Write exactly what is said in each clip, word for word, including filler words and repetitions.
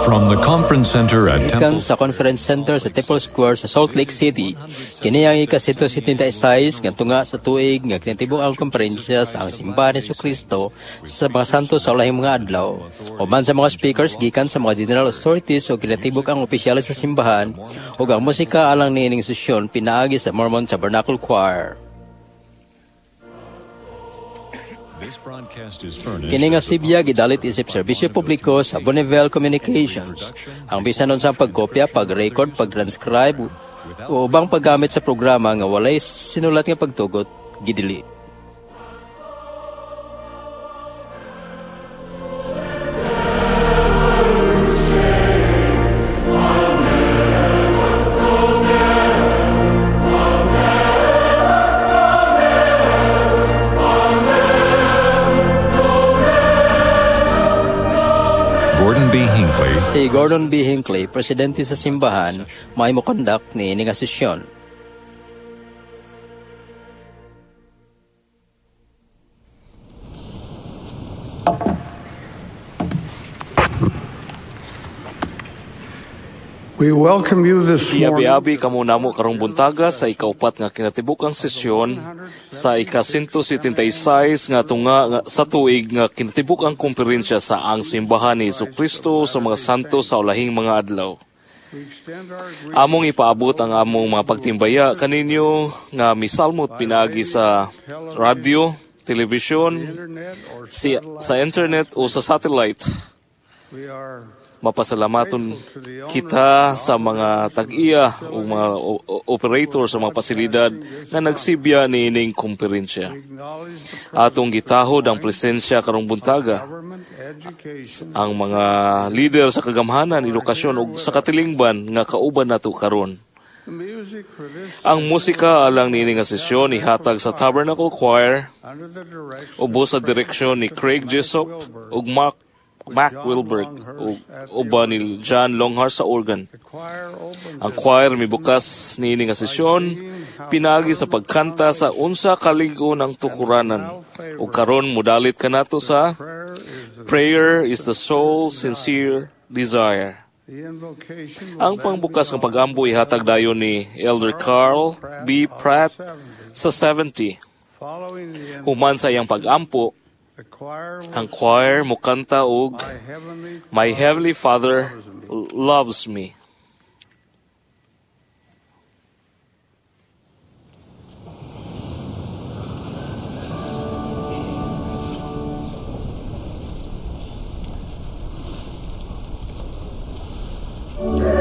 From the conference center at Gikan Temple sa Conference Center sa Temple Square sa Salt Lake City, kini ang ika-one seventy-six nga tunga sa tuig nga kinatibuk ang komperensya sa Ang Simbahan ni Kristo sa mga Santo sa Ulahing Mga Adlaw. Uban sa mga speakers gikan sa mga general authorities o kinatibuk ang opisyales sa simbahan, ug ang musika alang niining sesyon pinaagi sa Mormon Tabernacle Choir. This broadcast is furnished Kini nga as a sibya gidalit isip serbisyo publiko sa Bonneville Communications. Ang bisan unsang pagkopya, pag-record, pag-transcribe o ubang paggamit sa programa nga walay sinulat nga pagtugot gidili. Gordon B. Hinckley, Si Gordon B. Hinckley, presidente sa simbahan, may mo-conduct niini nga sesyon. We welcome you this morning. Iabi-abi kamo namo karong buntaga sa ikaupat nga kinatibukang sesyon sa ika-one seventy-six nga tunga nga, sa tuig nga kinatibukang komperensya sa Ang Simbahan ni Kristo sa mga Santo sa Ulahing Mga Adlaw. We extend our greetings Among ipaabot ang among mga pagtimbaya kaninyo nga misalmot pinaagi sa radyo, telebisyon, internet or si, sa internet o sa satellite. We are Mapasalamaton kita sa mga tag-iya o mga o- o- operator sa mga pasilidad nga nagsibya niining komperensya. Acknowledge the Atong gitahod ang presensya karong buntaga government, education, ang mga lider sa kagamhanan, edukasyon ug sa katilingban nga kauban nato karon. The music for this Ang musika alang niini nga sesyon ihatag sa Tabernacle Choir under the direction ubos sa direksyon ni Craig Jessup ug Mark Mac Wilberg ug uban ni John Longhurst sa organ. The choir opened Ang choir mibukas niini nga sesyon pinaagi sa pagkanta sa "Unsa Kalig-on ang Tukuranan", ug karon modalit kanato sa prayer is the, "Prayer is the Soul's Sincere Desire." The invocation will Ang then pangbukas be nga pag-ampo ihatag dayon ni Elder Carl B. Pratt sa seventy. Following the Human sa iyang pag-ampo, the choir will ang choir mokanta og My Heavenly "My Heavenly Father Loves Me." Thank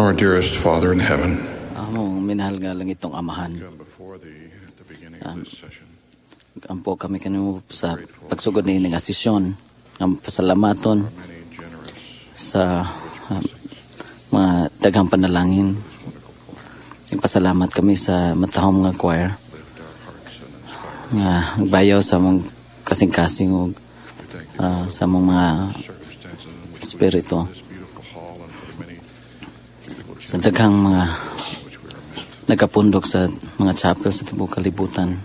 Our dearest Father in heaven, Among minahal nga langitong Amahan, come before thee at the beginning of this session. Ampo kami kanimo sa pagsugod ni nga sesyon nga pasalamaton Many generous sa um, mga daghang panalangin. Nagpasalamat kami sa matahom nga choir lift our hearts and inspire. Nga nagbayaw sa among kasing-kasing ug We thank thee ah, sa among mga for the circumstances in which we espiritu. this beautiful hall and for the many beautiful Sa daghang mga children which we are met. nagapundok sa mga chapel sa tibuok kalibutan.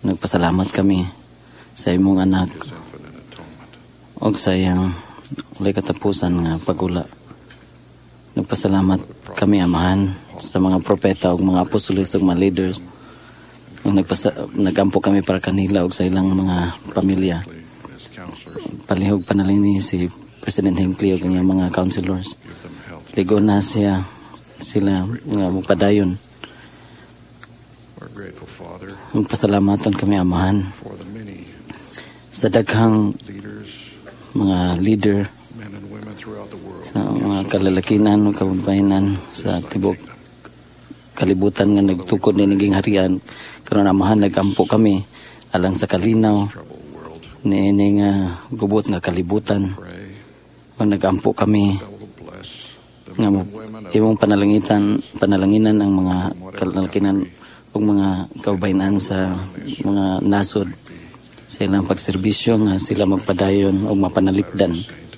Nagpasalamat kami sa imong anak His infinite atonement. Og sa iyang walay katapusan nga pagula. Nagpasalamat kami, Amahan, sa mga propeta ug mga apostoles ug mga leaders. Ug nagpasa nagampo kami para kanila ug sa ilang mga pamilya. And his counselors, Palihog panalangini si President Hinckley ug ang iyang mga counselors. Give them health. Ligo na siya sila nga magpadayon. Our grateful Father Magpasalamatan kami, Amahan, for the many sa daghang leaders, mga leader men and women throughout the world. Sa mga kalalakinan o kababayenan sa tibok kalibutan nga nagtukod ni naging harian karon. Amahan, nagampo kami alang sa kalinaw Troubled world. niini nga gubot nga kalibutan. Pray O nagampo kami thou wilt bless the nga men mo and women of imong panalangitan panalanginan ang mga kalalakinan ug mga kababayenan sa mga nasod sa ilang pagserbisyo nga sila magpadayon o mapanalipdan saint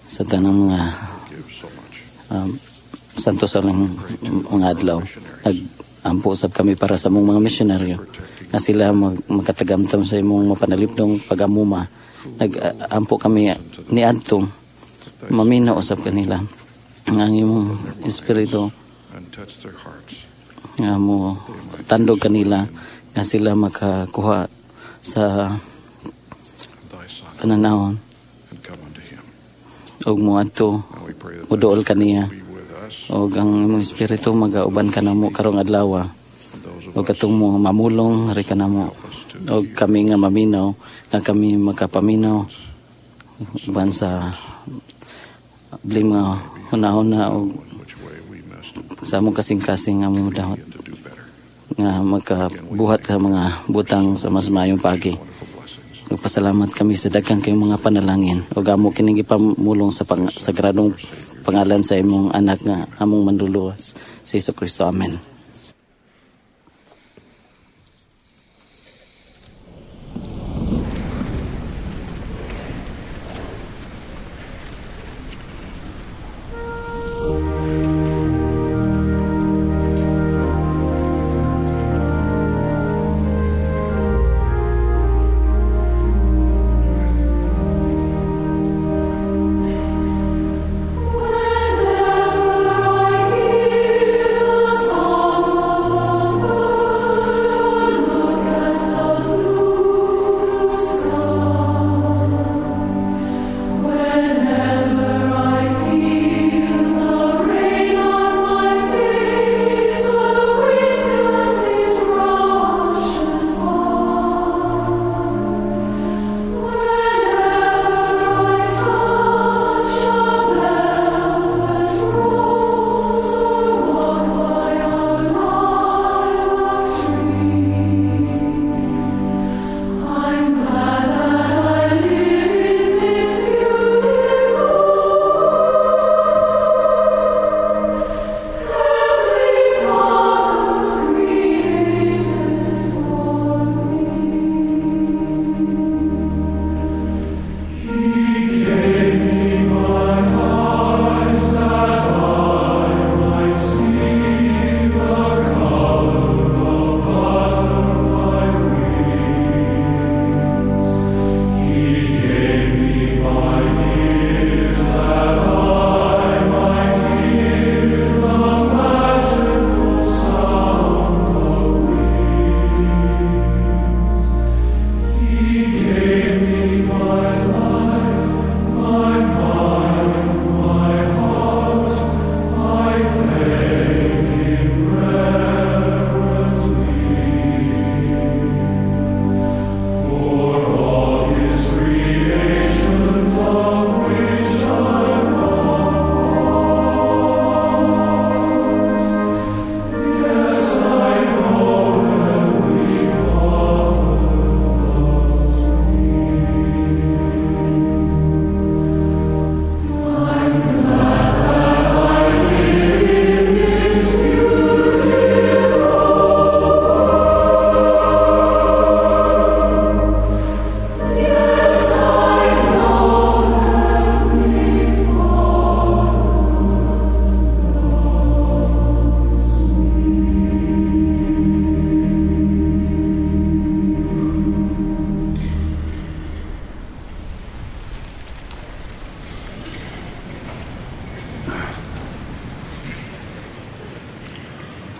sa tanang mga give so much. um, santo sa lang mga adlaw. Nag-ampo usab kami para sa among mga misyonaryo nga sila mag, makatagamtam sa imong mapanalipdong pagamuma. Nag-ampo kami niadto maminaw usab kanila ang imong espiritu And touch their hearts. Nga mo tandog kanila nga sila makakuha sa Of thy Son pananawon and come unto him. Ug moadto Now we pray that moduol kaniya thy be with us ug ang imong espiritu magauban kanamo karong adlaw and those of ug katong mo mamulong ri kanamo ug kami nga maminaw nga kami makapaminaw uban sa bli mga hunahuna ug in which way we missed sa among kasing-kasing nga among dahot and to do better. Nga makabuhat ka mga butang sa mas maayong pagi. Wonderful blessings. Nagpasalamat kami sa daghang kayong mga panalangin ug amo kining gipamulong sa pang, sagradong pangalan sa imong anak nga among manluluwas, si Hesus Kristo. Amen. Whenever I hear the song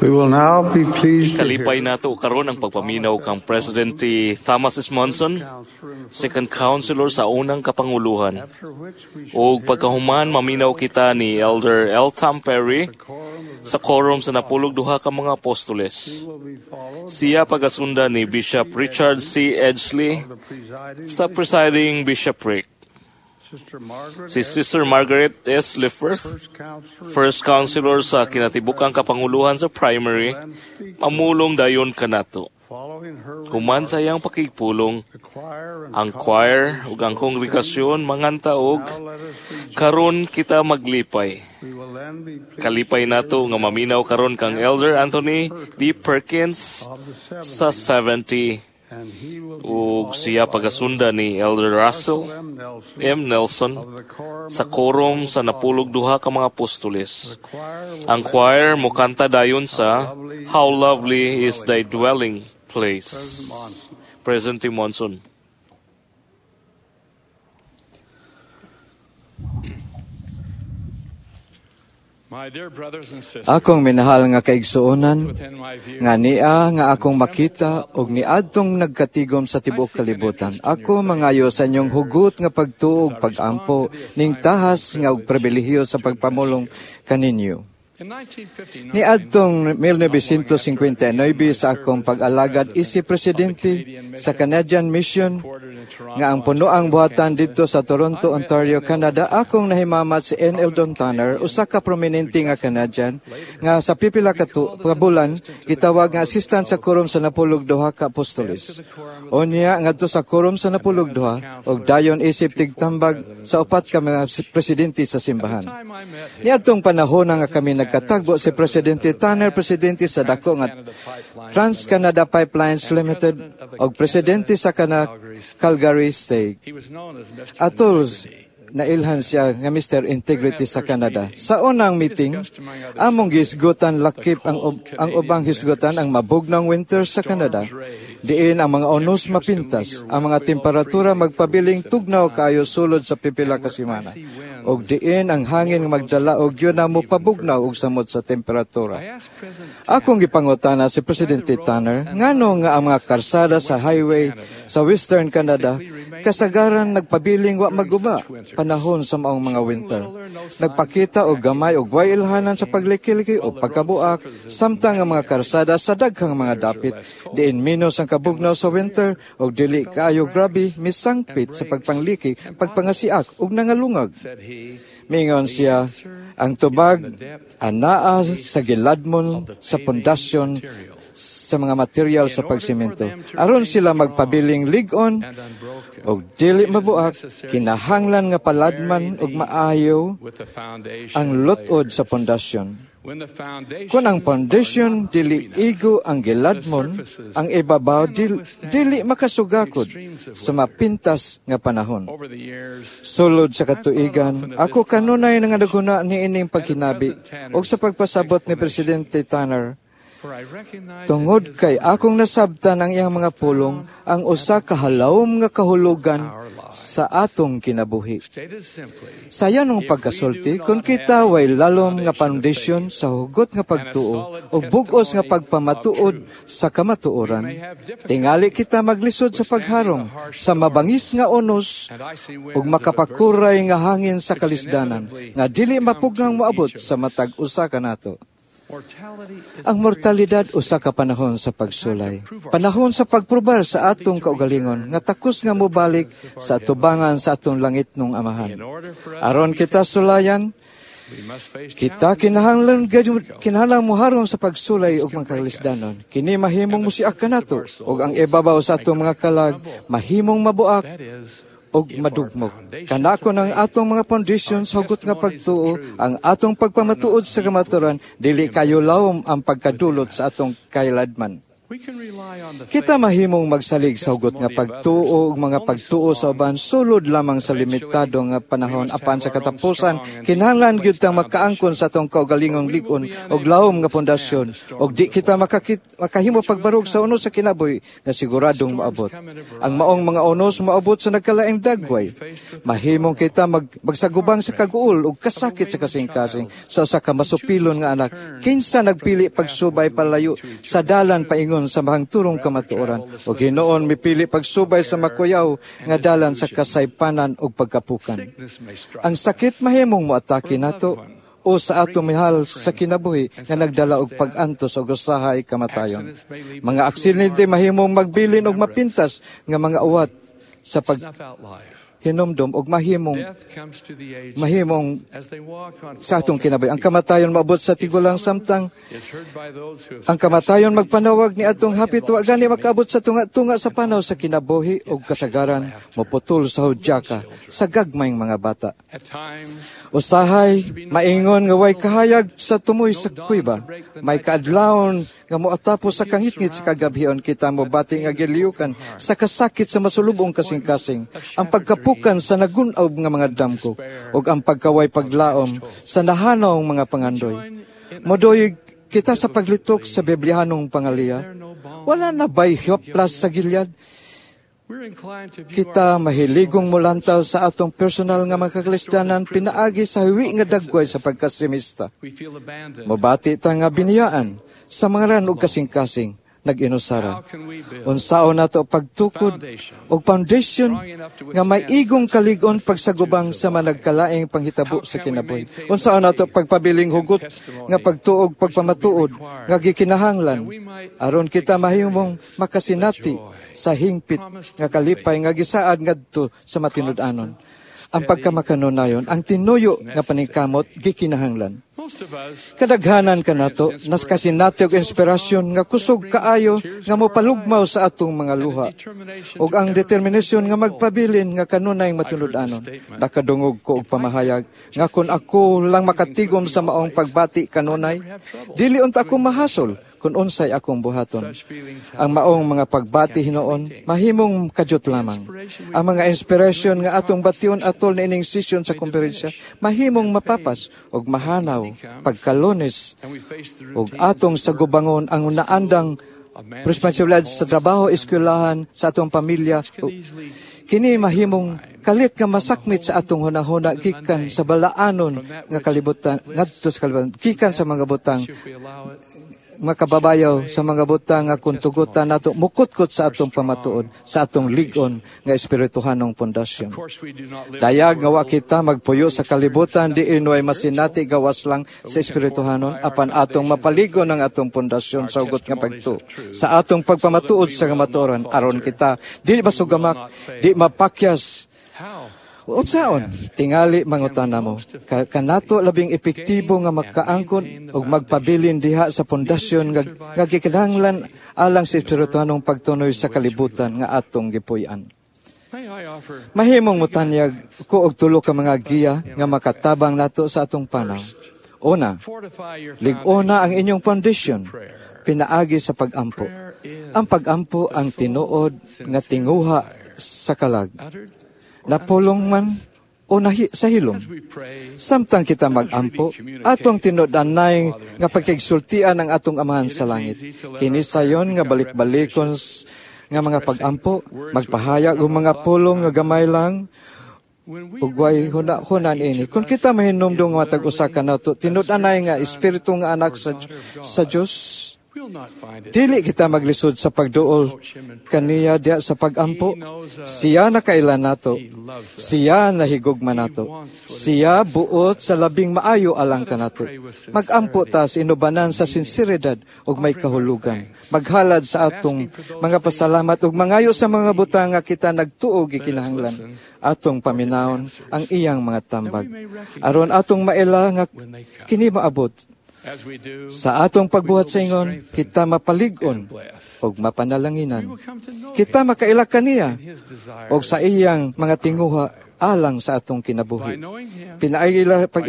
We will now be pleased to Kalipay hear nato karon ang pagpaminaw kang Presidente Thomas S. Monson, second counselor sa unang kapanguluhan. after which we shall Ug pagkahuman maminaw kita ni Elder L. Tom Perry hear quorum of the sa quorum sa napulog duha ka mga apostoles. will be followed Siya pagasunda ni Bishop Richard C. Edgley by the presiding sa presiding bishopric. Sister Margaret Si Sister Margaret S. Lifferth, First Counselor first counselor sa kinatibukang kapanguluhan sa primary, then speak mamulong dayon kanato. following her Human sa iyang pakigpulong, the choir and ang choir ug ang kongregasyon manganta og now let us rejoice. karon kita maglipay. We will then be pleased Kalipay nato nga maminaw karon kang Elder Anthony B. Perkins of the seven sa seventy and he will be ug followed siya by pagasunda ni Elder Russell M. Nelson M. Nelson of the quorum sa of the quorum sa napulog duha ka mga apostoles. The choir will Ang choir mokanta dayon sa How Lovely is Thy Dwelling Place. President Monson. President T. Monson. My dear brothers and sisters, Akong minahal nga kaigsuonan, within my view, nga niya nga akong makita og niadtong nagkatigom sa tibuok kalibutan. Ako mangayo sa inyong hugot nga pagtuo ug pagampo ning tahas nga og pribilehiyo sa pagpamulong kaninyo. in nineteen fifty-nine, Niadtong nineteen fifty-nine sa akong pag-alagad isip presidente sa Canadian Mission nga ang punoang buhatan didto sa Toronto, Ontario, Canada, akong nahimamat si N. Eldon Tanner, usa ka prominente nga Canadian, nga sa pipila ka tu- ka bulan gitawag nga assistant sa quorum sa napulog duha ka apostoles. Unya ngadto sa quorum sa napulog duha ug dayon isip tigtambag sa upat ka mga presidente sa simbahan. time I met him, Niadtong panahon nga kami nagkatagbo si Presidente Tanner, presidente sa dako nga Trans-Canada Pipelines Limited ug presidente sa kana Calgary State. he was known as Mister Atol Integrity. Nailhan siya nga Mister Integrity sa Canada. Sa unang meeting, among gisgutan lakip ang ub- ang ubang hisgutan ang mabugnang winter sa Canada. Diin ang mga onos mapintas, ang mga temperatura magpabiling tugnaw kaayo sulod sa pipila ka semana. Og diin ang hangin magdala og yun na mopabugnaw og samot sa temperatura. I asked President Akong gipangutana si Presidente Tanner, ngano nga ang mga karsada sa highway sa Western Canada kasagaran nagpabiling wa maguba panahon sa maong mga winter? Nagpakita og gamay og way ilhanan sa paglikiliki o pagkabuak samtang ang mga karsada sa daghang mga dapit diin minus ang kabugnaw sa winter og dili kaayo grabe misangpit sa pagpangliki, pagpangasiak ug nangalungag. Said he, Mingon siya, ang tubag anaa sa giladmon sa pundasyon sa mga material sa pagsimento. Aron sila magpabiling lig-on and unbroken og dili mabuak, kinahanglan nga paladman og maayo with the foundation ang lutod sa layers. pundasyon. When the foundations Kung ang foundation are not dili deep enough, igo ang giladmon, ang ibabaw dili, dili makasugakod sa mapintas nga panahon. Over the years, Sulod sa katuigan, ako kanunay nga naguna niining pagkinabi og sa pagpasabot ni Presidente Tanner for I recognize tungod in his kay akong nasabtan ang iyang mga pulong ang usa ka halawom nga kahulugan sa atong kinabuhi. Stated simply, Sa yanong pagkasulti, kung kita way lalom nga foundation sa hugot nga pagtuo o bugos nga pagpamatuod sa kamatuoran, tingali kita maglisod sa pagharong sa mabangis nga unos and icy winds ug of makapakuray nga hangin sa kalisdanan nga dili mapugngang moabot sa matag usa kanato. Mortality is Ang mortalidad usa ka panahon sa pagsulay. Panahon sa pagprobar sa atong kaugalingon nga takos nga mobalik sa tubangan sa atong langit nung amahan. In order for us Aron kita sulayan, we must face kita challenges kinahanglan gayud- kinahanglan moharong sa pagsulay ug mga kalisdanon. Kini mahimong musiak kanato ug ang ibabaw sa atong mga kalag mahimong mabuak That is, og madugmok. Kanako ng atong mga foundations hugot nga pagtuo, ang atong pagpamatuod sa kamaturan, dili kayo lawom ang pagkadulot sa atong kailadman. Kita mahimong magsalig sa hugot nga pagtuo ug mga pagtuo sa uban sulod lamang sa limitado nga panahon apan sa katapusan kinahanglan gyud tang makaangkon sa atong kaugalingong lig-on og lawom nga pundasyon ug di kita makakit, makahimo pagbarog sa unos sa kinabuhi nga siguradong moabot. Ang maong mga unos moabot sa nagkalaing dagway. Mahimong kita mag, magsagubang sa kaguol ug kasakit sa kasing-kasing sa usa ka masupilon nga anak. Kinsa nagpili pagsubay palayo sa dalan paingon sa mahangturong kamatuoran ug hinuon mipili pagsubay sa makuyaw nga dalan sa kasaypanan ug pagkapukan. Ang sakit mahimong moatake nato o sa atong mihal sa kinabuhi nga nagdala og pag-antos og usahay kamatayon. Mga aksidente mahimong magbilin og mapintas nga mga uwat sa pag hinumdom og mahimong mahimong sa atong kinabuhi. Ang kamatayon maabot sa tigulang samtang ang kamatayon magpanawag ni atong hapit wa gani makaabot sa tunga-tunga sa panaw sa kinabuhi og kasagaran moputol sa hudyaka sa gagmayng mga bata. Usahay maingon nga way kahayag sa tumoy sa kuweba, may kaadlawon nga moatapos sa kangitngit sa kagabhion kita mobati nga giliyukan sa kasakit sa masulubong kasing-kasing, ang pagkapukan sa nagunaw nga mga damko ug ang pagkaway paglaom sa nahanawng mga pangandoy. Modoyog kita sa paglitok sa Biblihanong pangaliya, wala na ba'y hoplas sa Gilead? Kita mahiligong mulantaw sa atong personal nga mga kakalisdanan pinaagi sa hiwi nga dagway sa pagkasimista. Mobati ta nga biniyaan sa mga ran og kasing-kasing nag-inusara. Unsaon nato pagtukod og foundation nga may igong kalig-on pagsagubang sa managkalaing panghitabo sa kinabuhi. Unsaon nato pagpabiling hugot nga pagtuog pagpamatuod nga gikinahanglan aron kita mahimong makasinati sa hingpit nga kalipay nga gisaad ngadto sa matinud-anon. Ang pagkamakanunayon, ang tinuyo nga paningkamot gikinahanglan. Kadaghanan kanato, nas kasinati og inspirasyon nga kusog kaayo nga mopalugmaw sa atong mga luha ug ang determinasyon nga magpabilin nga kanunay matinud-anon. Nakadungog ko og pamahayag nga kun ako lang makatigom sa maong pagbati kanunay, dili unta ako mahasol kun unsay akong buhaton. Ang maong mga pagbati hinuon, mahimong kadyot lamang. Ang mga inspirasyon nga atong bation atol niining session sa komperensya, mahimong mapapas ug mahanaw pagkalunes ug atong sagubangon ang naandang responsibilidad sa trabaho, eskwelahan, sa atong pamilya. Kini mahimong kalit nga masakmit sa atong hunahuna gikan sa balaanon nga kalibutan ngadto sa kalibutan gikan sa mga butang makababayaw sa mga butang nga kung tugutan nato mukutkot sa atong pamatuod sa atong lig-on nga espirituhanong pundasyon. Dayag nga wa kita magpuyo sa kalibutan diin way masinati gawas lang sa espirituhanon apan atong mapaligon ang atong pundasyon sa hugot nga pagtuo sa atong pagpamatuod sa kamatuoran aron kita dili masugamak, di mapakyas. Unsaon tingali mangutana mo ka, kanato labing epektibo nga makaangkon og magpabilin diha sa pundasyon nga, nga gikinahanglan alang sa espirituhanong pagtunoy sa kalibutan nga atong gipuy-an. Mahimong motanyag ko og tulo ka mga giya nga makatabang nato sa atong panaw. Una, lig-ona ang inyong foundation pinaagi sa pag-ampo. Ang pag-ampo ang tinuod nga tinguha sa kalag. Napulong man o nahi, sa hilom. Samtang kita mag-ampo, atong tinud-anay nga pagkigsultian ang atong Amahan sa langit. Kini sayon nga balik-balikon nga mga pag-ampo, magpahayag og mga pulong nga gamay lang, ug way huna-hunan ini. Kung kita mahinumdum nga matag usa kanato, tinud-anay nga espiritu nga anak sa, sa Dios, dili kita maglisod sa pagduol kaniya diya sa pagampo. Siya nakaila nato. Siya nahigugma nato. Siya buot sa labing maayo alang kanato. Magampo ta sa inubanan sa sinseridad ug may kahulugan. Maghalad sa atong mga pasalamat ug mangayo sa mga butang nga kita nagtuo gikinahanglan. Atong paminawon ang iyang mga tambag. Aron atong maila nga kini maabot. Sa atong pagbuhat sa ingon, kita mapalig-on og mapanalanginan. Kita makaila kaniya og sa iyang mga tinguha alang sa atong kinabuhi. Pinaagi, pag,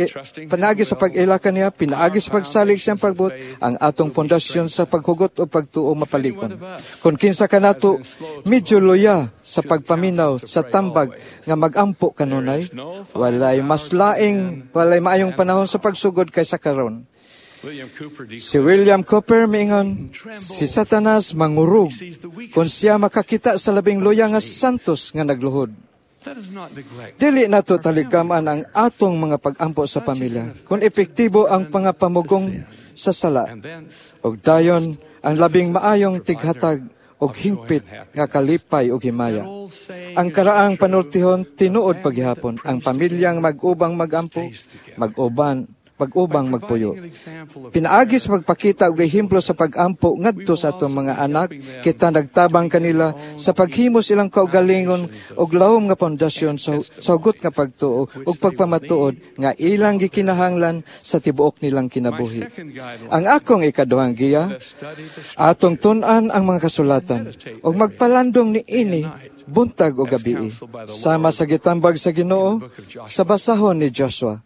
panaagi sa pag-ila kaniya, pinaagi sa pagsalig siyang pagbuot, ang atong pundasyon sa paghugot o pagtuo mapalikon. Kung kinsa kanato, medyo luya sa pagpaminaw sa tambag nga magampo kanunay, walay mas laing, walay maayong panahon sa pagsugod kaysa karon. Si William Cowper miingon, si Satanas mangurog kung siya makakita sa labing luya nga santos nga nagluhod. Dili nato taligaman ang atong mga pag-ampo sa pamilya kung epektibo ang mga pamugong sa sala. Og dayon ang labing maayong tighatag og hingpit nga kalipay og himaya. Ang karaang panultihon tinuod paghihapon ang pamilyang mag-ubang magampo, mag-uban pag-ubang magpuyo. Pinaagi sa pagpakita og ehemplo sa pag-ampo ngadto sa atong mga anak, kita nagtabang kanila sa paghimo silang kaugalingon og lawom nga pundasyon sa, sa hugot nga pagtuo ug pagpamatuod nga ilang gikinahanglan sa tibuok nilang kinabuhi. Ang akong ikaduhang giya, atong tun-an ang mga kasulatan ug magpalandong niini buntag o gabii, sama sa gitambag sa Ginoo sa basahon ni Joshua.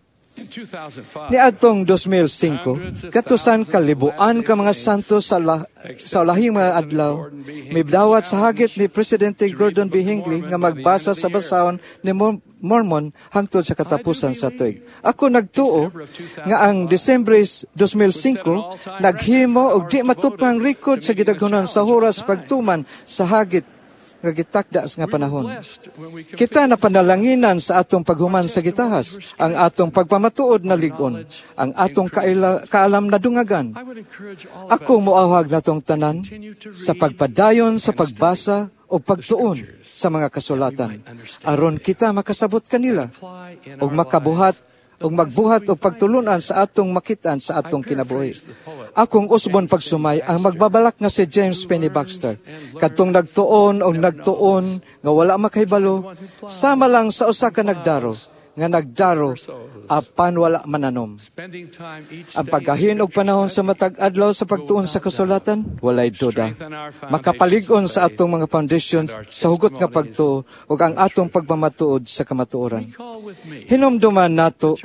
Niadtong two thousand five, katusan kalibuan ka mga santo sa, la, sa lahing mga adlaw, mibdawat sa hagit ni Presidente Gordon B. Hinckley nga magbasa sa basahon ni Mormon hangtod sa katapusan sa tuig. Ako nagtuo nga ang Disyembre two thousand five naghimo og di matupang record sa gidaghanon sa oras pagtuman sa hagit nga gitakda nga panahon. Kita na panalanginan sa atong paghuman sa gitahas, ang atong pagpamatuod na ligon, ang atong kaila, kaalam na dungagan. Ako moawhag natong tanan sa pagpadayon sa pagbasa o pagtuon sa mga kasulatan, aron kita makasabot kanila ug makabuhat ug magbuhat og pagtulunan sa atong makitaan sa atong kinabuhi. Akong usbon pagsumay ang magbabalak nga si James Penny Baxter, kadtong nagtuon o nagtuon nga wala makahibalo, sama lang sa usa ka nagdaro, nga nagdaro apan wala mananom. Ang paggahin og panahon sa matag adlaw sa pagtuon sa kasulatan, walay duda makapalig-on sa atong mga foundation sa hugot nga pagtuo ug ang atong pagmamatuod sa kamatuoran. Hinumduman nato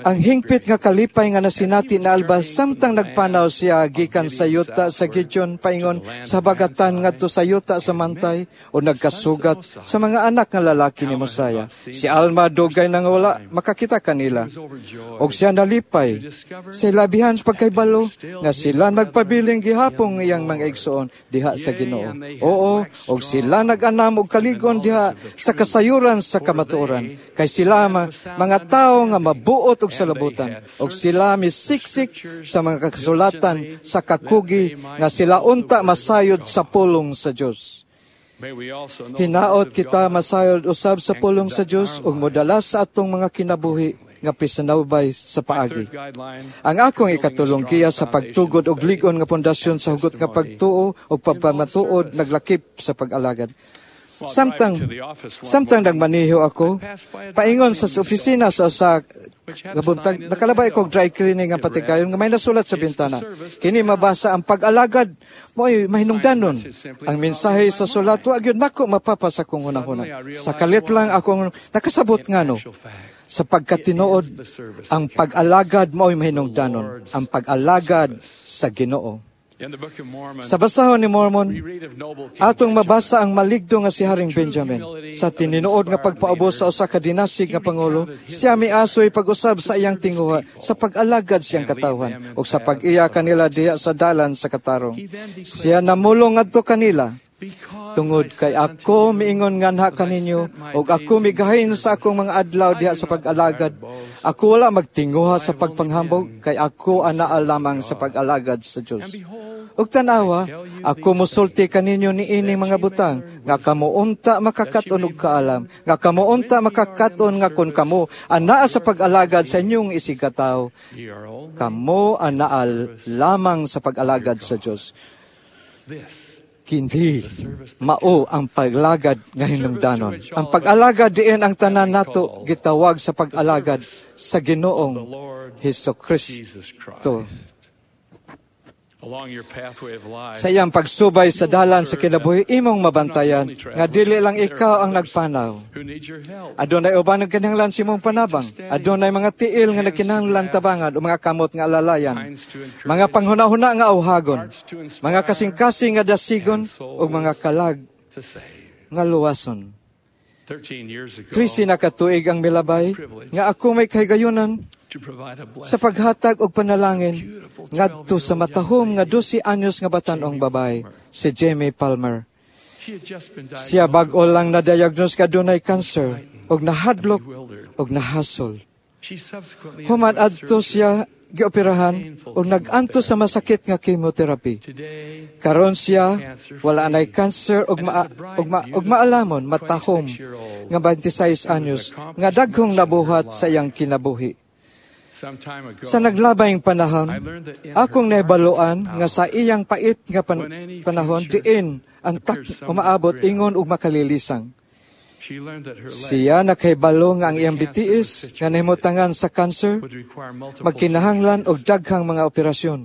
ang hingpit nga kalipay nga nasinati ni Alma samtang nagpanaw siya gikan sa yuta sa Gideon paingon sa habagatan ngadto sa yuta sa Manti o nagkasugat sa mga anak nga lalaki ni Mosiah. Si Alma dugay nang wala makakita kanila. Og siya nalipay sa labihan sa pagkaybalo nga sila nagpabiling gihapong iyang mga igsoon diha sa Ginoo. Oo, og sila nag-anam og kaligon diha sa kasayuran sa kamatuoran. Kay sila ma, mga tawo nga mabuot og salabutan og sila misiksik sa mga kasulatan sa kakugi nga sila unta masayod sa pulong sa Dios. Hinaot kita masayod usab sa pulong sa Dios ug modala sa atong mga kinabuhi nga pisanawbay sa paagi. Ang akong ikatulong giya sa pagtugod og lig-on nga pundasyon sa hugot nga pagtuo ug pagpamatuod naglakip sa pag-alagad. Samtang samtang nagmaniho ako, paingon sa opisina sa usa kabuntag, nakalabay ko dry cleaning ang patigayon nga may nasulat sa bintana. Kini mabasa, "Ang pag-alagad mo'y mahinungdanon." Ang mensahe sa sulat wa gyud nako mapapa sa akong hunahuna. Sa kalit lang akong nakasabot ngano. Sa pagkatinuod, ang pag-alagad mo'y mahinungdanon. Ang pag-alagad sa Ginoo. Sa basahon ni Mormon, atong mabasa ang maligdo nga si Haring Benjamin. Sa tininuod nga pagpaubos sa usa ka dinasig nga pangulo, siya miasoy pag-usab sa iyang tinguha sa pag-alagad siyang katawhan ug sa pag-iya kanila diha sa dalan sa katarong. Siya namulong ngadto kanila, "Tungod kay ako miingon nganha kaninyo ug ako migahin sa akong mga adlaw diha sa pag-alagad. Ako wala magtinguha sa pagpanghambog kay ako anaa lamang sa pag-alagad sa Dios. Ug tanawa, ako musulti kaninyo niining mga butang nga kamo unta makakaton og kaalam, nga kamo unta makakaton nga kon kamo anaa sa pag-alagad sa inyong isigkatawo, kamo anaa lamang sa pag-alagad sa Dios. Kini mao ang paglagad nga hinungdanon. Ang pag-alagad diin ang tanan nato gitawag sa pag-alagad sa Ginoong Hesus Kristo." Sa iyang pagsubay sa dalan sa kinabuhi, imong mabantayan nga dili lang ikaw ang nagpanaw. Adunay uban nagkinahanglan sa imong panabang. Adunay mga tiil nga nagkinahanglan tabangan o mga kamot nga alalayan. Mga panghuna-huna nga awhagon. Mga kasing-kasing nga dasigon ug mga kalag nga luwason. Trisi na katuig ang milabay nga ako may kahigayunan sa paghatag og panalangin ngadto sa matahom nga dose anyos nga batan-ong babae, si Jamie Palmer. Siya bag-o lang na-diagnose ka dunay cancer og nahadlok og nahasol. Human adto siya gioperahan og nag-anto sa masakit nga chemotherapy. Karon siya wala anay cancer og ma, og, ma, og maalamon matahom nga twenty-six anyos nga daghong nabuhat sa iyang kinabuhi. Sa naglabayng panahon, akong naibaluan nga sa iyang pait nga pan- panahon diin ang tak umaabot ingon og makalilisang. Siya nakahibalo nga ang iyang bitiis nga nahimutangan sa cancer magkinahanglan og daghang mga operasyon.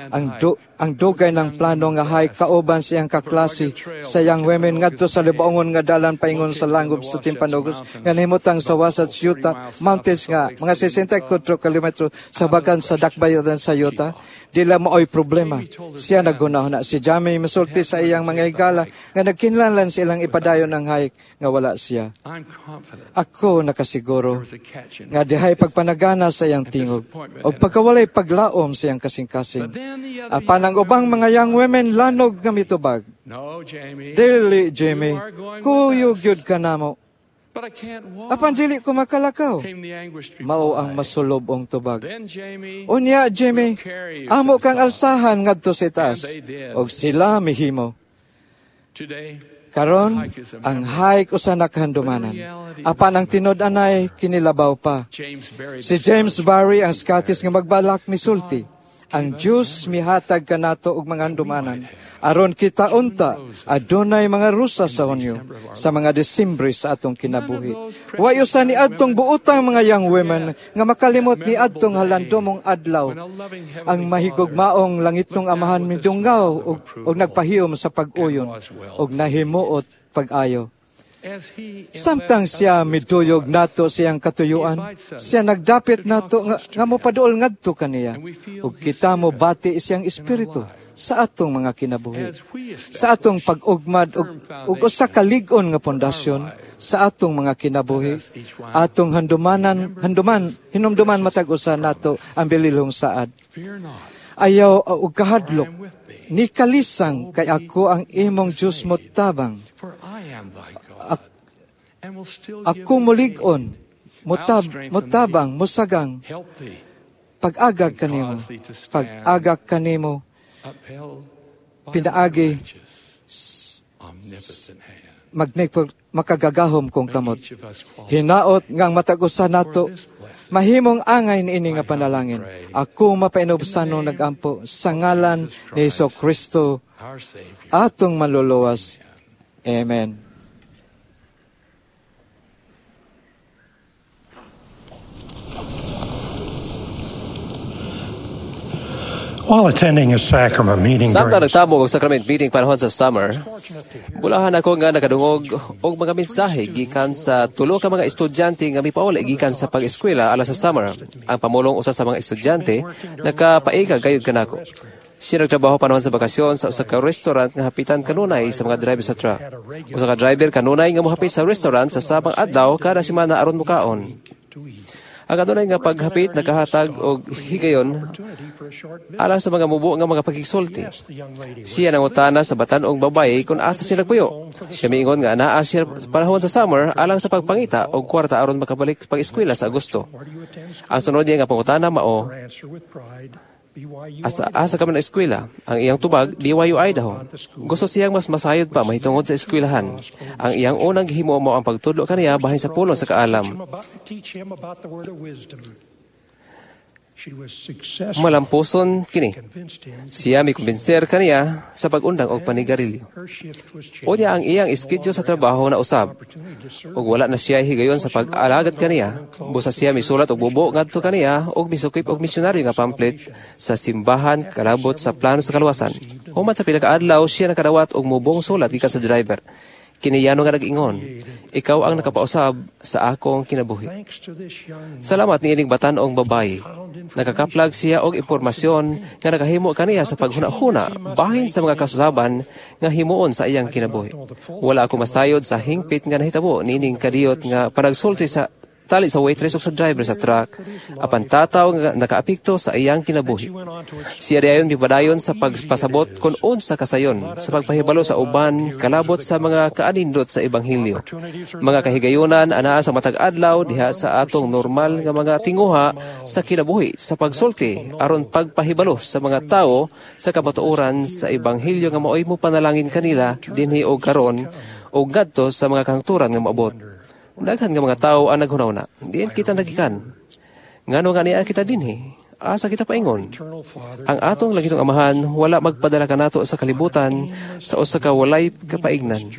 Ang do, ang dugay ng plano nga hike kauban sa iyang kaklase sa young women ngadto sa libaongon nga dalan paingon sa langob sa Timpanogos nga nahimutang sa Wasatch Utah Mountains nga mga sixty-four kilometro sa bagan sa dakbayan sa Utah, dila maoy problema. Siya naghunahuna. Si Jamie misulti sa iyang mga higala nga nagkinahanglan silang ipadayon ang hike nga wala siya. Ako nakasiguro nga dihay pagpanagana sa iyang tingog o pagkawalay paglaom sa iyang kasing-kasing. Apan ang ubang mga young women lanog nga mitubag. Dili, Jamie, kuyog yun ka namo. Apan dili ko makalakaw. Mao ang masulobong tubag. Unya, Jamie, amo kang alsahan ngadto sa itaas. Og sila mihimo. Karon, ang hike usa nakahandumanan. Apan ang tinud-anay kinilabaw pa. Si James Barry, ang Scottish nga magbalak misulti. Ang Diyos mihatag kanato og mga handumanan. Aron kita unta, adunay mga rusa sa Hunyo, sa mga Desembre sa atong kinabuhi. Way usa ni adtong buotang mga young women nga makalimot ni adtong halandomong adlaw. Ang mahigugmaong langitnong amahan midunggaw og, og nagpahiyom sa pag-uyon og nahimuot pag-ayo. Samtang siya miduyog nato siyang katuyuan, siya nagdapit nato nga, nga mopaduol ngadto kaniya, ug kita mo bati siyang espiritu sa atong mga kinabuhi, sa atong pag-ugmad ug, ug usa ka lig-on nga pundasyon sa atong mga kinabuhi, atong handumanan, handuman, hinumduman matag usa nato ang bililhong saad. Ayaw og kahadlok, ni kalisang kay ako ang imong Dios motabang. Ako mulig-on, mutab, mutabang, musagang, pag-agag kanimo, pag-agak kanimo, pinaagi, magnikpol, makagagahom kong kamot. Hinaot ngang matag usa nato, mahimong angay niini nga panalangin. Ako mapainubsanong nagampo sa ngalan ni Hesus Kristo, atong maluluwas. Amen. While attending a sacrament meeting Samtang nagtabok og sacrament meeting panahon sa summer, bulahan ako nga nakadungog og mga mensahe gikan sa tulo ka mga estudyante nga mipauli gikan sa pag-eskwela alang sa summer. Ang pamulong usa sa mga estudyante nakapaika gayud kanako. Siya nagtrabaho panahon sa bakasyon sa usa ka restaurant nga hapitan kanunay sa mga driver sa truck. Usa ka driver kanunay nga mohapit sa restaurant sa sabang adlaw kada semana aron mokaon. Ang adunay nga paghapit nakahatag og higayon alang sa mga mubo nga mga pagkisulti. Siya nangutana sa batan-ong babaye kung asa siya nagpuyo. Siya miingon nga anaa siya panahon sa summer alang sa pagpangita og kwarta aron makabalik pag-eskwela sa Agosto. Ang sunod niya nga pangutana mao, asa asa kami na eskwela. Ang iyang tubag, B Y U Idaho. Gusto siyang mas masayod pa mahitungod sa eskwelahan. Ang iyang unang gihimo mo ang pagtudlo kaniya bahin sa pulong sa kaalam. Malampuson kini. Siya mikumbinser kaniya sa pag-undang og panigarilyo. Unya ang iyang iskedyo sa trabaho na usab. Ug wala na siya higayon sa pag-alagad kaniya. Busa siya misulat og bubo ngadto kaniya ug misukip og misyonaryo nga pamphlet sa simbahan kalabot sa plano sa kaluwasan. Human sa pila ka adlaw siya nakadawat og mubong sulat gikan sa driver. Kiniyano nga nag-ingon, ikaw ang nakapausab sa akong kinabuhi. Salamat niining batan-ong babayi. Nakakaplag siya og impormasyon nga nakahimo kaniya sa paghuna-huna bahin sa mga kasusaban nga himuon sa iyang kinabuhi. Wala ako masayod sa hingpit nga nahitabo niining kadiyot nga panagsulti sa tali sa waitress ug sa driver sa truck apan tataw nga nakaapekto sa iyang kinabuhi. Siya dayon mipadayon sa pagpasabot kon unsa kasayon sa pagpahibalo sa uban kalabot sa mga kaanindot sa ebanghelyo. Mga kahigayunan anaa sa matag adlaw diha sa atong normal nga mga tinguha sa kinabuhi sa pagsulti aron pagpahibalo sa mga tawo sa kamatuoran sa ebanghelyo nga maoy mo panalangin kanila dinhi og karon og ngadto sa mga kahangturan nga moabot. Daghan nga mga tawo ang naghunahuna. Diin kita nagikan. Ngano nga niya kita dinhi? Asa kita paingon? Ang atong langitong Amahan wala magpadala kanato sa kalibutan sa usa ka walay kapaignan.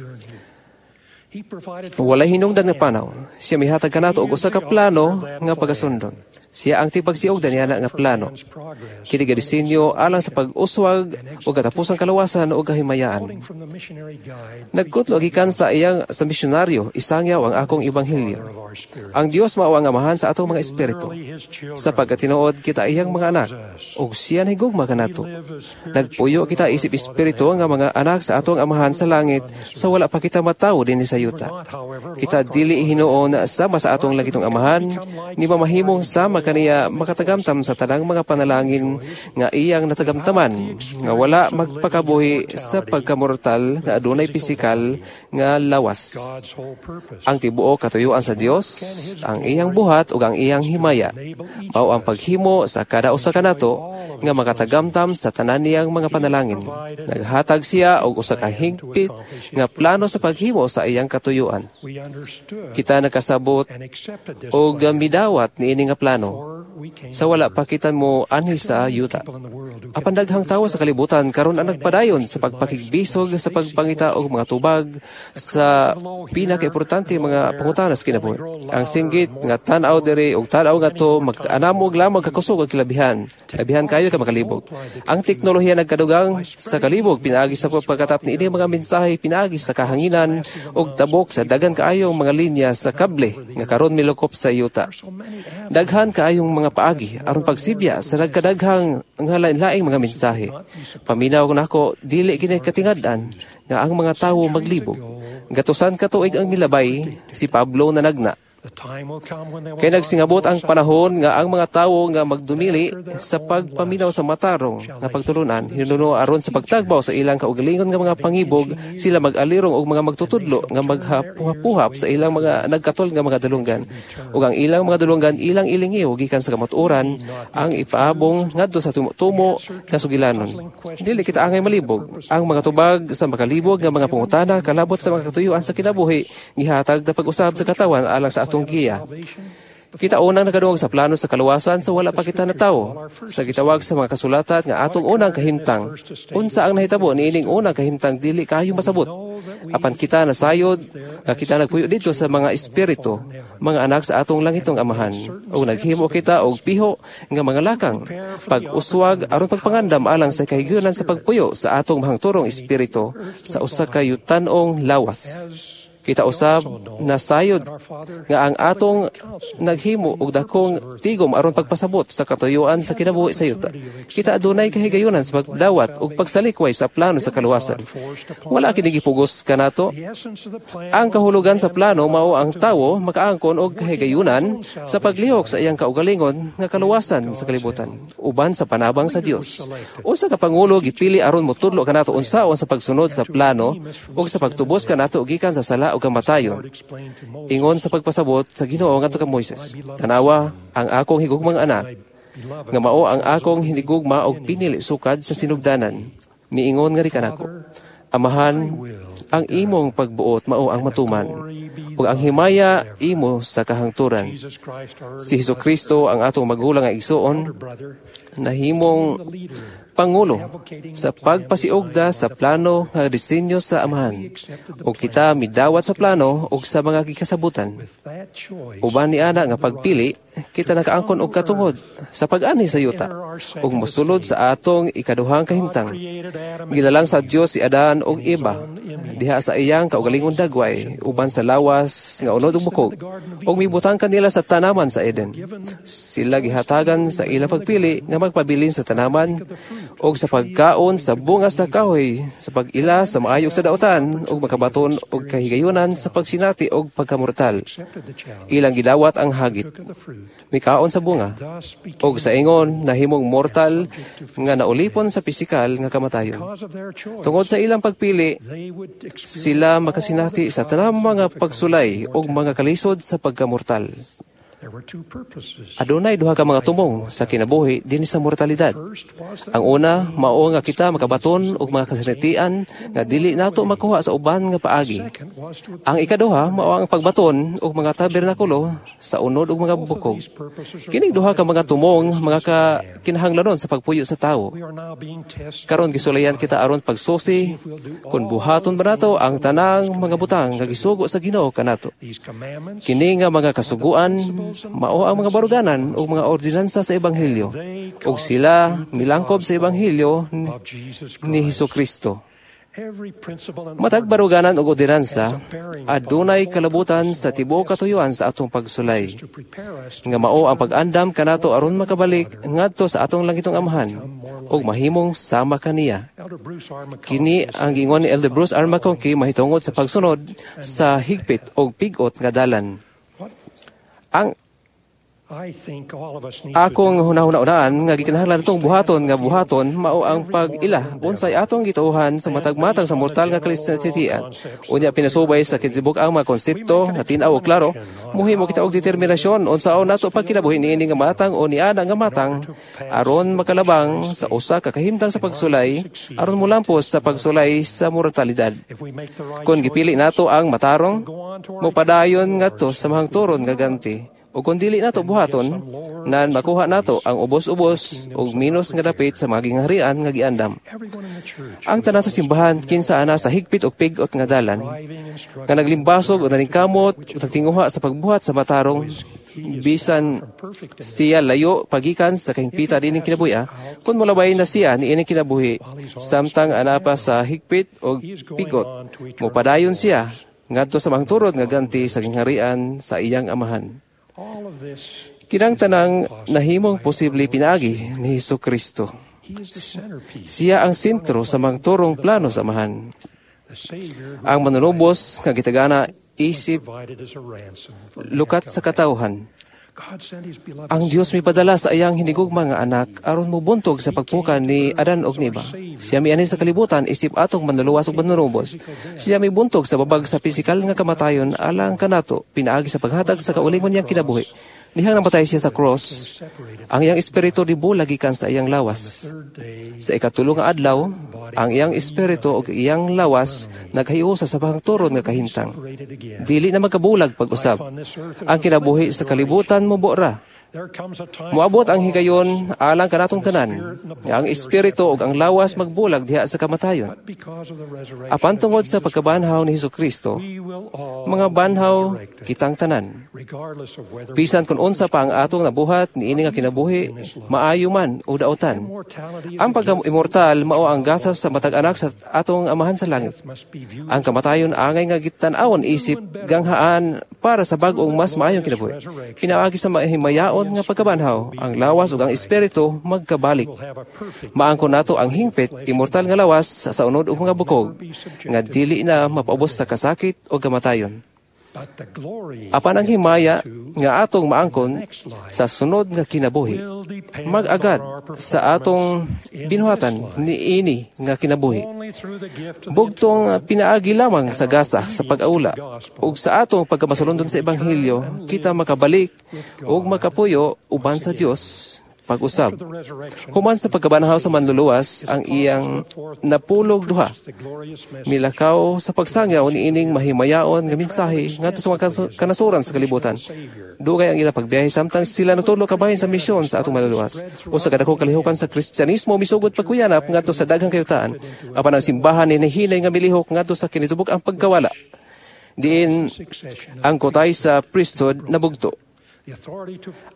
Walay hinungdan nga panaw. Siya mihatag kanato og usa ka plano nga pagasundon. Siya ang tigpagsiugdan niya nga plano. Kini gadisenyo alang sa pag-uswag ug katapusang kalawasan ug kahimayaan. Nagkutlo gikan sa iyang sa misyonaryo, isangyaw ang akong ebanghelyo. Ang Dios mao ang amahan sa atong mga espiritu. Sa pagkatinuod kita iyang mga anak, ug siya nahigugma kanato. Nagpuyo kita isip espiritu nga mga anak sa atong amahan sa langit sa wala pa kita matawo dinhi sa yuta. Kita dili hinuon sama sa atong langitong amahan, ni mamahimong sama kaniya makatagamtam sa tanang mga panalangin nga iyang natagamtaman, nga wala magpakabuhi sa pagkamortal nga adunay pisikal nga lawas. Ang tibuok katuyuan sa Dios, ang iyang buhat ug ang iyang himaya, mao ang paghimo sa kada usa kanato nga makatagamtam sa tanan niyang mga panalangin. Naghatag siya og usa ka hingpit nga plano sa paghimo sa iyang katuyuan. Kita nakasabot og midawat niini nga plano sa wala pa kita mo anhi sa yuta. Apan daghang tawo sa kalibutan karon ang nagpadayon sa pagpakigbisog sa pagpangita og mga tubag sa pinakaimportante mga pangutana sa kinabuhi. Ang singgit nga tan-aw diri og tan-aw ngadto mag-anam og lamang kakusog og kilabihan. Labihan kayo ka makalibog. Ang teknolohiya nagkadugang sa kalibog pinaagi sa pagpagkatap niini mga mensahe pinaagi sa kahanginan og tabok sa daghan kaayong mga linya sa kable nga karon milukop sa yuta. Daghan kaayong mga paagi aron pagsibya sa nagkadaghang nga lain-laing mga mensahe. Paminaw nako dili kini katingad-an nga ang mga tawo maglibog. Gatusan ka tuig ang milabay si Pablo nanagna. Kay nagsingabot ang panahon nga ang mga tawo nga magdumili sa pagpaminaw sa matarong nga pagtulunan hinuno aron sa pagtagbaw sa ilang kaugalingon nga mga pangibog sila mag-alirong og mga magtutudlo nga maghapuhap sa ilang mga nagkatol nga mga dalunggan ug ang ilang mga dalunggan ilang ilingiw gikan sa kamatuoran ang ipaabong ngadto sa tumo nga sugilanon. Dili kita angay malibog. Ang mga tubag sa makalibog nga mga pangutana kalabot sa mga katuyuan sa kinabuhi gihatag na pag-usab sa katawan alang sa atong giya. Kita unang nakadungog sa plano sa kaluwasan sa wala pa kita natawo. Sa gitawag sa mga kasulatan nga atong unang kahimtang. Unsa ang nahitabo niining unang kahimtang dili kayo masabot. Apan kita nasayod nga kita nagpuyo dito sa mga espiritu, mga anak sa atong langitong amahan. O naghimo kita og piho nga mga lakang pag-uswag aron pagpangandam alang sa kahigayunan sa pagpuyo sa atong mahangturong espiritu sa usa ka yutan-ong lawas. Kita usab nasayod nga ang atong naghimo og dakong tigom aron pagpasabot sa katuyuan sa kinabuhi sa yuta. Kita adunay kahigayunan sa pagdawat ug pagsalikway sa plano sa kaluwasan. Wala kini gipugos kanato. Ang kahulugan sa plano mao ang tawo makaangkon og kahigayunan sa paglihok sa iyang kaugalingon nga kaluwasan sa kalibutan uban sa panabang sa Dios. Usa ka pangulo gipili aron motudlo kanato unsaon sa pagsunod sa plano ug sa pagtubos kanato gikan sa sala o kamatayon. Ingon sa pagpasabot sa Ginoo ngadto ka Moises, tanawa ang akong higugmang anak, nga mao ang akong hinigugma og pinili sukad sa sinugdanan. Miingon nga ri kanako, Amahan, Ang imong pagbuot mao ang matuman, ug ang himaya imo sa kahangturan. Si Hesus Kristo ang atong magulang nga igsuon, nahimong pangulo sa pagpasiugda sa plano nga disenyo sa Amahan, ug kita midawat sa plano ug sa mga gikasabutan. Uban ni ana nga pagpili, kita nakaangkon og katungod sa pag-anhi sa yuta ug mosulod sa atong ikaduhang kahimtang. Gilalang sa Dios si Adan ug Eva diha sa iyang kaugalingon dagway uban sa lawas nga unod ug bukog, ug mibutang kanila sa tanaman sa Eden. Sila gihatagan sa ilang pagpili nga magpabilin sa tanaman og sa pagkaon sa bunga sa kahoy, sa pag-ila sa maayo sa dautan, ug makabaton og kahigayunan sa pagsinati og pagkamortal. Ilang gidawat ang hagit, mikaon sa bunga, og sa ingon nahimong mortal nga naulipon sa pisikal nga kamatayon. Tungod sa ilang pagpili, sila makasinati sa tanang mga pagsulay og mga kalisod sa pagkamortal. Adunay duha ka mga tumong sa kinabuhi dinhi sa mortalidad. Ang una, mao nga kita makabaton og mga kasinatian nga dili nato makuha sa uban nga paagi. Ang ikaduha, mao ang pagbaton og mga tabernakulo sa unod og mga bukog. Kining duha ka mga tumong mga ka kinahanglanon sa pagpuyo sa tawo. Karon gisulayan kita aron pagsusi kung buhaton ba nato ang tanang mga butang nga gisugo sa Ginoo kanato. Kini nga mga kasuguan mao ang mga baruganan ug mga ordinansa sa ebanghelyo, ug sila milangkob sa ebanghelyo ni Hesus Kristo. Matag baruganan ug ordinansa adunay kalabutan sa tibuok katuyuan sa atong pagsulay, nga mao ang pag-andam kanato aron makabalik ngadto sa atong langitong Amahan ug mahimong sama kaniya. Kini ang giingon ni Elder Bruce R. McConkie mahitungod sa pagsunod sa higpit og pigot nga dalan. Ang akong hunahuna-unaan nga gikinahanglan atong buhaton nga buhaton mao ang pag-ila unsay atong gituohan sa matag-matang sa mortal nga kalinatitian. Unya pinasubay sa kitibuk ang mga konsepto nga tin-aw og klaro, muhimo kita og determinasyon unsaon nato pagkinabuhi niini nga matang o niana nga matang aron makalabang sa usa ka kahimtang sa pagsulay aron molampos sa pagsulay sa mortalidad. Kon gipili nato ang matarong, mopadayon ngadto sa mahangturon nga ganti. O kung dili nato buhaton, nan makuha nato ang ubos-ubos og minus nga dapit sa mga gingharian nga giandam. Ang tanan sa simbahan kinsa ana sa higpit og pigot nga dalan, nga naglimbasog o naningkamot o nagtinguha sa pagbuhat sa matarong, bisan siya layo pagikan sa kahingpita dining kinabuhi, kun molabay na siya niining kinabuhi, samtang ana pa sa higpit og pigot, mopadayon siya ngadto sa mahangturod nga ganti sa gingharian sa iyang amahan. Kinang tanang nahimong posible pinaagi ni Hesus Kristo. Siya ang sentro sa mangturong plano sa Amahan. Ang manunubos nga gitagana isip lukat sa katawhan. Ang Dios mipadala sa iyang hinigugma nga anak aron mobuntog sa pagpukan ni Adan og Eva. Siya mianhi sa kalibutan isip atong manluluwas ug manunubos. Siya mibuntog sa babag sa pisikal nga kamatayon alang kanato pinaagi sa paghatag sa kaulingon niyang kinabuhi. Nihang namatay siya sa cross, ang iyang espiritu dibulag gikan sa iyang lawas. Sa ikatulo nga adlaw, ang iyang espiritu ug iyang lawas naghiusa sa pahangturon nga kahimtang. Dili na magkabulag pag-usab. Ang kinabuhi sa kalibutan mobo ra. Moabot ang higayon alang kanatong tanan, nga ang espiritu ug ang lawas magbulag diha sa kamatayon. Apan tungod sa pagkabanhaw ni Hesus Kristo, mga banhaw kitang tanan. Bisan kung unsa pa ang atong nabuhat niini nga kinabuhi, maayo man o dautan. Ang pagka-immortal mao ang gasas sa matag anak sa atong Amahan sa langit. Ang kamatayon angay nga gitan-awon isip ganghaan para sa bag-ong mas maayong kinabuhi. Pinaagi sa mahimayaon nga pagkabanhaw, ang lawas ug ang espiritu magkabalik. Maangkon nato ang hingpit, immortal nga lawas sa unod ug mga bukog, nga dili na mapaubos sa kasakit o kamatayon. Apan ang himaya nga atong maangkon sa sunod nga kinabuhi, mag-agad sa atong binuhatan niini nga kinabuhi. Bugtong pinaagi lamang sa gasa sa pag-aula ug sa atong pagkamasulondon sa ebanghelyo, kita makabalik ug makapuyo uban sa Dios pag-usab. Human sa pagkabanhaw sa Manluluwas, ang iyang napulog duha milakaw sa pagsangyaw niining mahimayaon nga mensahe ngadto sa mga kanasuran sa kalibutan. Dugay ang ilang pagbiyahe samtang sila nagtudlo kabahin sa misyon sa atong Manluluwas. Usa ka dakong kalihukan sa Kristyanismo misugod pagkuyanap ngadto sa daghang kayutaan. Apan ang simbahan hinahinay nga milihok ngadto sa kinitubok ang pagkawala. Diin ang kotay sa priesthood nabugto.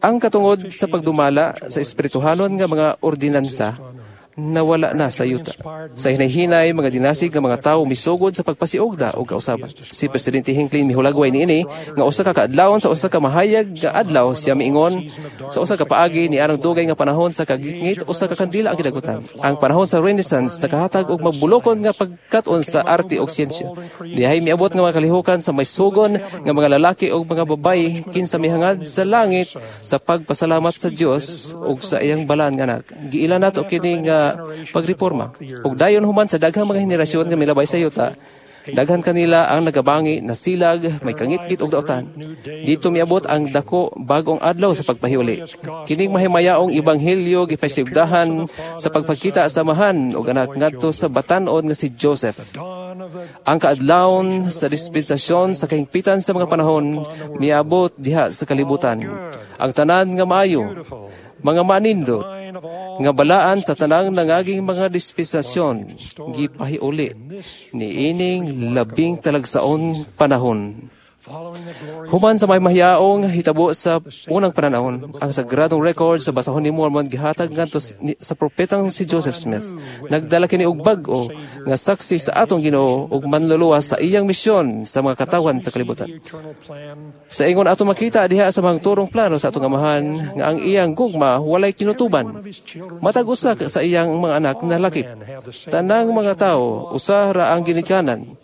Ang katungod sa pagdumala sa espirituhanon nga mga ordinansa nawala na sa yuta. Sa hinay-hinay, mga dinasig nga mga tawo misugod sa pagpasiugda o kausaban. Si Presidente Hinckley mihulagway niini nga usa ka kaadlawon sa usa ka mahayag nga adlaw siya miingon sa usa ka paagi ni anang dugay nga panahon sa kagitngit usa ka kandila ang gidagutan. Ang panahon sa Renaissance nakahatag og magbulokon nga pagkat-on sa arte ug siyensya. Dihay miabot nga mga kalihukan sa maysugon nga mga lalaki ug mga babayi kinsa mihangad sa langit sa pagpasalamat sa Dios ug sa iyang balaan nga anak. Giila nato kini nga pagreforma. Ug dayon human sa daghang mga henerasyon nga milabay sa yuta, daghan kanila ang nagabangi, nasilag, may kangitngit og dautan. Dito miabot ang dako bagong adlaw sa pagpahiuli. Kining mahimayaong ebanghelyo gipasigdahan sa pagpakita sa amahan og anak ngadto sa batan-on nga si Joseph. Ang kaadlawon sa dispensasyon sa kahingpitan sa mga panahon miabot diha sa kalibutan. Ang tanan nga maayo, mga manindot, nga balaan sa tanang nangaging mga dispensasyon, gipahiuli niining labing talagsaon panahon. Human sa may mahiyaong hitabo sa unang pananahon, ang sagradong record sa basahon ni Mormon gihatag ngadto sa propetang si Joseph Smith. Nagdala kini og bag-o nga saksi sa atong Ginoo ug manluluwas sa iyang misyon sa mga katawan sa kalibutan. Sa ingon ato makita diha sa mga turong plano sa atong Amahan nga ang iyang gugma walay kinutuban. Matag usa sa iyang mga anak nalakip. Tanang mga tawo usa ra ang ginikanan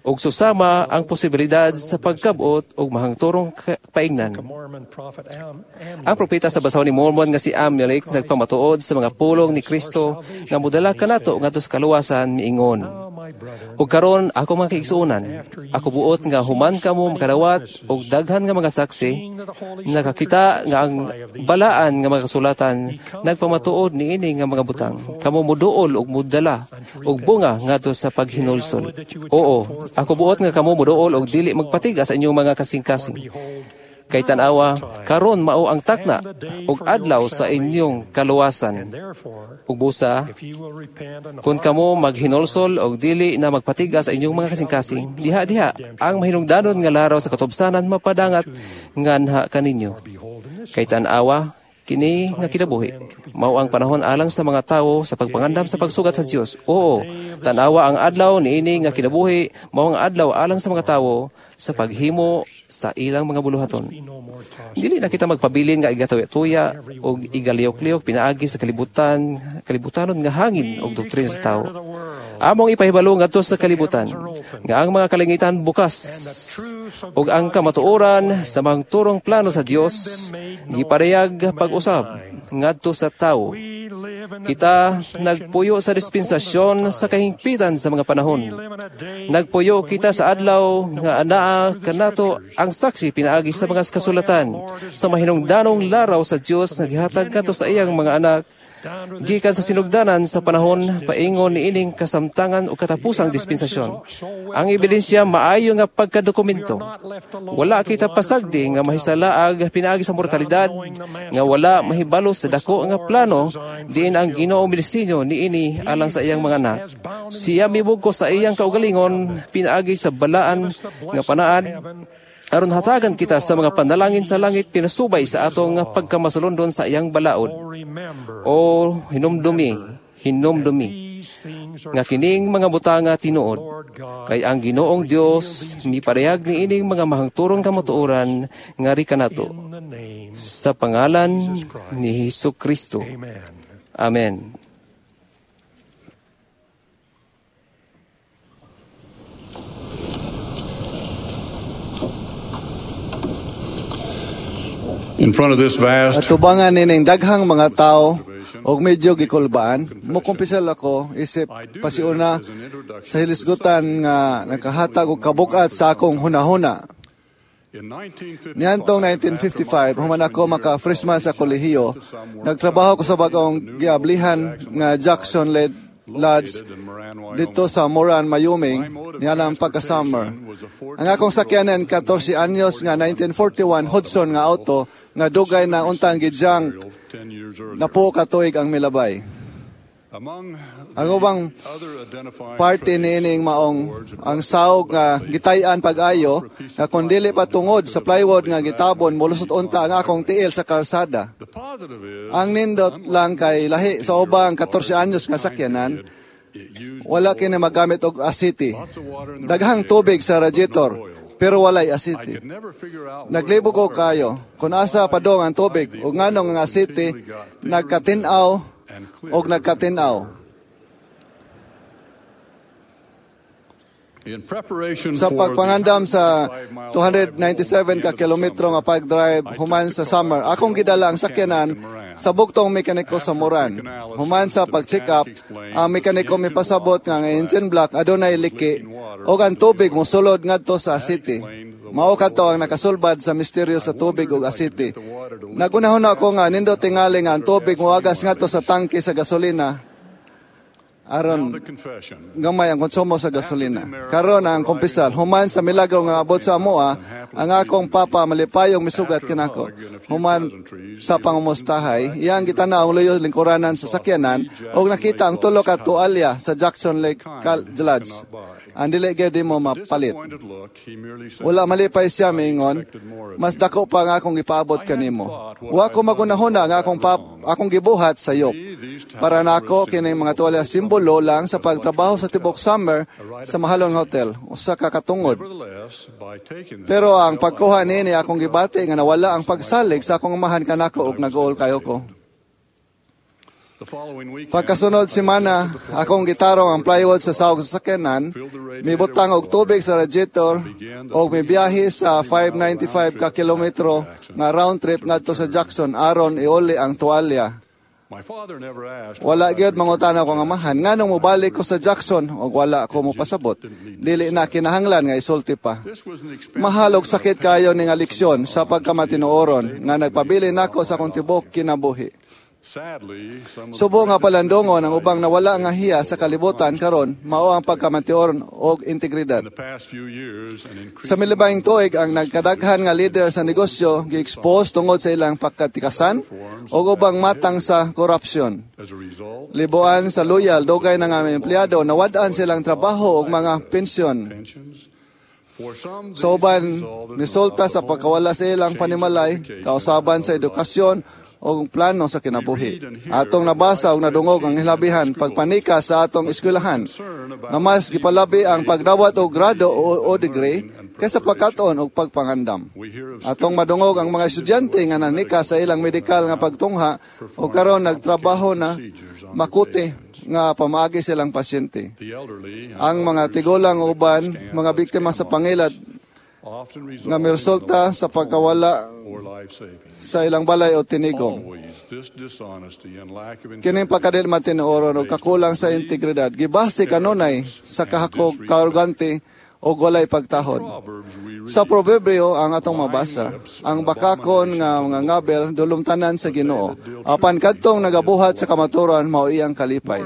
ug susama ang posibilidad sa pagkabot og mahangturong paingnan. Ang propeta sa basahon ni Mormon nga si Amulek nagpamatuod sa mga pulong ni Kristo nga modala kanato ngadto sa kaluwasan miingon. Ug karon ako mga kaigsuonan, ako buot nga human kamo makadawat og daghan nga mga saksi nakakita nga ang balaan nga mga kasulatan nagpamatuod niini nga mga butang. Kamo moduol og modala og bunga ngadto sa paghinulsol. Oo, ako buot nga kamo moduol og dili magpatiga sa inyong mga kasing-kasing. Kay tan-awa, karon mao ang takna ug adlaw sa inyong kaluwasan. Ug busa, kung kamo maghinulsol og dili na magpatiga sa inyong mga kasing-kasing, diha-diha ang mahinungdanon nga laraw sa katubsanan mapadangat nganha kaninyo. Kay tan-awa, kini nga kinabuhi mao ang panahon alang sa mga tawo sa pagpangandam sa pagsugat sa Dios. Oo, tan-awa ang adlaw niini nga kinabuhi mao ang adlaw alang sa mga tawo sa paghimo sa ilang mga buluhaton. Dili na kita magpabilin nga igatuya-tuya og igaliyok-liyok pinaagi sa kalibutan, kalibutanon nga hangin og doktrina sa tawo. Among ipahibalo ngadto sa kalibutan nga ang mga kalangitan bukas ug ang kamatuoran sa mga turong plano sa Dios giparehag pag-usab ngadto sa tawo. Kita nagpuyo sa dispensasyon sa kahingpitan sa mga panahon. Nagpuyo kita sa adlaw nga anaa kanato ang saksi pinaagi sa mga kasulatan sa mahinungdanong laraw sa Dios nga gihatag kadto sa iyang mga anak gikan sa sinugdanan sa panahon paingon niining kasamtangan o katapusang dispensasyon. Ang ebidensya maayo nga pagkadokumento. Wala kita pasagdi nga mahisalaag pinaagi sa mortalidad nga wala mahibalo sa dako nga plano diin ang Ginoo midisinyo niini alang sa iyang mga anak. Siya mibugko sa iyang kaugalingon pinaagi sa balaan nga panaad aron hatagan kita sa mga panalangin sa langit pinasubay sa atong pagkamasulondon sa iyang balaod. O hinumdumi, hinumdumi, nga kining mga butanga tinuod, kay ang Ginoong Dios miparehag niining mga mahangturong kamatuoran ngari kanato. Sa pangalan ni Hesus Kristo. Amen. In front of this vast Atubangan nining daghang mga tao og medyo gikulbaan, mokumpisal ako isip pasiuna sa hilisgutan nga nakahatag og kabukat sa akong hunahuna. Niadtong nineteen fifty-five, human ako maka freshman sa kolehiyo, nagtrabaho ko sa bagong giablihan nga Jackson Led Lodge didto sa Moran, Wyoming, nianang pagka-summer. Ang akong sakyanan, katorse anyos nga nineteen forty-one Hudson nga auto nga dugay na untang gijang na po katuig ang milabay. Ang ubang parte niining maong ang saog nga gitay-an pag-ayo nga kung dili pa tungod sa plywood nga gitabon, molusot unta ang akong tiil sa karsada. Ang nindot lang kay lahi sa ubang katorse anyos nga sakyanan, wala kini magamit og asiti. Daghang tubig sa radiator pero walay asiti. Naglibog ko kayo kung asa padong ang tubig ug nganong ang asiti nagkatin-aw og nagkatin-aw. Sa pagpangandam sa two hundred ninety-seven ka kilometro nga pag-drive human sa summer, akong gidala ang sakyanan sa buktong mekaniko sa Moran. Human sa pag-check up, ang mekaniko mipasabot nga ang engine block adunay liki ug ang tubig mosulod ngadto sa asiti. Mao kadto ang nakasulbad sa misteryo sa tubig ug asiti. Nagunahon ako nga nindot tingali nga ang tubig moagas ngadto sa tangke sa gasolina aron gamay ang konsumo sa gasolina. Karon ang kumpisal, human sa milagro nga abot sa amoa, ang akong papa malipayong misugat kanako. Human sa pangumustahay, iyang gitanaw ang luyo lingkuranan sa sakyanan ug nakita ang tulo ka tualya sa Jackson Lake Lodge. Ang dili gyud mo mapalit. Wala malipay siya miingon, "Mas dako pa nga akong gipaabot kanimo." Wa ko magunahuna nga akong pap, akong gibuhat sayop. Para nako kining mga tuwalya simbolo lang sa pagtrabaho sa tibok summer sa mahalong hotel, usa ka katungod. Pero ang pagkuha niini, akong gibati nga nawala ang pagsalig sa akong amahan kanako ug nag-uol kayo ko. Pagkasunod semana, akong gitarong ang plywood sa sawag sa sakyanan, mibutang og tubig sa radiator og mibiyahe sa five hundred ninety-five ka kilometro nga round trip ngadto sa Jackson aron iuli ang tuwalya. Wala gyud mangutana ko nga amahan nganong mobalik ko sa Jackson og wala ako mopasabot. Dili na kinahanglan nga isulti pa. Mahal og sakit kayo ni nga leksyon sa pagkamatinuoron nga nagpabili nako sa akong tibok kinabuhi. Subo nga palandongon ang ubang nawala nga hiya sa kalibutan karon mao ang pagkamatiuoron og integridad. Sa milibayng tuig, ang nagkadaghan nga leader sa negosyo gi-expose tungod sa ilang pagkatikasan og ubang matang sa korupsyon. Libuan sa loyal dugay na nga mga empleyado nawad-an silang trabaho og mga pensyon. Sa uban, misulta sa pagkawala sa ilang panimalay, kausaban sa edukasyon o plano sa kinabuhi. Atong nabasa og nadungog ang hilabihan pagpanika sa atong eskwelahan nga mas gipalabi ang pagdawat og grado o, o degree kaysa pagkat-on og pagpangandam. Atong madungog ang mga estudyante nga nanika sa ilang medikal nga pagtungha o karon nagtrabaho na makuti nga pamaagi silang pasyente. Ang mga tigulang uban, mga biktima sa pangilad nga miresulta sa pagkawala sa ilang balay o tinigong. Kining pagkadil matinuoron o kakulang sa integridad, gibase kanunay sa kahakog, kaarogante o walay pagtahod. Sa proverbio ang atong mabasa, ang bakakon nga mga ngabel dulumtanan sa Ginoo. Apan kadtong nagabuhat sa kamatuoran, mao iyang kalipay.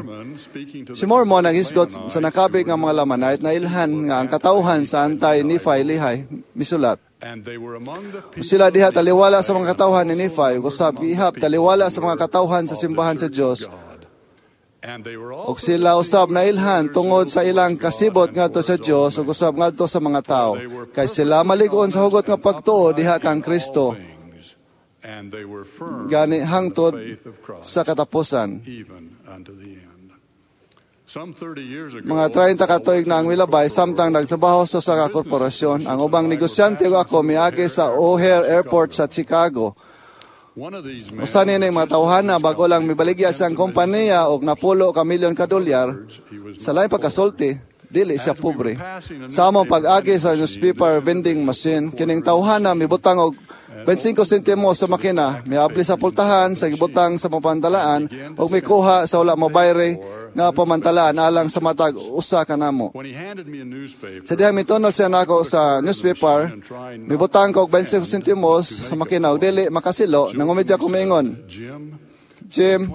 Si Mormon naghisgot sa nakabig nga mga Lamanite na ilhan nga ang katawhan sa Antay Nephi Lehi misulat. Sila diha taliwala sa mga katawhan ni Nephi, usab gihap taliwala sa mga katawhan sa simbahan sa Dios. Og sila usab nailhan tungod sa ilang kasibot ngadto sa Dios ug usab ngadto sa mga tawo. Kay sila malig-on sa hugot nga pagtuo diha kang Kristo. Gani hangtod sa katapusan. Mga treinta ka tuig na ang milabay samtang nagtrabaho sa usa ka korporasyon, ang ubang negosyante ug ako miagi sa O'Hare Airport sa Chicago. Usa nining mga tawhana bago lang mibaligya siyang kompanya og napulo ka milyon ka dolyar sa laing pagkasulti, dili siya pobre. Sa among pag-agi sa newspaper vending machine, kining tawhana mibutang og twenty-five sentimo sa makina, miabli sa pultahan sa gibutang sa mapandalaan ug mikuha sa wala mobayre nga pamantalaan alang sa matag usa kanamo. Sa dihang mitunol siya nako sa newspaper, mibutang ko og twenty-five sentimos sa makina og dili makasilo, nangumedya ko miingon, Jim,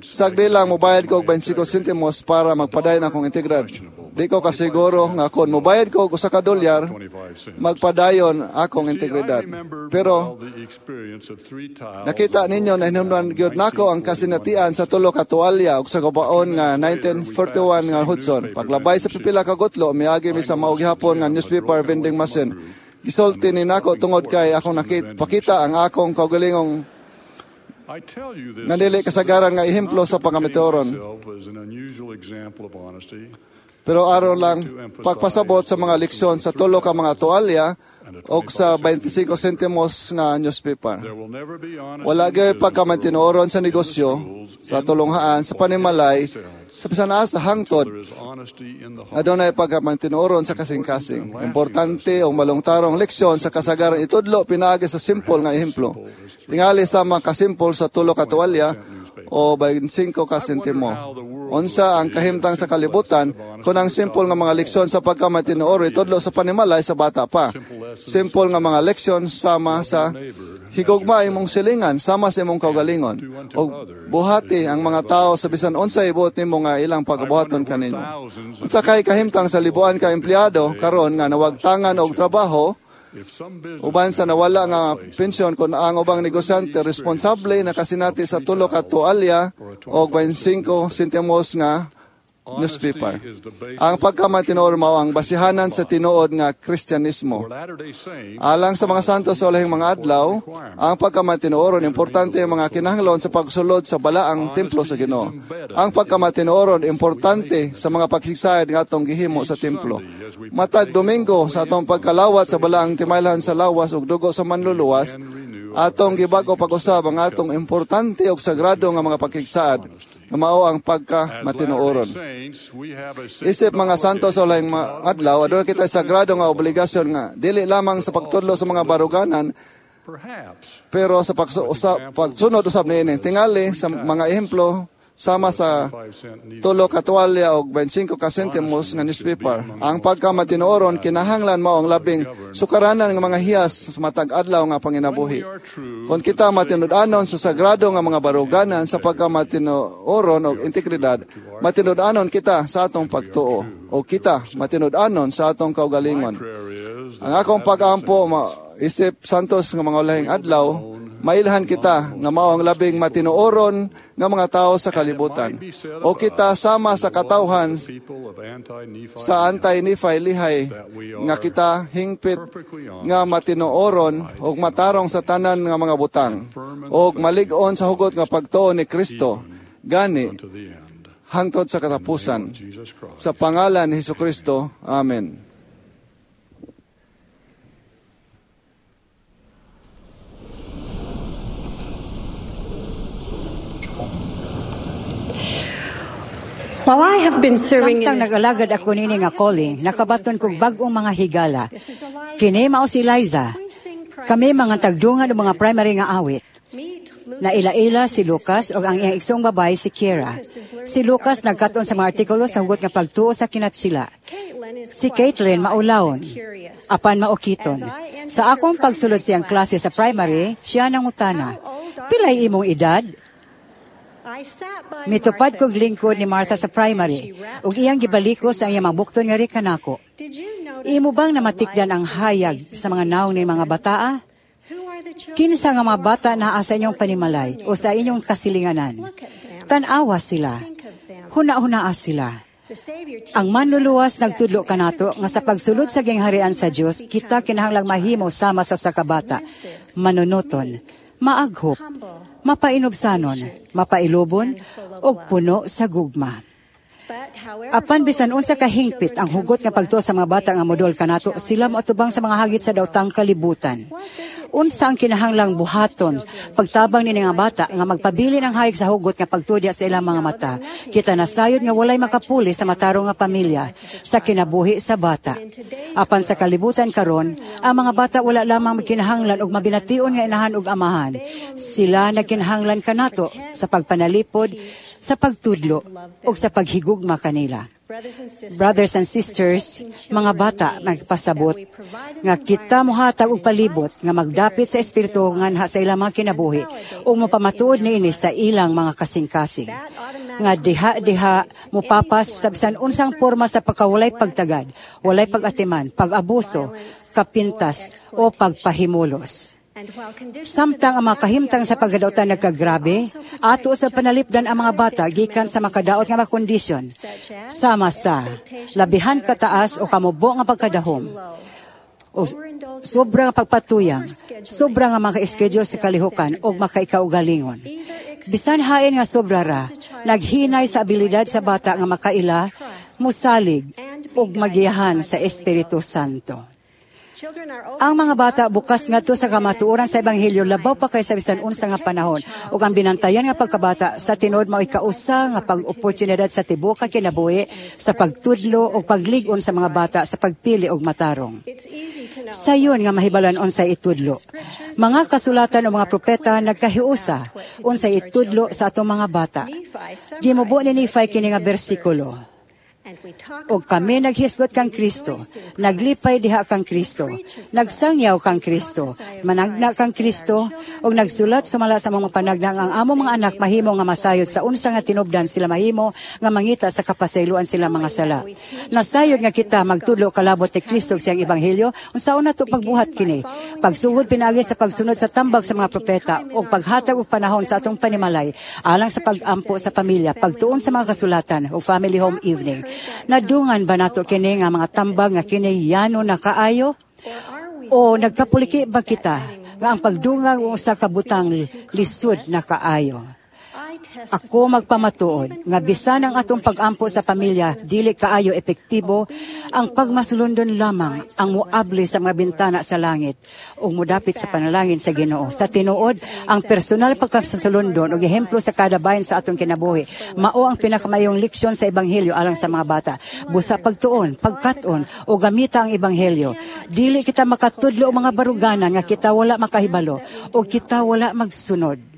sagdi lang mobayad ko og twenty-five sentimos para magpadayon akong integridad. Di ko kasiguro nga kon mobayad ko og usa ka dolyar, magpadayon akong integridad. Pero nakita ninyo na hinumdan gyud nako ang kasinatian sa tulo ka tuwalya ug sa kabaon nga nineteen forty-one nga Hudson. Paglabay sa pipila ka gutlo, miagi mi sa mao gihapon nga newspaper vending machine. Gisulti ni nako tungod kay akong nakita ang akong kaugalingong nga dili kasagaran nga ehemplo sa pangamitoron. Pero aron lang pagpasabot sa mga leksyon sa tulo ka mga tuwalya o sa twenty-five sentimos nga newspaper. Wala gyud pagkamantinuoron sa negosyo, sa tulunghaan, sa panimalay, sa bisan asa hangtod. Adunay pagkamantinuoron sa kasing-kasing. Importante o malungtarong leksyon sa kasagaran itudlo pinaagi sa simple nga ehemplo. Tingali sa mga kasimpol sa tulo ka tuwalya o twenty-five ka sentimo. Unsa ang kahimtang sa kalibutan kung ang simple nga mga leksyon sa pagkamatinuoro itudlo sa panimalay sa bata pa. Simple nga mga leksyon sama sa higugma imong silingan, sama sa imong kaugalingon. O buhati ang mga tao sa bisan unsay buot nimo nga ilang pagabuhaton kaninyo. Unsa kay kahimtang sa libuan ka empleyado karon nga nawagtangan og trabaho uban sa nawala nga pensyon kung ang ubang negosyante responsable nakasinati sa tulo ka tuwalya o twenty-five sentimos nga newspaper. Ang pagkamatinuod mao ang basihanan sa tinuod nga Kristyanismo. Alang sa mga santo sa ulahing mga adlaw, ang pagkamatinuoron importante ang mga kinahanglan sa pagsulod sa balaang templo sa Ginoo. Ang pagkamatinuoron importante sa mga pagsigsayad nga atong gihimo sa templo. Matag Domingo sa atong pagkalawat sa balaang timaylan sa lawas ug dugo sa manluluwas, atong gibago pag-usab ang atong importante ug sagrado nga mga pagkigsaad nga mao ang pagkamatinuoron. Isip mga santo sa ulahing adlaw, aduna kita sagrado nga obligasyon nga dili lamang sa pagtudlo sa mga baruganan, pero sa pagsunod usab niini tingali sa mga ehemplo sama sa tulo ka tuwalya og twenty-five ka sentimos nga newspaper. Ang pagkamatinuoron kinahanglan mao ang labing sukaranan nga mga hiyas sa matag adlaw nga panginabuhi. Kon kita matinud-anon sa sagrado nga mga baruganan sa pagkamatinuoron og integridad, matinud-anon kita sa atong pagtuo o kita matinud-anon sa atong kaugalingon. Ang akong pag-ampo isip santos nga mga ulahing adlaw, mailhan kita nga mao ang labing matinuoron nga mga tao sa kalibutan. O kita sama sa katawhan sa Anti-Nephi Lihay nga kita hingpit nga matinuoron og matarong sa tanan nga mga butang og malig-on sa hugot nga pagtuo ni Kristo gani hangtod sa katapusan. Sa pangalan ni Hesukristo. Amen. While I have been serving Samtang nag-alagad ako nini nga calling, nakabaton kog bag-ong mga higala. Kini mao si Liza. Kami mga tagdungan og mga primary nga awit. Naila-ila si Lucas ug ang iyang igsoong babae si Kiera. Si Lucas nagkat-on sa mga artikulo sa hugot nga pagtuo sa kinatsila. Si Caitlin maulawon, apan maukiton. Sa akong pagsulod siyang klase sa primary, siya nangutana, "Pilay imong edad?" Mitupad kog lingkod ni Martha sa primary, ug iyang gibalikos ang iyang mabukton nga kanako. Imo bang namatikdan ang hayag sa mga nawong ni mga bataa? Kinsa nga mga bata naa sa inyong panimalay o sa inyong kasilinganan? Tan-awa sila. Huna-hunaa sila. Ang manluluwas nagtudlo kanato nga sa pagsulod sa gingharian sa Dios, kita kinahanglang mahimo sama sa sakabata, manunuton, maaghop, mapainubsanon, mapailubon, ug puno sa gugma. Apan bisan unsa kahingpit ang hugot nga pagtuo sa mga bata nga modol kanato, sila moatubang sa mga hagit sa daotang kalibutan. Unsa ang kinahanglang buhaton pagtabang nini nga bata nga magpabilin ang hayag sa hugot nga pagtuo sa ilang mga mata? Kita nasayod nga walay makapuli sa matarong nga pamilya sa kinabuhi sa bata. Apan sa kalibutan karon, ang mga bata wala lamang kinahanglan og mabination nga inahan ug amahan. Sila nagkinahanglan kanato sa pagpanalipod, sa pagtudlo ug sa paghigugma kanila. Brothers and sisters, mga bata nagpasabot nga kita mohatag og palibot nga magdapit sa espiritu nganha sa ilang mga kinabuhi ug mapamatuod niini sa ilang mga kasing-kasing. Nga diha-diha mupapas sa bisan unsang porma sa pagkawalay pagtagad, walay pag-atiman, pag-abuso, kapintas o pagpahimulos. Samtang ang mga kahimtang sa pagkadautan nagkagrabe, ato sa panalipdan ang mga bata gikan sa makadaot nga mga kondisyon, sama sa labihan kataas o kamubo nga pagkadahom, o sobra nga pagpatuyang, sobra nga mga schedule sa kalihukan o makaikaugalingon. Bisan hain nga sobra ra, naghinay sa abilidad sa bata nga makaila, musalig ug magiyahan sa Espiritu Santo. Ang mga bata bukas ngadto sa kamatuoran sa ebanghelyo labaw pa kaysa bisan unsa nga panahon ug ang binantayan nga pagkabata sa tinuod mao'y kausa nga pag-oportunidad sa tibuok kinabuhi sa pagtudlo o paglig-on sa mga bata sa pagpili og matarong. Sayon nga mahibalan unsay itudlo. Mga kasulatan o mga propeta nagkahiusa unsay itudlo sa atong mga bata. Gimubo ni Nephi kini nga bersikulo. Og kami naghisgot kang Kristo, naglipay diha kang Kristo, nagsangyaw kang Kristo, managna kang Kristo, ug nagsulat sumala sa mga panagna ang among mga anak mahimo nga masayod sa unsa nga tinubdan sila mahimo nga mangita sa kapasayloan sila mga sala. Nasayod nga kita magtudlo kalabot ni Kristo siyang ebanghelyo, unsaon nato pagbuhat kini? Pagsugod pinaagi sa pagsunod sa tambag sa mga propeta ug paghatag og panahon sa atong panimalay alang sa pag-ampo sa pamilya, pagtuon sa mga kasulatan ug family home evening. Nadungan ba nato kini nga mga tambag nga kini yano na kaayo? O nagkapuliki ba kita nga ang pagdungang og usa ka butang lisod na kaayo? Ako magpamatuod nga bisan ang atong pag-ampo sa pamilya dili kaayo epektibo, ang pagmasulundon lamang ang muabli sa mga bintana sa langit ug mudapit sa panalangin sa Ginoo. Sa tinuod, ang personal pagkasasulundon ug ehemplo sa kada bahin sa atong kinabuhi mao ang pinakamayong leksyon sa ebanghelyo alang sa mga bata. Busa pagtuon, pagkat-on o gamita ang ebanghelyo. Dili kita makatudlo og mga baruganan nga kita wala makahibalo o kita wala magsunod.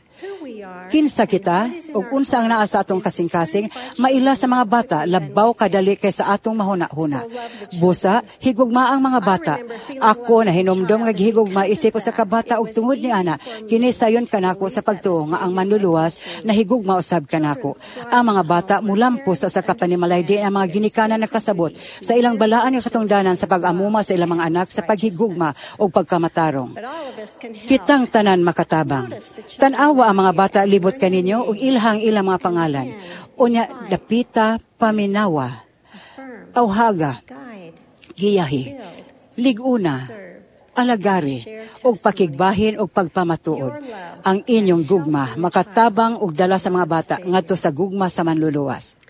Kinsa kita ug unsa ang naa sa atong kasing-kasing maila sa mga bata labaw kadali kaysa atong mahuna-huna. Busa higugma ang mga bata. Ako nahinumdom nga gihigugma isip ko sa kabata ug tungod ni ana kini sayon kanako sa pagtuo nga ang manluluwas nahigugma usab kanako. Ang mga bata mulampo sa usa ka panimalay di ang mga ginikanan nakasabot sa ilang balaan nga katungdanan sa pag-amuma sa ilang mga anak sa paghigugma ug pagkamatarong. Kitang tanan makatabang. Tan-awa ang mga bata libot kaninyo ug ilhang ilang mga pangalan. Unya dapita paminawa, awhaga, giyahi, liguna, alagari, ug pakigbahin ug pagpamatuod. Ang inyong gugma makatabang ug dala sa mga bata ngadto sa gugma sa manluluwas.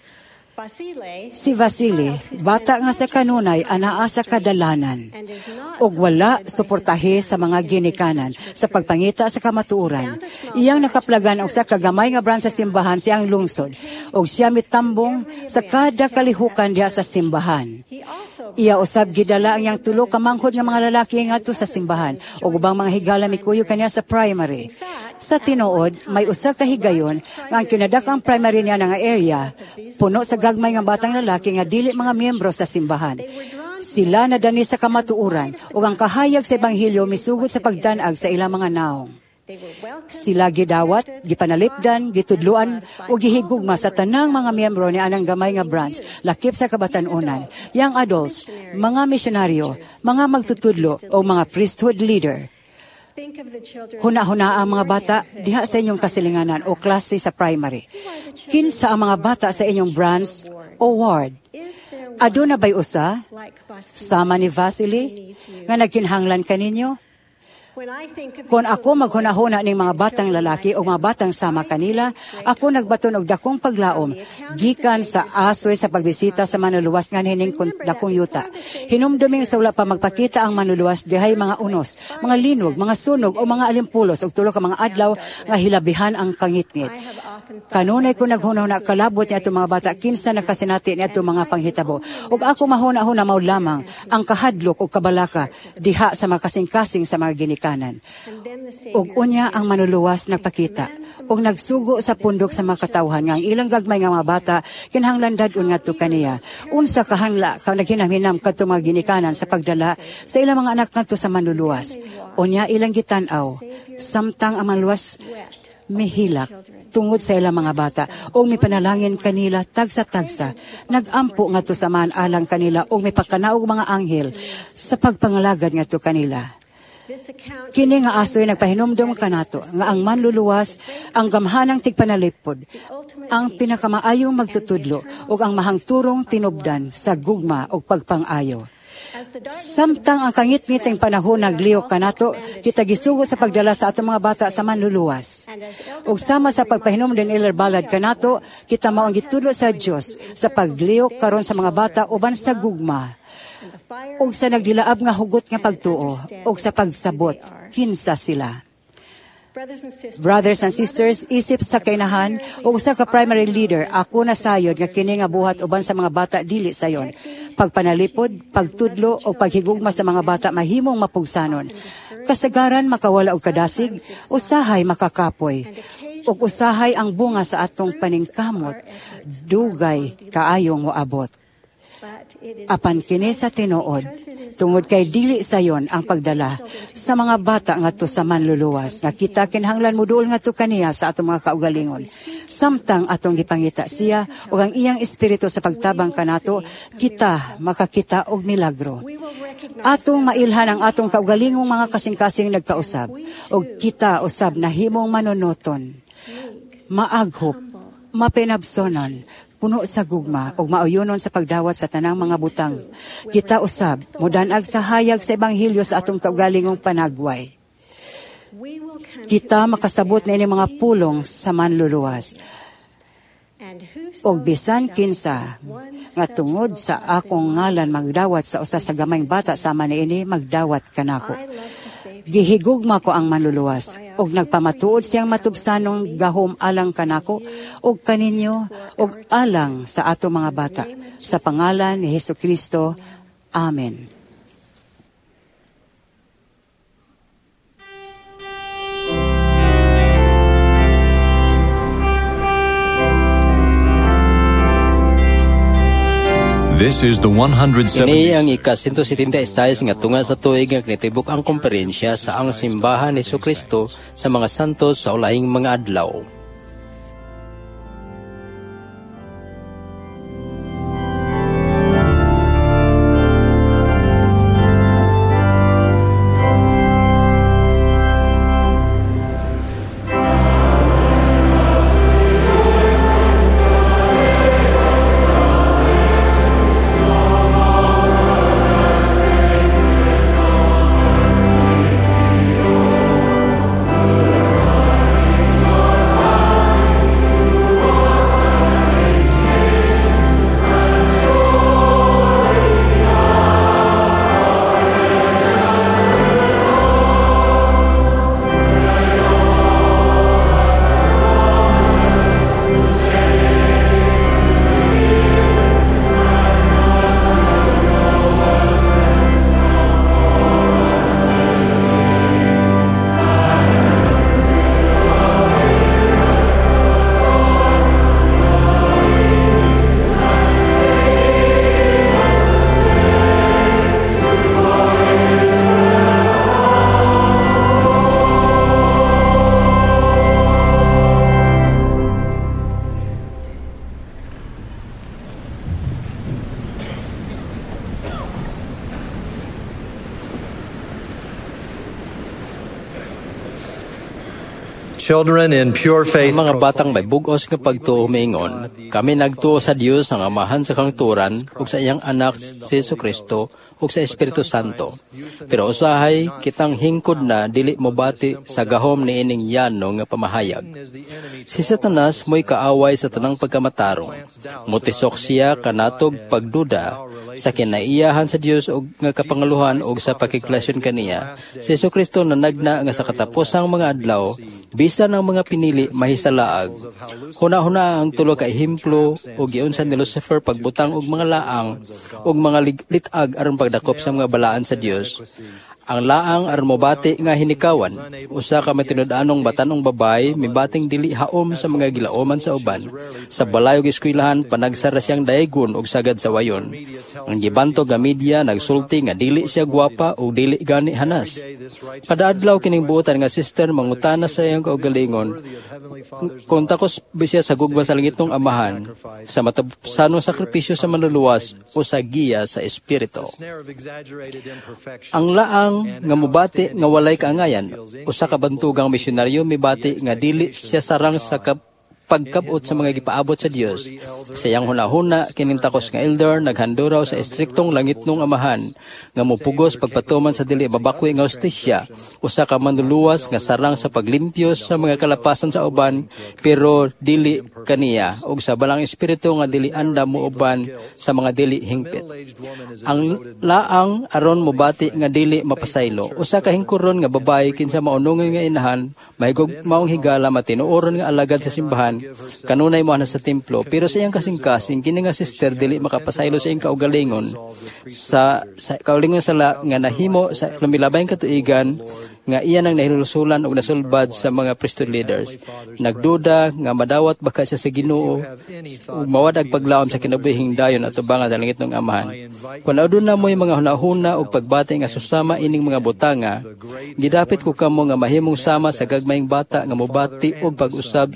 Si Vasily, bata nga sa kanunay anaa sa kadalanan ug wala suportahe sa mga ginikanan sa pagpangita sa kamatuoran. Iyang nakaplagan og sa kagamay nga branch sa simbahan siyang lungsod ug siya mitambong sa kada kalihukan diha sa simbahan. Iya usab gidala ang iyang tulo ka manghod nga mga lalaki ngadto sa simbahan ug ubang mga higala mikuyog kaniya sa primary. Sa tinuod, may usa ka higayon nga ang kinadakang primary niya nga area puno sa gagmay nga batang lalaki nga dili mga miyembro sa simbahan. Sila nadani sa kamatuoran ug ang kahayag sa ebanghelyo misugot sa pagdanag sa ilang mga naong. Sila gidawat, gipanalipdan, gitudluan ug gihigugma sa tanang mga miyembro ni anang gamay nga branch lakip sa kabatan-onan, young adults, mga misyonaryo, mga magtutudlo o mga priesthood leader. Huna-huna ang mga bata diha sa inyong kasilinganan o klase sa primary. Kinsa ang mga bata sa inyong branch o ward? Aduna ba'y usa? Sama ni Vasily nga nagkinhanglan kaninyo? Kon ako maghunahuna ning mga batang lalaki o mga batang sama kanila, ako nagbaton og dakong paglaom gikan sa asoy sa pagbisita sa manluluwas nga hining dakong yuta. Hinumduming sa wala pa magpakita ang manluluwas dihay mga unos, mga linog, mga sunog o mga alimpulos og tulo ka mga adlaw nga hilabihan ang kangitngit. Kanunay ko naghunahuna kalabot ni atong mga bata kinsa nakasinati ni atong mga panghitabo. Ug ako mahuna-huna mao lamang ang kahadlok ug kabalaka diha sa mga kasing-kasing sa mga ginikanan. Ug unya ang manluluwas nagpakita ug nagsugo sa pundok sa mga katawhan nga ang ilang gagmay nga mga bata kinahanglan dad-on ngadto kaniya. Unsa kahanla ka naghinam-hinam kadto mga ginikanan sa pagdala sa ilang mga anak ngadto sa manluluwas. Unya ilang gitan-aw samtang ang manluluwas mihilak tungod sa ilang mga bata o mipanalangin kanila tagsa-tagsa. Nagampo ngadto sa man alang kanila o mipakanaog mga anghel sa pagpangalagad ngadto kanila. Kini nga asoy nagpahinumdom kanato nga ang manluluwas ang gamhanang tigpanalipod, ang pinakamaayong magtutudlo ug ang mahangturong tinubdan sa gugma ug pagpang-ayo. Samtang ang kangitngiting panahon nagliyok kanato, kita gisugo sa pagdala sa atong mga bata sa manluluwas. Ug sama sa pagpahinumdom ni Elder Ballard kanato, kita mao ang gitudlo sa Dios sa pagliyok karon sa mga bata uban sa gugma ug sa nagdilaab nga hugot nga pagtuo ug sa pagsabot kinsa sila. Brothers and sisters, isip sa kainahan ug sa ka primary leader, ako nasayod nga kini nga buhat uban sa mga bata dili sayon. Pagpanalipod, pagtudlo o paghigugma sa mga bata mahimong mapugsanon. Kasagaran makawala og kadasig, usahay makakapoy. Ug usahay ang bunga sa atong paningkamot, dugay kaayong moabot. Apan kini sa tinuod, tungod kay dili sayon ang pagdala sa mga bata ngadto sa manluluwas, nga kita kinahanglan moduol ngadto kaniya sa atong mga kaugalingon. Samtang atong gipangita siya ug ang iyang espiritu sa pagtabang kanato, kita makakita og milagro. Atong mailhan ang atong kaugalingong mga kasing-kasing nagkausab, ug kita usab nahimong manunoton, maaghop, mapinabsonon, puno sa gugma ug mauyunon sa pagdawat sa tanang mga butang. Kita usab modanag sa hayag sa ebanghelyo sa atong kaugalingong panagway. Kita makasabot niini mga pulong sa manluluwas. Og bisan kinsa nga tungod sa akong ngalan magdawat sa usa sa gamayng bata sama niini, magdawat kanako. Gihigugma ko ang manluluwas og nagpamatuod siyang matubsanong gahom alang kanako og kaninyo og alang sa ato mga bata. Sa pangalan ni Hesukristo. Amen. This is the one hundred seventy. Kini ang ika one seventy-six nga tunga sa tuig nga kinatibuk ang komperensya sa ang simbahan ni Jesucristo sa mga santos sa ulahing mga adlaw. Children in pure faith. Ang mga batang may bug-os nga pagtuo miingon, kami nagtuo sa Dios ang Amahan sa kangturan ug sa iyang anak si Jesucristo ug sa Espiritu Santo. Pero usahay kitang hingkod na dili mobati sa gahom niining yano nga pamahayag. Si Satanas mo'y kaaway sa tanang pagkamatarong. Motisok siya kanatog pagduda sa kinaiyahan sa Dios og nga kapangaluhan og sa pakigrelasyon kaniya. Si Jesu Kristo nanagna nga sa katapusang mga adlaw, bisan ang mga pinili mahisalaag. Huna-huna ang tulo ka ehemplo og giunsa ni Lucifer pagbutang og mga laang og mga lit-ag aron pagdakop sa mga balaan sa Dios. Ang laang aron mobati nga hinikawan. Usa ka matinud-anong batan-ong babaye mibating dili haom sa mga gilaoman sa uban. Sa balay ug eskwelahan, panagsara siyang daygon og sagad sa wayon. Ang gibantog nga media nagsulti nga dili siya gwapa o dili gani hanas. Kada adlaw, kining buotan nga sister mangutana sa iyang kaugalingon kung takos ba siya sa gugma sa langitnong Amahan, sa matapusanong sakripisyo sa Manluluwas o sa giya sa Espiritu. Ang laang nga mubati nga walay kaangayan. Usa ka bantugang misyonaryo mibati nga dili siya sarang sa pagkabot sa mga gipaabot sa Dios. Sa iyang hunahuna, kining takos nga elder naghanduraw sa estriktong langitnong Amahan nga mupugos pagpatuman sa dili mabakwi nga hustisya, usa ka Manluluwas nga sarang sa paglimpyo sa mga kalapasan sa uban pero dili kaniya, ug sa Balaang Espiritu nga dili andam muuban sa mga dili hingpit. Ang laang aron mobati nga dili mapasaylo. Usa ka hingkuron nga babayi kinsa maunungon nga inahan, mahigug maong higala, matinuoron nga alagad sa simbahan, kanunay mo sa templo, pero sa iyang kasing-kasing, kini nga sister dili makapasaylo sa iyang kaugalingon sa, sa kaugalingon sala nga nahimo sa lumilabayng katuigan nga iya nang nahilulusulan og nasulbad sa mga priesthood leaders. Nagduda nga madawat baka siya sa Ginoo ug mawad-ag paglaom sa kinabuhing dayon at tubangan sa langitnong Amahan. Kung aduna mo'y mga hunahuna og pagbati nga susama ining mga butanga, gidapit ko kamo nga mahimong sama sa gagmayng bata nga mobati og pag-usab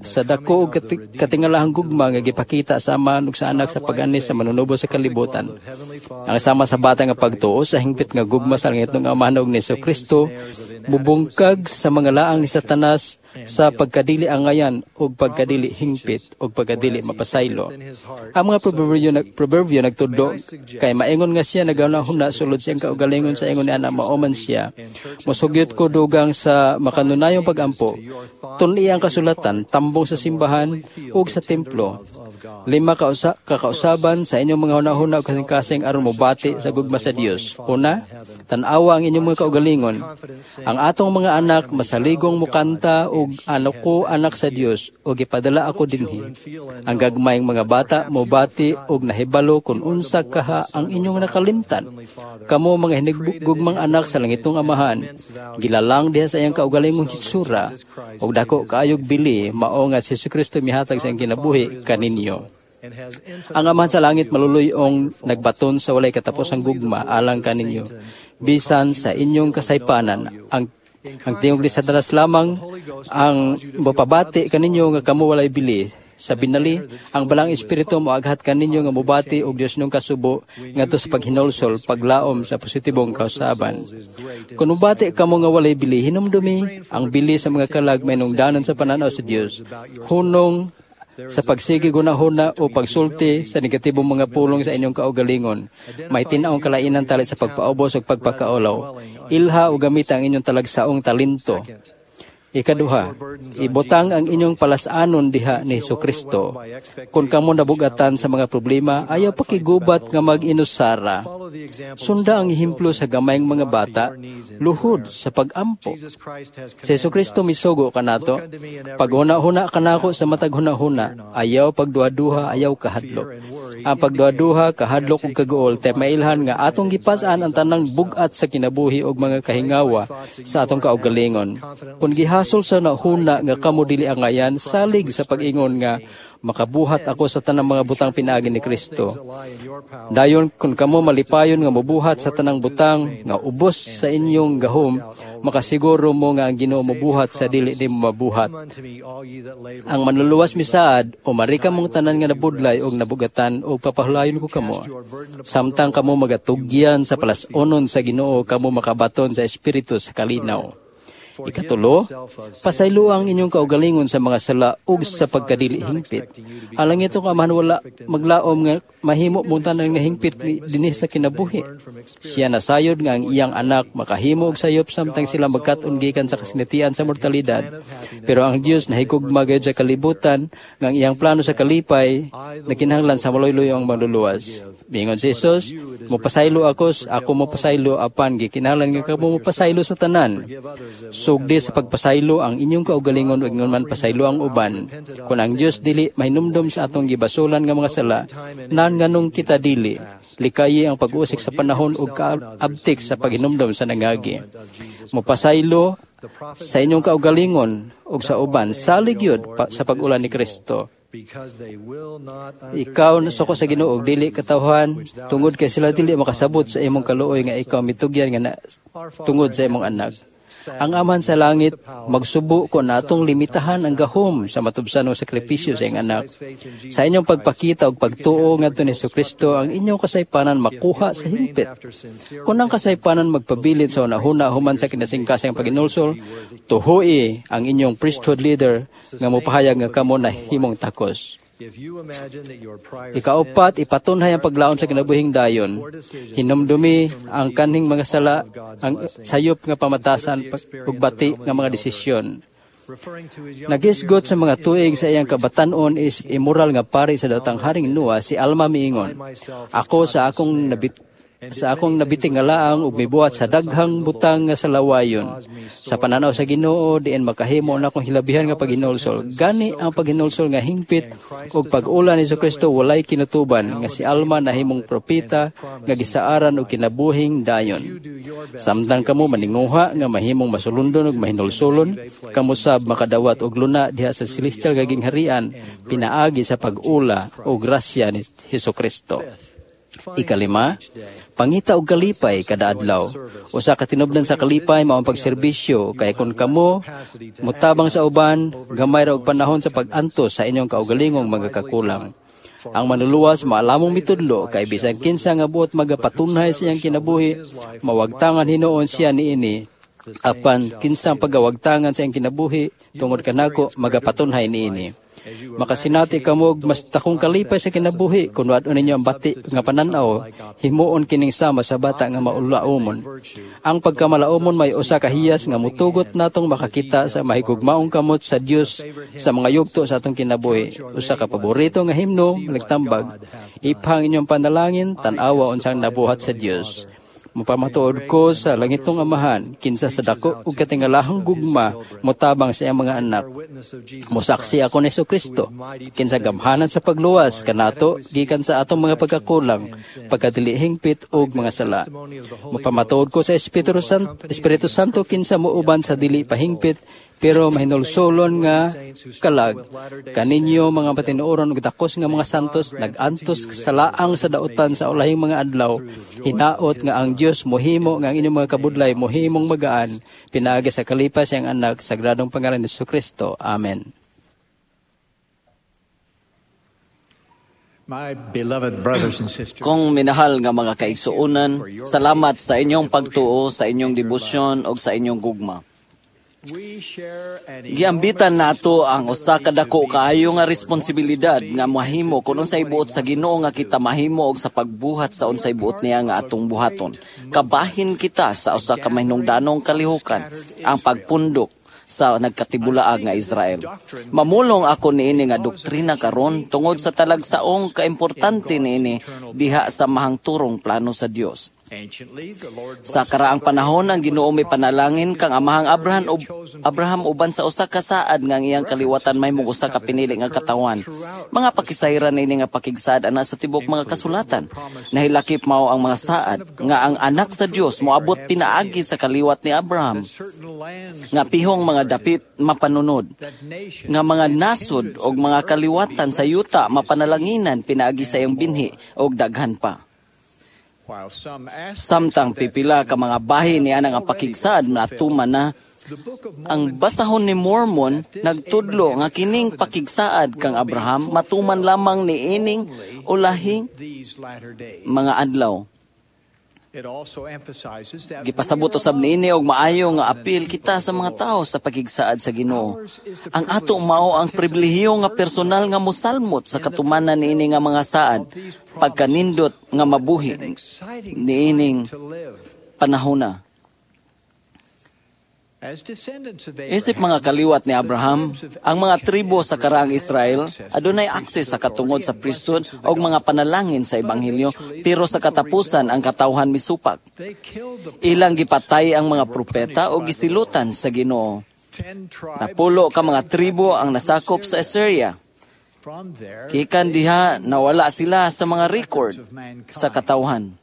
sa dako og katingalahang gugma nga gipakita sa Amahan ug sa Anak sa pag-anis sa manunubos sa kalibutan. Ang sama sa bata nga pagtuo sa hingpit nga gugma sa langitnong Amahan ug ni Kristo mubungkag sa mga laang ni Satanas sa pagkadili angayan ug pagkadili hingpit ug pagkadili mapasaylo. Ang mga proverbio, proverbio nagtudlo kay maingon nga siya nagahuna sulod siyang kaugalingon sa ingon ni ana mao man siya. Mosugyot ko dugang sa makanunayong pagampo. Tun-i ang kasulatan, tambong sa simbahan ug sa templo. Lima ka usa, kakausaban sa inyong mga hunahuna ug kasing-kasing aron mobati sa gugma sa Dios. Una, tan-awa ang inyong mga kaugalingon. Ang atong mga anak masaligong mukanta og "Ano ko anak sa Dios ug gipadala ako dinhi." Ang gagmayng mga bata mobati og nahibalo kung unsa kaha ang inyong nakalimtan. Kamo mga hinigugmang anak sa langitong Amahan, gilalang diha sa iyang kaugalingong hitsura ug dako kaayog bili mao nga si Jesu mihatag sa iyang kinabuhi kaninyo. Ang Amahan sa langit maluluyong nagbaton sa walay katapusang gugma alang kaninyo. Bisan sa inyong kasaypanan, ang ang tingog ni Satanas lamang ang mapabati kaninyo nga kamo walay bili. Sa binali, ang Balaang Espiritu moaghat kaninyo nga mobati og Dios nung kasubo ngadto sa paghinulsol, paglaom sa positibong kausaban. Kung mobati kamo nga walay bili, hinumdumi ang bili sa mga kalag may nungdanon sa pananaw sa Dios. Hunong sa pagsige gunahuna o pagsulti sa negatibong mga pulong sa inyong kaugalingon. May tin-awng kalainan talit sa pagpaubos o pagpakaulaw. Ilha o gamita ang inyong talagsaong talento. Ikaduha, ibutang ang inyong palasanon diha ni Hesus Kristo. Kung kamo nabugatan sa mga problema, ayaw pakigubat nga mag-inusara. Sunda ang ehemplo sa gamayng mga bata, luhod sa pag-ampo. Si Hesus Kristo misugo kanato, "Paghuna-huna kanako sa matag huna-huna, ayaw pagduha-duha, ayaw kahadlok." Ang pagduha-duha, kahadlok ug kaguol, tay mailhan nga atong gipas-an ang tanang bug-at sa kinabuhi og mga kahingawa sa atong kaugalingon. Kung gihasol sa nahuna nga kamo dili angayan, salig sa pag-ingon nga "Makabuhat ako sa tanang mga butang pinaagi ni Kristo." Dayon kung kamo malipayon nga mobuhat sa tanang butang nga ubos sa inyong gahom, makasiguro mo nga ang Ginoo mobuhat sa dili nimo mabuhat. Ang Manluluwas misaad, "Umari kamong tanan nga nabudlay og nabugatan og papahulayon ko kamo." Samtang kamo magatugyan sa palasonon sa Ginoo, kamo makabaton sa Espiritu sa kalinaw. Ikatulo, pasaylo ang inyong kaugalingon sa mga sala ug sa pagkadili hingpit. Ang langitong Amahan wala maglaom nga mahimo mo tanan nga hingpit dinhi sa kinabuhi. Siya nasayod nga ang iyang anak makahimo og sayop samtang sila magkat-on gikan sa kasinatian sa mortalidad. Pero ang Dios nahigugma gayud sa kalibutan nga ang iyang plano sa kalipay nagkinahanglan sa maloy-loy ang manluluwas. Miingon si Jesus, "Mopasaylo ako, ako mopasaylo apan gikinahanglan nga kamo mopasaylo sa tanan." Sugdi sa pagpasaylo ang inyong kaugalingon ug ingon man pasaylo ang uban. Kung ang Dios dili mahinumdom sa atong gibasolan nga mga sala, nan nganong kita dili? Likayi ang pag-usik sa panahon ug kaabtik sa paghinumdom sa nangagi. Mopasaylo sa inyong kaugalingon ug sa uban, salig yun pa, sa pag-ulan ni Kristo. Ikaw nasuko sa Ginoo og dili katawhan tungod kay sila dili makasabot sa imong kaluoy nga ikaw mitugyan nga na, tungod sa imong anak. Ang Amahan sa langit magsubo kon atong limitahan ang gahom sa matubsanong sakripisyo sa iyang anak. Sa inyong pagpakita og pagtuo ngadto ni Kristo, ang inyong kasaypanan makuha sa hingpit. Kung ang kasaypanan magpabilin sa hunahuna human sa kinasingkasang paghinulsol, tuhui ang inyong priesthood leader nga mopahayag nga kamo nahimong takos. Ikaupat, ipatunhay ang paglaom sa kinabuhing dayon. Hinumdumi ang kanhing mga sala, ang sayop nga pamatasan ug bati nga mga desisyon. Nagisgot sa mga tuig sa iyang kabatan-on is immoral nga pari sa daotang Haring Noah, si Alma miingon, "Ako sa akong nabit sa akong nabiting nga laang ug mibuhat sa daghang butang nga sa lawayon. Sa pananaw sa Ginoo, diin makahimo na akong hilabihan nga paghinulsol." Gani ang paghinulsol nga hingpit ug pag-ula ni Kristo walay kinutuban nga si Alma nahimong propeta nga gisaaran og kinabuhing dayon. Samtang kamo maninguha nga mahimong masulundon ug mahinulsolon, kamo sab makadawat og luna diha sa celestial nga gingharian pinaagi sa pag-ula o grasya ni Hesus Kristo. Ikalima, pangita og kalipay kada adlaw. Usa ka tinubdan sa kalipay mao ang pagserbisyo kay kon kamo motabang sa uban, gamay ra og panahon sa pag-antos sa inyong kaugalingong mga kakulang. Ang manluluwas maalamong mitudlo kay bisan kinsa nga buot magapatunhay sa iyang kinabuhi, mawagtangan hinuon siya niini. Apan kinsang pagawagtangan sa iyang kinabuhi tungod kanako magapatunhay niini. Makasinati kamo og mas dakong kalipay sa kinabuhi kun wad-on ninyo ang bati nga panan-aw, himuon kining sama sa bata nga maulaomon. Ang pagkamalaomon may usa ka hiyas nga mutugot natong makakita sa mahigugmaong kamot sa Dios sa mga yugto sa atong kinabuhi. Usa ka paborito nga himno nagtambag, "Iphang inyong panalangin, tan-awa unsang nabuhat sa Dios. Mapamatuod ko sa langitong Amahan, kinsa sa dako ug katingalahang gugma motabang sa iyang mga anak. Mosaksi ako ni Kristo, kinsa gamhanan sa pagluwas kanato gikan sa atong mga pagkakulang, pagkadili hingpit ug mga sala. Mapamatuod ko sa Espiritu Santo, Espiritu Santo kinsa muuban sa dili pahingpit pero mahinulsolon nga kalag. Kaninyo mga patinuoron ug dakos nga mga santos nag-antos sa laang sa dautan sa ulahing mga adlaw, hinaot nga ang Dios mohimo nga ang inyong mga kabudlay mohimong magaan pinaagi sa kalipay sa iyang anak, sagradong pangalan ni Jesucristo. Amen. My beloved brothers and sisters, Kung minahal nga mga kaigsuonan, salamat sa inyong pagtuo, sa inyong debosyon ug sa inyong gugma. Giambitan nato ang usa ka dako kaayo nga responsibilidad nga mahimo kun unsay buot sa Ginoo nga kita mahimo og sa pagbuhat sa unsay buot niya nga atong buhaton. Kabahin kita sa usa ka mahinungdanong kalihukan, ang pagpundok sa nagkatibulaag nga Israel. Mamulong ako niini nga doktrina karon tungod sa talagsaong kaimportante niini diha sa mahangturong plano sa Dios. Sa karaang panahon ang Ginoo may panalangin kang amahang Abraham ub, Abraham uban sa usa ka saad nga ang iyang kaliwatan mahimong usa ka pinili nga katawan. Mga pakisayran niini nga pakigsaad ana sa tibok mga kasulatan. Nahilakip mao ang mga saad nga ang anak sa Dios moabot pinaagi sa kaliwat ni Abraham, nga pihong mga dapit mapanunod, nga mga nasod og mga kaliwatan sa yuta mapanalanginan pinaagi sa iyang binhi og daghan pa. Samtang pipila ka mga bahin niya ang pakigsaad natuman na, ang basahon ni Mormon nagtudlo nga kining pakigsaad kang Abraham matuman lamang ni ining ulahing mga adlaw. Gipasabot usab niini og maayo nga apil kita sa mga tawo sa pakigsaad sa Ginoo. Ang ato mao ang pribilehiyo nga personal nga mosalmot sa katumanan niini nga mga saad, pagkanindot nga mabuhi niining panahona. Isip mga kaliwat ni Abraham, ang mga tribo sa karaang Israel adunay akses sa katungod sa priesthood og mga panalangin sa ebanghelyo, pero sa katapusan ang katawhan misupak. Ilang gipatay ang mga propeta o gisilutan sa Ginoo. Napulo ka mga tribo ang nasakop sa Assyria. Gikan diha nawala sila sa mga record sa katawhan.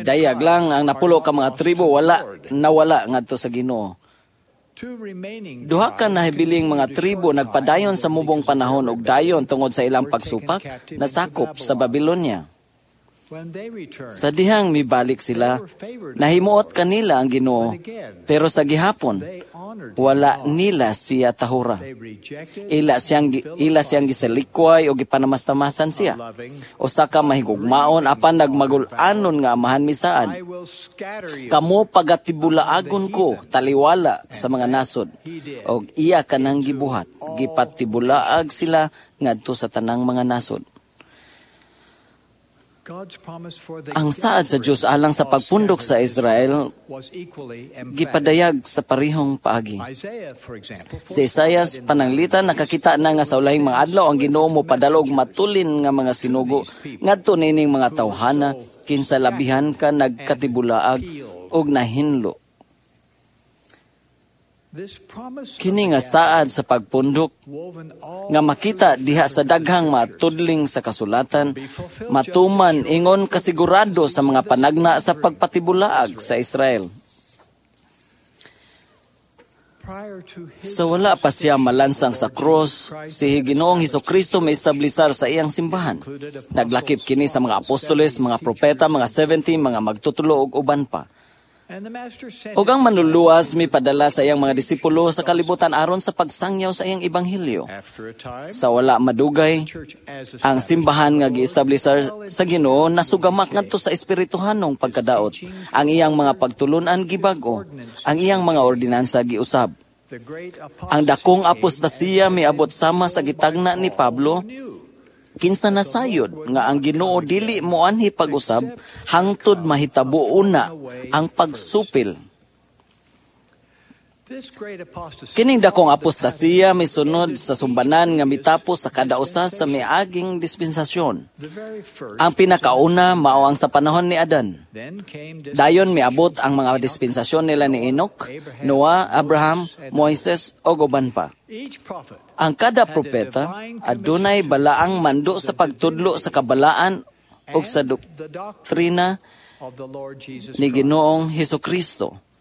Dayag lang ang napulo ka mga tribo wala nawala ngadto sa Ginoo. Duha ka nahibiling mga tribo nagpadayon sa mubong panahon og dayon tungod sa ilang pagsupak nasakop sa Babylonia. Sa dihang mibalik sila, nahimuot kanila ang Ginoo, pero sa gihapon wala nila siya tahura. Ila siyang ila siyang gisalikway o gipanamastamasan siya. Usa ka mahigugmaon apan nagmagul-anon nga amahan misaad. Kamo pagatibulaagon ko taliwala sa mga nasod. Og iya kanang gibuhat, gipatibulaag sila ngadto sa tanang mga nasod. Ang saad sa Dios alang sa pagpundok sa Israel gipadayag sa parehong paagi. Si Isaias pananglitan nakakita na nga sa ulahing mga adlaw ang Ginoo mo padala og matulin nga mga sinugo ngadto niining mga tawhana kinsa labihan ka nagkatibulaag og nahinlo. Kini nga saad sa pagpundok nga makita diha sa daghang matudling sa kasulatan, matuman ingon kasigurado sa mga panagna sa pagpatibulaag sa Israel. Sa wala pa siya malansang sa krus, si Ginoong Hesukristo maestablisar sa iyang simbahan. Naglakip kini sa mga apostoles, mga propeta, mga seventy, mga magtutulo ug uban pa. Ug ang manluluwas mipadala sa iyang mga disipulo sa kalibutan aron sa pagsangyaw sa iyang ebanghelyo. Sa wala madugay, ang simbahan nga giestablisar sa Ginoo nasugamak ngadto sa espirituhanong pagkadaot. Ang iyang mga pagtulun-an gibag-o, ang iyang mga ordinansa giusab. Ang dakong apostasiya miabot sama sa gitagna ni Pablo, kinsa nasayod nga ang Ginoo dili moanhi pag-usab hangtod mahitabo una ang pagsupil. Kining dakong apostasiya misunod sa sumbanan nga mitapos sa kada usa sa miaging dispensasyon. Ang pinakauna mao ang sa panahon ni Adan. Dayon miabot ang mga dispensasyon nila ni Enoch, Noah, Abraham, Moises ug uban pa. Ang kada propeta adunay balaang mando sa pagtudlo sa kabalaan ug sa doktrina ni Ginoong Hesukristo.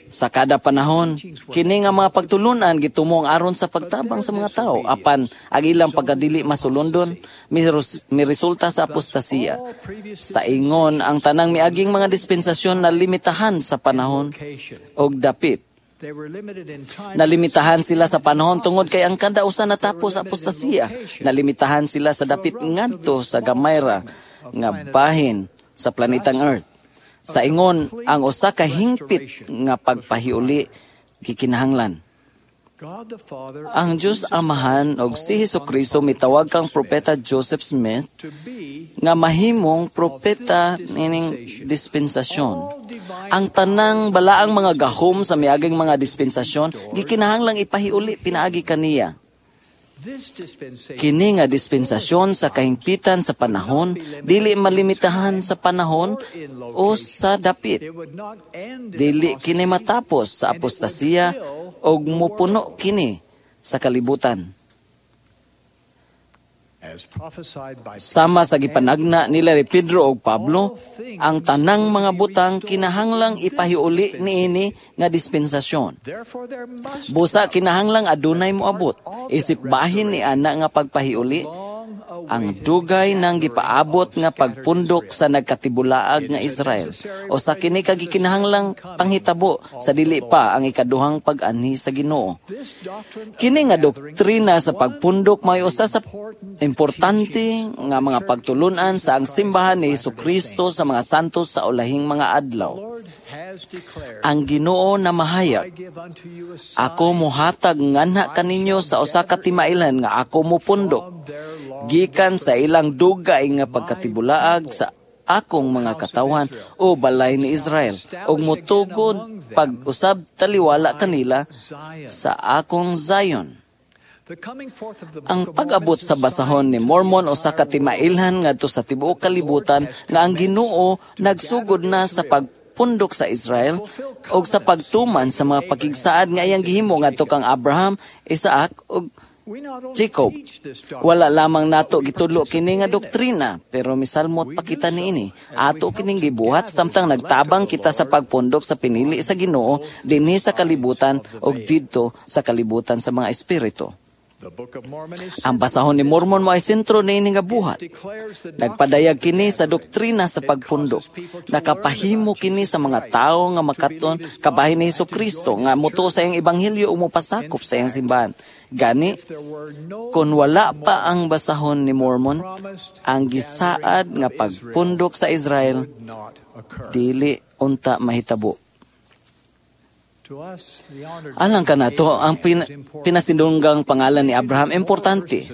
Sa kada panahon, kini nga mga pagtulunan gitumong aron sa pagtabang sa mga tao, apan ang ilang pagkadili masulundon miresulta sa apostasiya. Sa ingon, ang tanang miaging mga dispensasyon na limitahan sa panahon og dapit. Nalimitahan sila sa panahon tungod kay ang kada usa natapos sa apostasiya. Nalimitahan sila sa dapit ngadto sa gamayra nga bahin sa planetang Earth. Sa ingon, ang usa ka hingpit nga pagpahiuli gikinahanglan. Ang Diyos Amahan og si Hesukristo mitawag kang propeta Joseph Smith nga mahimong propeta nining dispensasyon. Ang tanang balaang mga gahom sa miaging mga dispensasyon gikinahanglang ipahiuli pinaagi kaniya. Kini nga dispensasyon sa kahingpitan sa panahon, dili malimitahan sa panahon o sa dapit. Dili kini matapos sa apostasiya og mupuno kini sa kalibutan. Sama sa gipanagna nila ni Pedro og Pablo, ang tanang mga butang kinahanglang ipahiuli niini nga dispensasyon. Busa kinahanglang adunay moabot, isip bahin ni ana nga pagpahiuli Ang dugay nang gipaabot nga pagpundok sa nagkatibulaag nga Israel o sa kini ka gikinahanglang panghitabo sa dili pa ang ikaduhang pag-anhi sa Ginoo. Kini nga doktrina sa pagpundok may usa sa importante nga mga pagtulunan sa ang simbahan ni Hesukristo sa mga santos sa ulahing mga adlaw. Ang Ginoo na mahayag, ako mohatag nganha kaninyo sa usa ka timailhan nga ako mopundok gikan sa ilang dugay nga pagkatibulaag sa akong mga katawhan o balay ni Israel, ug motugod pag-usab taliwala kanila sa akong Zion. Ang pag-abot sa basahon ni Mormon usa ka timailhan ngadto sa tibuok kalibutan nga ang Ginoo nagsugod na sa pagpundok sa Israel ug sa pagtuman sa mga pakigsaad nga iyang gihimo ngadto kang Abraham, Isaac ug Jacob. Wala lamang nato gitudlo kini nga doktrina, pero misalmot pa kita niini. Ato kining gibuhat samtang nagtabang kita sa pagpundok sa pinili sa Ginoo dinhi sa kalibutan ug didto sa kalibutan sa mga espiritu. Ang basahon ni Mormon mo ay sentro niini nga buhat. Nagpadayag kini sa doktrina sa pagpundok. Nakapahimo kini sa mga tawo nga makaton kabahin ni Hesukristo nga motuo sa iyang ebanghelyo ug mopasakop sa iyang simbahan. Gani, kung wala pa ang basahon ni Mormon, ang gisaad nga pagpundok sa Israel dili unta mahitabo. Alang kanato, ang pin- pinasindunggang pangalan ni Abraham importante.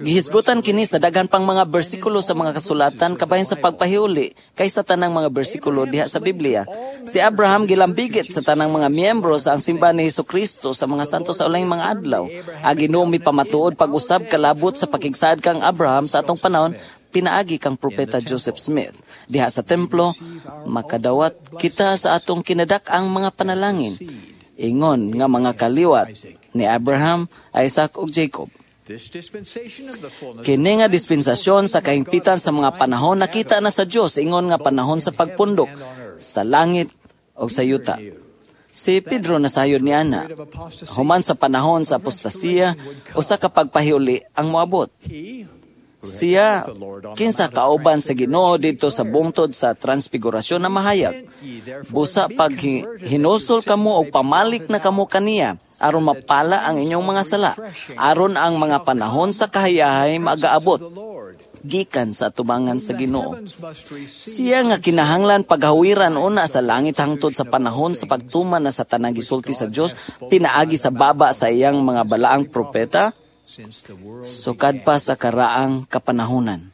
Gihisgutan kini sa daghan pang mga bersikulo sa mga kasulatan kabahin sa pagpahiuli kaysa tanang mga bersikulo diha sa Biblia. Si Abraham gilambigit sa tanang mga miyembro sa ang simbahan ni Hesukristo sa mga santo sa ulahing mga adlaw. Ang Ginoo mipamatuod pag-usab kalabot sa pakigsaad kang Abraham sa atong panahon pinaagi kang propeta Joseph Smith. Diha sa templo, makadawat kita sa atong kinadak-ang mga panalangin. Ingon nga mga kaliwat ni Abraham, Isaac ug Jacob. Kini nga dispensasyon sa kahimpitan sa mga panahon nakita na sa Dios ingon nga panahon sa pagpundok sa langit ug sa yuta. Si Pedro nasayod ni ana, human sa panahon sa apostasiya, usa ka pagpahiuli ang moabot. Siya, kinsa kauban sa Ginoo didto sa bungtod sa transfigurasyon na mahayag. Busa pag hinusol kamo og pamalik na kamo kaniya, aron mapala ang inyong mga sala, aron ang mga panahon sa kahayahay magaabot gikan sa tubangan sa Ginoo. Siya nga kinahanglan paghawiran una sa langit hangtod sa panahon sa pagtuman na sa tanang gisulti sa Dios pinaagi sa baba sa iyang mga balaang propeta, sukad pa sa karaang kapanahonan.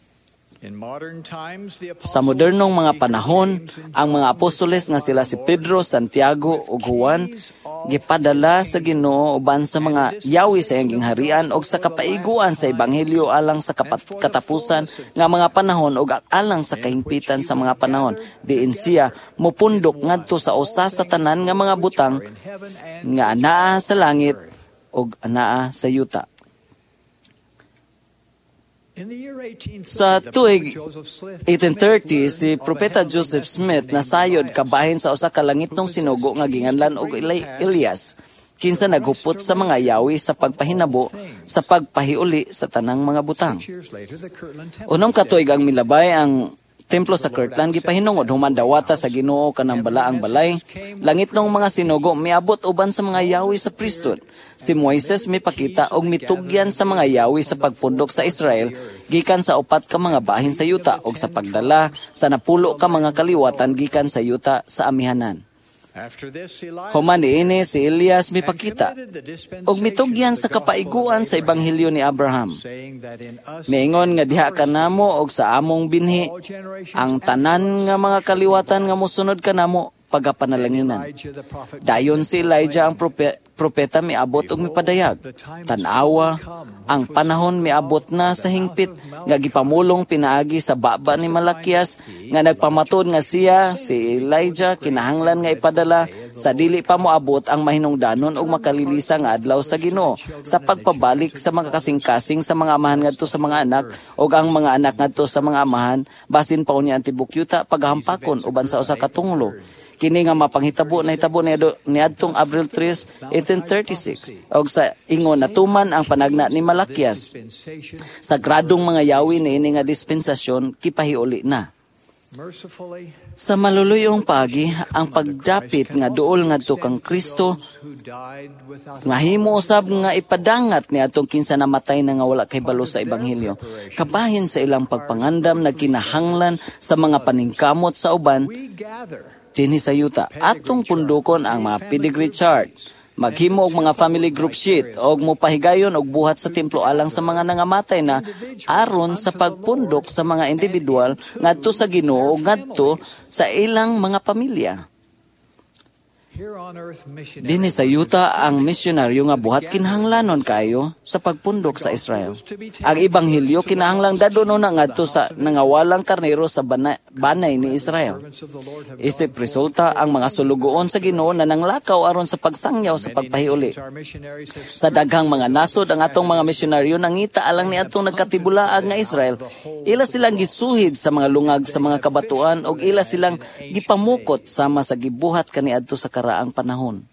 Sa modernong mga panahon, ang mga apostoles nga sila si Pedro, Santiago ug Juan gipadala sa Ginoo uban sa mga yawi sa iyang gingharian og sa kapaiguan sa ebanghelyo alang sa kapat- katapusan nga mga panahon ug alang sa kahimpitan sa mga panahon. Diin siya mopundok ngadto sa usa sa tanan nga mga butang nga anaa sa langit ug anaa sa yuta. Sa tuig eighteen thirty, si Propeta Joseph Smith nasayod kabahin sa usa ka langitnong sinugo nga ginganlan og Elias, kinsa naghupot sa mga yawi sa pagpahinabo sa pagpahiuli sa tanang mga butang. Unom ka tuig ang milabay ang templo sa Kirtland gipahinungod human dawata sa Ginoo kanang balaang balay, langitnong mga sinugo miabot uban sa mga yawi sa priesthood. Si Moises mipakita og mitugyan sa mga yawi sa pagpundok sa Israel gikan sa upat ka mga bahin sa yuta og sa pagdala sa napulo ka mga kaliwatan gikan sa yuta sa amihanan. Human niini si Elias mipakita og mitugyan sa kapaiguan sa ebanghelyo ni Abraham. Miingon nga diha kanamo og sa among binhi ang tanan nga mga kaliwatan nga mosunod kanamo pagapanalanginan. Dayon si Elijah ang prope, propeta miabot og mipadayag. Tan-awa, ang panahon miabot na sa hingpit nga gipamulong pinaagi sa baba ni Malakias nga nagpamatod nga siya si Elijah kinahanglan nga ipadala sa dili pa moabot ang mahinungdanon og makalilisa nga adlaw sa Ginoo sa pagpabalik sa mga kasing-kasing sa mga amahan ngadto sa mga anak ug ang mga anak ngadto sa mga amahan basin pa unya ang tibuok yuta paghampakon uban sa usa ka tunglo. Kini nga mapanghitabo nahitabo niadtong Abril three, eighteen thirty-six og sa ingon natuman ang panagna ni Malakias. Sagradong mga yawi niini nga dispensasyon kipahiuli na. Sa maluluyong paagi, ang pagdapit nga duol ngadto kang Kristo mahimo usab nga ipadangat ni atong kinsa namatay na nga wala kay balo sa ebanghelyo. Kabahin sa ilang pagpangandam nagkinahanglan sa mga paningkamot sa uban dinhi sa yuta. Atong pundukon ang mga pedigree chart, maghimo og mga family group sheet og mopahigayon og buhat sa templo alang sa mga nangamatay na aron sa pagpundok sa mga individual ngadto sa Ginoo ngadto sa ilang mga pamilya. Dinhi sa yuta ang misyonaryo nga buhat kinahanglanon kaayo sa pagpundok sa Israel. Ang ebanghelyo kinahanglang dadon na ngadto sa nangawalang karnero sa banay, banay ni Israel. Isip resulta ang mga sulugoon sa Ginoo na nanglakaw aron sa pagsangyaw sa pagpahiuli. Sa daghang mga nasod ang atong mga misyonaryo nangita alang ni atong nagkatibulaag nga Israel. Ila silang gisuhid sa mga lungag sa mga kabatuan og ila silang gipamukot sama sa gibuhat kaniadto sa karaang panahon.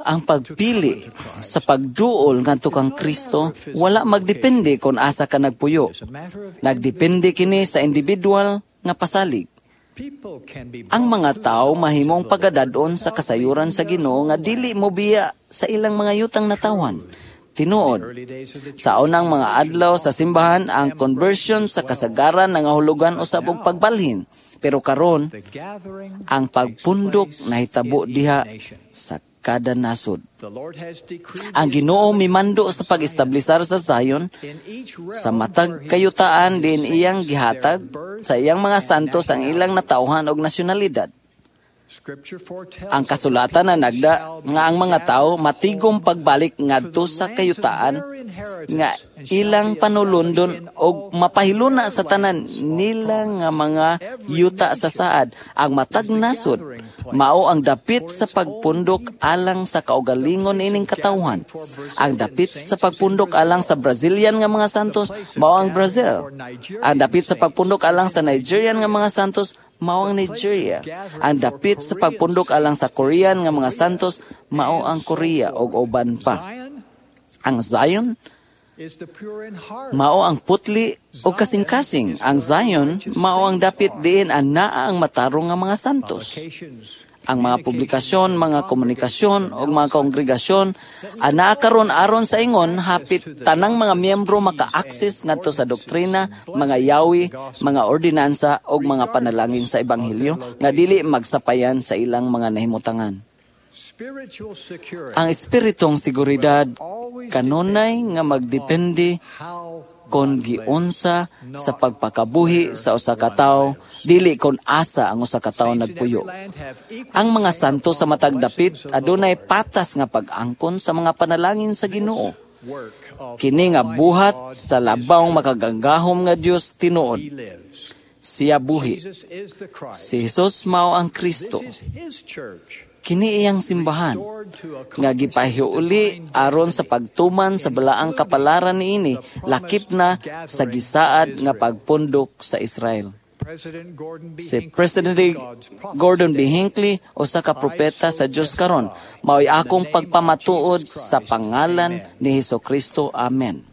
Ang pagpili sa pagduol ngadto kang Kristo wala magdepende kung asa ka nagpuyo. Nagdepende kini sa individual nga pasalig. Ang mga tao mahimong pagadadon sa kasayuran sa Ginoo nga dili mobiya sa ilang mga yutang natawan. Tinuod, sa unang mga adlaw sa simbahan, ang conversion sa kasagaran nangahulugan usab og pagbalhin. Pero karon, ang pagpundok nahitabo diha sa kada nasod. Ang Ginoo mimando sa pag-establisar sa Zion sa matag kayutaan din iyang gihatag sa iyang mga santos ang ilang natawhan og nasyonalidad. Ang kasulatan na nagda nga ang mga tao matigom pagbalik ngadto sa kayutaan nga ilang panulundon og mapahiluna sa tanan nila nga mga yuta sa saad. Ang matag nasod mao ang dapit sa pagpundok alang sa kaugalingon ining katawhan. Ang dapit sa pagpundok alang sa Brazilian nga mga santos mao ang Brazil. Ang dapit sa pagpundok alang sa Nigerian nga mga santos mao ang Nigeria. Ang dapit sa pagpundok alang sa Korean nga mga santos mao ang Korea og uban pa. Ang Zion mao ang putli o kasing-kasing. Ang Zion mao ang dapit diin anaa ang matarong nga mga santos. Ang mga publikasyon, mga komunikasyon o mga kongregasyon anaa karon aron sa ingon hapit tanang mga miyembro maka-access ngadto sa doktrina, mga yawi, mga ordinansa o mga panalangin sa ebanghelyo nga dili magsapayan sa ilang mga nahimutangan. Ang espiritong seguridad kanunay nga magdepende kon giunsa sa pagpakabuhi sa usa ka tawo, dili kon asa ang usa ka tawo nagpuyo. Ang mga santo sa matag dapit adunay patas nga pag-angkon sa mga panalangin sa Ginoo. Kini nga buhat sa labawng makagagahom nga Dios tinuod. Siya buhi. Si Jesus mao ang Kristo. Kini iyang simbahan nga gipahiuli aron sa pagtuman sa balaang kapalaran niini lakip na sa gisaad nga pagpundok sa Israel. Si President Gordon B. Hinckley usa ka propeta sa Dios karon, mao'y akong pagpamatuod sa pangalan ni Hesukristo. Amen. Amen.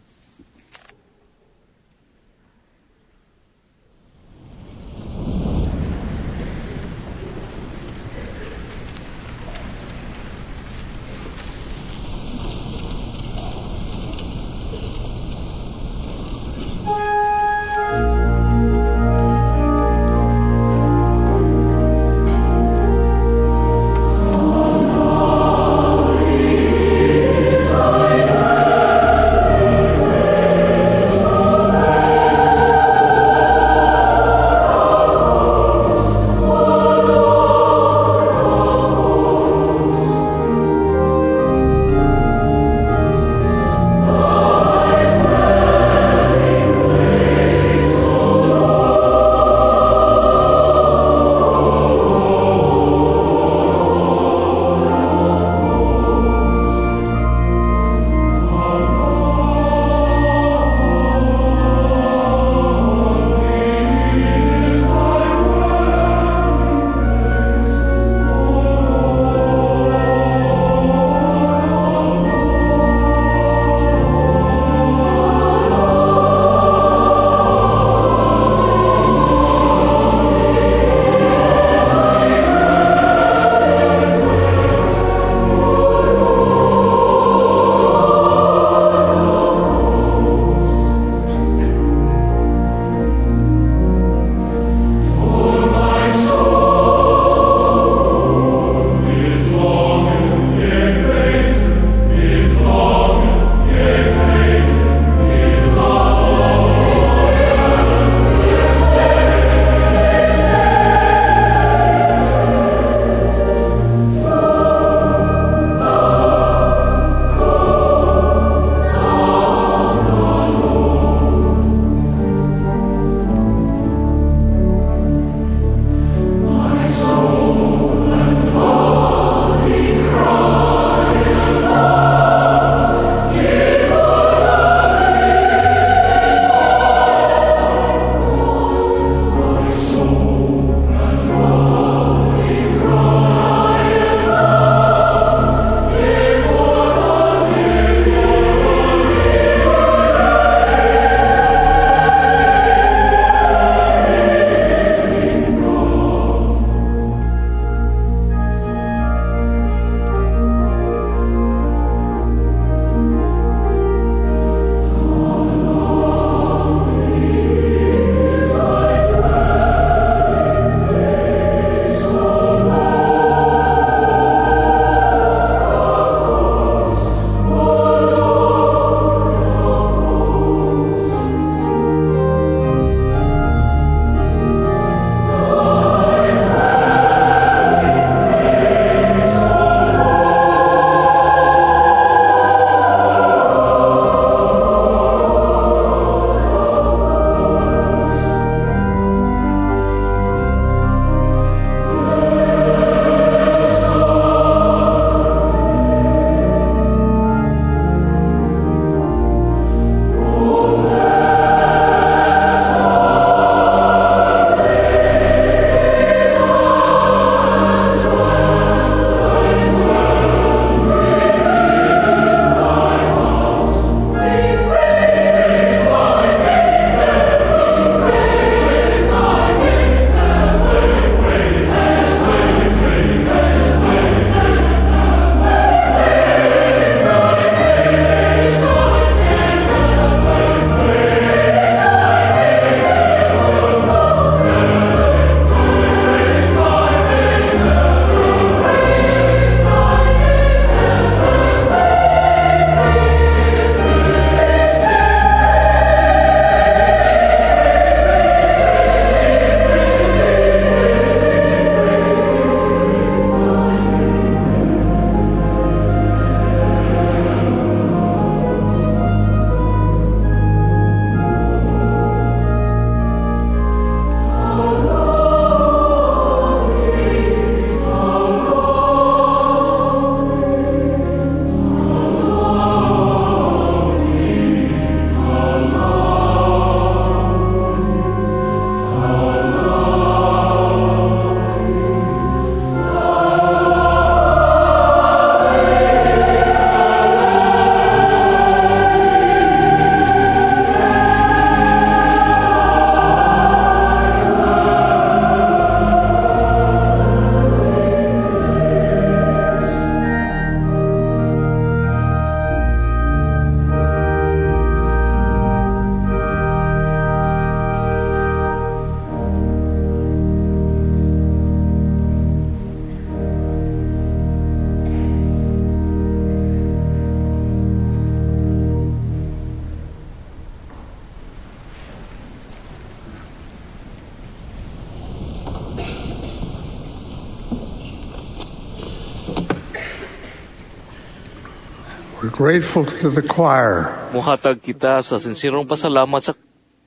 We're grateful to the choir. Muhatag kita sa sinsirong pasalamat sa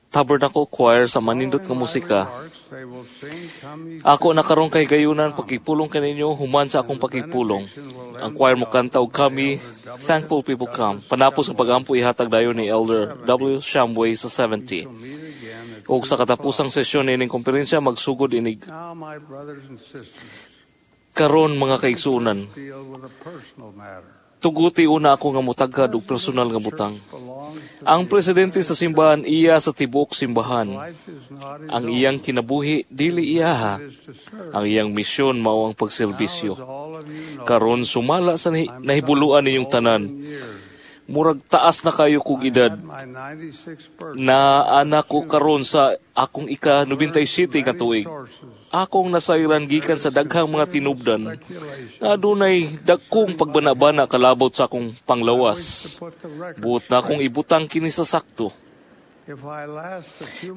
Tabernacle Choir sa manindot nga musika. Ako na karon kay gayunan pakipulong kaninyo human sa akong pakipulong. Ang choir mo kanta og kami, Thankful People Come. Panapos ang pagampo ihatag dayon ni Elder W. Shumway sa seventy. Og sa katapusang sesyon nining komperensya magsugod inig karon, mga kaigsuonan. Tuguti una ako nga mutagad og personal nga butang. Ang presidente sa simbahan iya sa tibuok simbahan. Ang iyang kinabuhi dili iyaha. Ang iyang misyon mao ang pagserbisyo. Karon, sumala sa nahibuluan ninyong tanan, murag taas na kayo kog edad. Na anak ko karon sa akong ika nobentay siyete ka tuig. Akong nasayran gikan sa daghang mga tinubdan nga adunay dagkong pagbana-bana kalabot sa akong panglawas. Buot na akong ibutang kini sa sakto.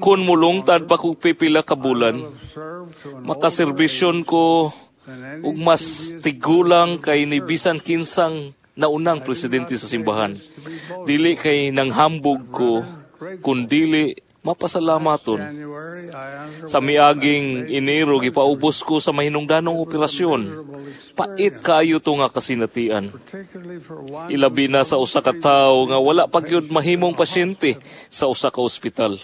Kung mulungtad pa kog pipila ka bulan, makaserbisyon ko ug mas tigulang kay ni bisan kinsang naunang presidente sa simbahan. Dili kay nanghambog ko, kundili mapasalamaton. Sa miaging Enero, gipaubos ko sa mahinungdanong operasyon. Pait kaayo to nga kasinatian. Ilabi na sa usa ka tawo nga wala pa gyud mahimong pasyente sa usa ka ospital.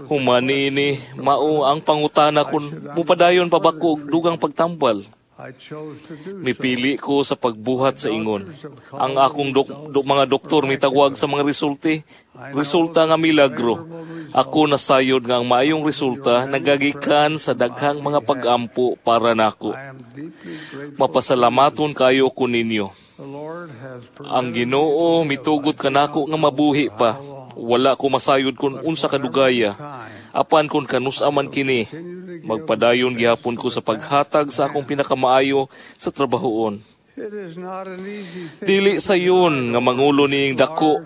Human niini, mao ang pangutana kung mupadayon pa ba ko og dugang pagtambal. Mipili ko sa pagbuhat sa ingon. Ang akong dok, dok, mga doktor mitawag sa mga resulti, resulta nga milagro. Ako nasayod nga ang maayong resulta nagagikan sa daghang mga pag-ampo para nako. Mapasalamaton kayo ko ninyo. Ang Ginoo mitugot kanako nga mabuhi pa. Wala ko masayod kung unsa kadugaya. Apan kung kanus-a man kini, magpadayon gihapon ko sa paghatag sa akong pinakamaayo sa trabahoon. Dili sayon nga mangulo niing dako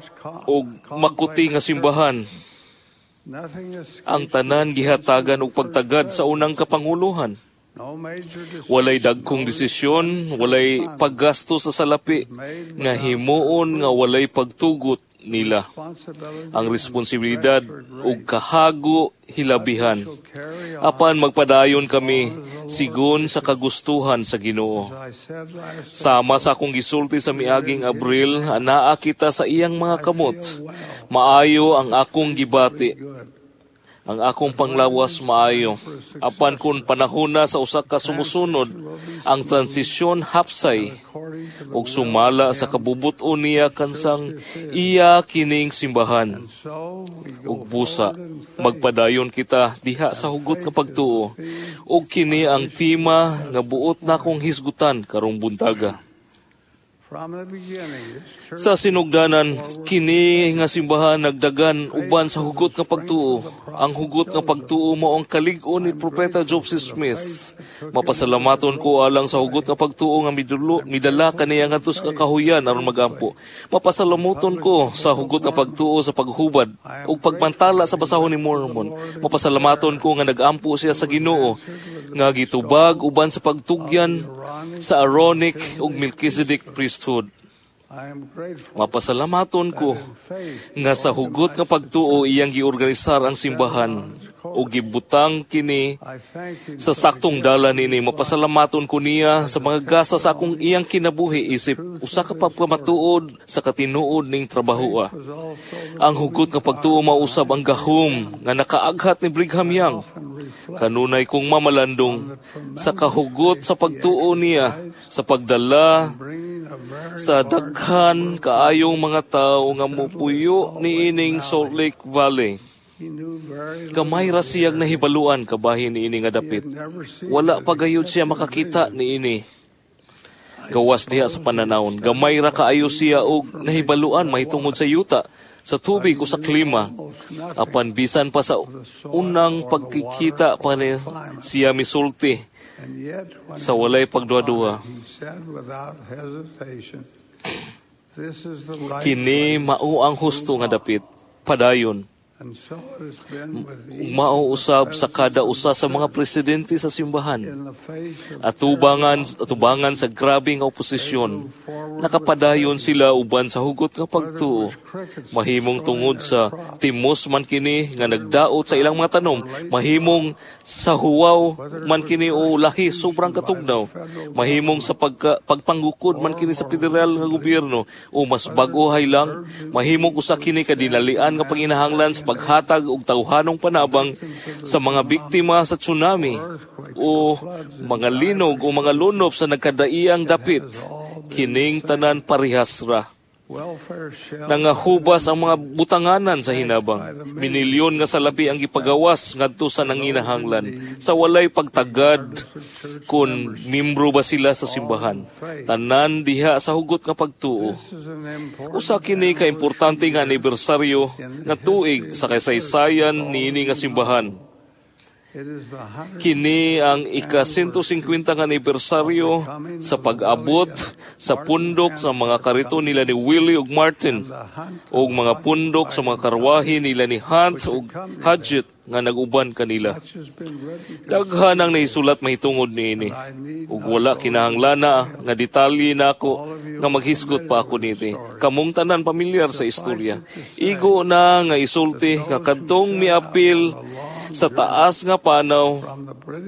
og makuti nga simbahan. Ang tanan gihatagan og pagtagad sa unang kapanguluhan. Walay dagkong desisyon, walay paggasto sa salapi, nga himuon nga walay pagtugot nila. Ang responsibilidad ug kahago hilabihan. Apan magpadayon kami sigon sa kagustuhan sa Ginoo. Sama sa akong gisulti sa miaging Abril, anaa kita sa iyang mga kamot. Maayo ang akong gibati. Ang akong panglawas maayo. Apan kung panahon na sa usa ka sumusunod, ang transisyon hapsay ug sumala sa kabubuton niya kansang iya kining simbahan. Ug busa, magpadayon kita diha sa hugot nga pagtuo. Ug kini ang tema nga buot nakong hisgutan karong buntaga. Sa sinugdanan, kini nga simbahan nagdagan uban sa hugot nga pagtuo. Ang hugot nga pagtuo mao ang kalig-on ni Propeta Joseph Smith. Mapasalamaton ko alang sa hugot nga pagtuo nga midulo, midala kaniya ngadto sa kakahuyan aron magampo. Mapasalamuton ko sa hugot nga pagtuo sa paghubad ug pagmantala sa basahon ni Mormon. Mapasalamaton ko nga nagampo siya sa Ginoo nga gitubag uban sa pagtugyan sa Aaronic ug Melchizedek priesthood. Mapasalamaton ko nga sa hugot nga pagtuo iyang giorganisar ang simbahan o gibutang kini sa saktong dala nini. Mapasalamaton ko niya sa mga gasa sa akong iyang kinabuhi isip usa ka pagpamatuod sa katinuod ning trabahoa. Ang hugot nga pagtuo mausab ang gahom nga nakaaghat ni Brigham Young. Kanunay kong mamalandong sa kahugot sa pagtuo niya sa pagdala sa daghan kaayong mga tao nga mupuyo niining Salt Lake Valley. Gamay ra siyang nahibaluan kabahin niini nga dapit. Wala pa gayud siya makakita niini. Gawas diha sa pananawon, gamay ra kaayo siya og nahibaluan mahitungod sa yuta, sa tubig o sa klima. Apan bisan pa sa unang pagkikita pa ni siya misulti sa walay pagduha-duha. Kini mao ang husto nga dapit, padayon. Mao usab sa kada usa sa mga presidente sa simbahan. Atubangan, atubangan sa grabe nga oposisyon, nakapadayon sila uban sa hugot nga pagtuo. Mahimong tungod sa timos man kini nga nagdaot sa ilang mga tanom, mahimong sa huwaw man kini o lahi sobrang katugnaw, mahimong sa pagka, pagpanggukod man kini sa federal nga gobyerno o mas bag-o lang, mahimong usa kini kadinalian nga panginahanglan sa paghatag og tawhanong panabang sa mga biktima sa tsunami o mga linog o mga lunop sa nagkadaiyang dapit. Kining tanan parehas ra. Nangahubas ang mga butanganan sa hinabang. Minilyon nga salapi ang gipagawas ngadto sa nanginahanglan sa walay pagtagad kung mimbro ba sila sa simbahan. Tanan diha sa hugot nga pagtuo. Usa kini ka importante nga anibersaryo nga tuig sa kasaysayan niini nga simbahan. Kini ang ika one fifty nga anibersaryo sa pag-abot sa pundok sa mga karito nila ni Willie ug Martin ug mga pundok sa mga karwahe nila ni Hunt ug Hodgett nga nag-uban kanila. Daghan ang nahisulat mahitungod niini ug wala kinahanglana nga detalye nako nga maghisgot pa ako niti. Kamong tanan pamilyar sa istorya. Igo na nga isulti nga kadtong miapil sa taas nga panaw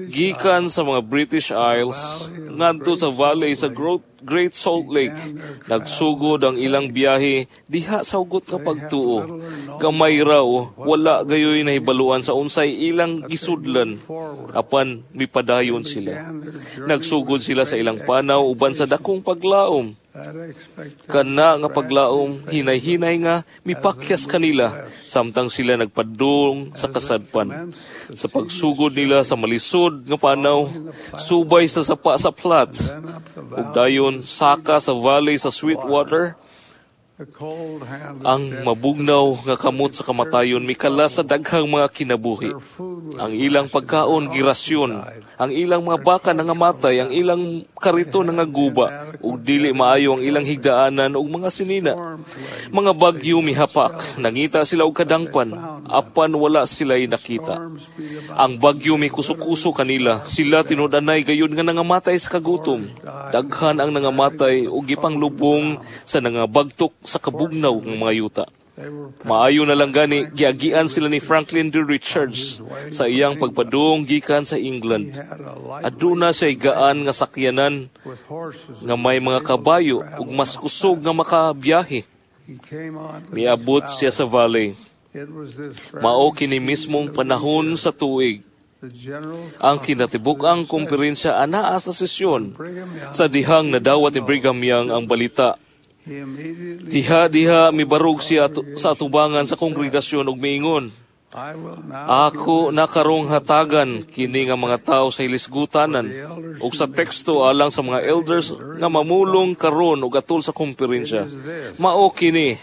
gikan sa mga British Isles ngadto sa valley sa Great Salt Lake, nagsugod ang ilang biyahe diha sa hugot nga pagtuo. Gamay raw wala gayoy nahibaluan sa unsay ilang gisudlan, apan mipadayon sila. Nagsugod sila sa ilang panaw uban sa dakong paglaom. Kana nga paglaom, hinay-hinay nga mipakyas kanila samtang sila nagpadung sa kasadpan. Sa pagsugod nila sa malisod nga panaw, subay sa sapa sa Platte, ug dayon saka sa valley sa Sweetwater, ang mabugnaw nga kamot sa kamatayon mikala sa daghang mga kinabuhi. Ang ilang pagkaon girasyon, ang ilang mga baka nangamatay, ang ilang karito nangaguba, ug dili maayo ang ilang higdaanan ug mga sinina. Mga bagyo mihapak, nangita sila og kadangpan, apan wala sila'y nakita. Ang bagyo mikuso-kuso kanila, sila tinud-anay gayon nga nangamatay sa kagutom. Daghan ang nangamatay ug gipanglubong sa nangabagtok sa kabugnaw ng mga yuta. Maayo na lang gani, giagian sila ni Franklin D. Richards sa iyang pagpadung gikan sa England. Aduna siya gaan nga sakyanan nga may mga kabayo ug mas kusog nga makabiyahe. Miabot siya sa valley. Mao kini mismong panahon sa tuig ang kinatibuk-ang kumperensya anaa sa sesyon sa dihang nadawat ni Brigham Young ang balita. Diha-diha mibarog siya sa atubangan sa kongregasyon ug miingon, "Ako nakarong hatagan kini nga mga tao sa hilisgutanan ug sa teksto alang sa mga elders nga mamulong karon ug atol sa kumperensya. Mao kini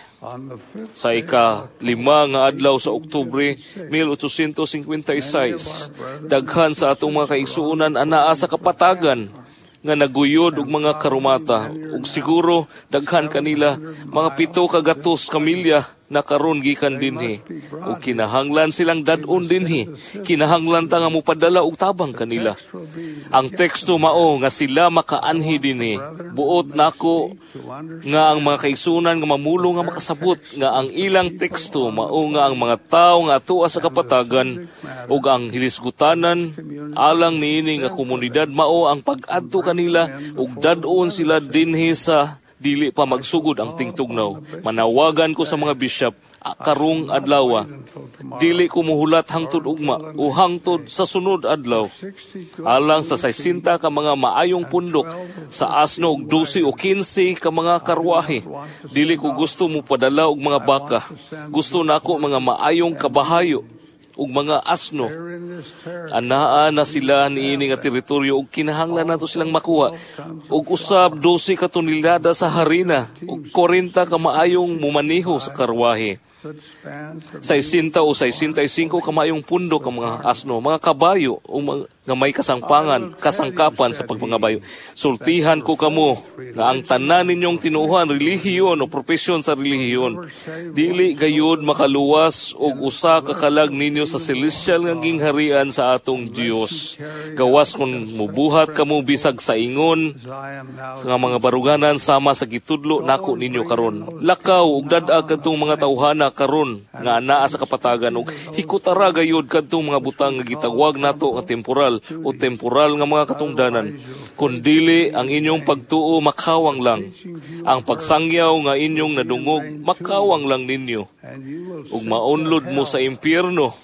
sa ika-lima nga adlaw sa Oktubre eighteen fifty-six, daghan sa atong mga kaigsuonan anaa sa kapatagan nga naguyod og mga karumata ug siguro daghan kanila mga pito ka gatos ka milya na karon gikan dinhi ug kinahanglan silang dad-on dinhi, kinahanglan ta nga mopadala og tabang kanila. Ang teksto mao nga sila makaanhi dinhi. Buot nako nga ang mga kaigsuonan nga mamulong nga makasabot nga ang ilang teksto mao nga ang mga tawo nga atua sa kapatagan ug ang hilisgutanan alang niini nga komunidad mao ang pag-adto kanila ug dad-on sila dinhi sa dili pa magsugod ang tingtugnaw. Manawagan ko sa mga bishop karong adlaw, dili ko muhulat hangtod ugma o hangtod sa sunod adlaw. Alang sa sixty ka mga maayong pundok sa asno og twelve o fifteen ka mga karwahe. Dili ko gusto mo padala og mga baka. Gusto nako mga maayong kabahayo ug mga asno. Anaa na sila niini nga teritoryo ug kinahanglan nato silang makuha og usab twelve ka tonelada sa harina ug forty ka maayong mumaniho sa karwahe. sixty o sixty-five ka maayong pundok ang mga asno, mga kabayo ug mga, nga may kasangpangan, kasangkapan sa pagpangabayo. Sultihan ko kamo nga ang tanan ninyong tinuohan, relihiyon o propesyon sa relihiyon, dili gayud makaluwas og usa ka kalag ninyo sa celestial nga gingharian sa atong Dios. Gawas kung mubuhat kamo bisag sa ingon sa mga baruganan sama sa gitudlo nako ninyo karon. Lakaw ug dad-a kadtong mga tawhana karon nga anaa sa kapatagan ug hikutara gayud kadtong mga butang nga gitawag nato nga temporal o temporal nga mga katungdanan. Kun dili ang inyong pagtuo makawang lang. Ang pagsangyaw nga inyong nadungog makawang lang ninyo. Ug maunlod mo sa impyerno.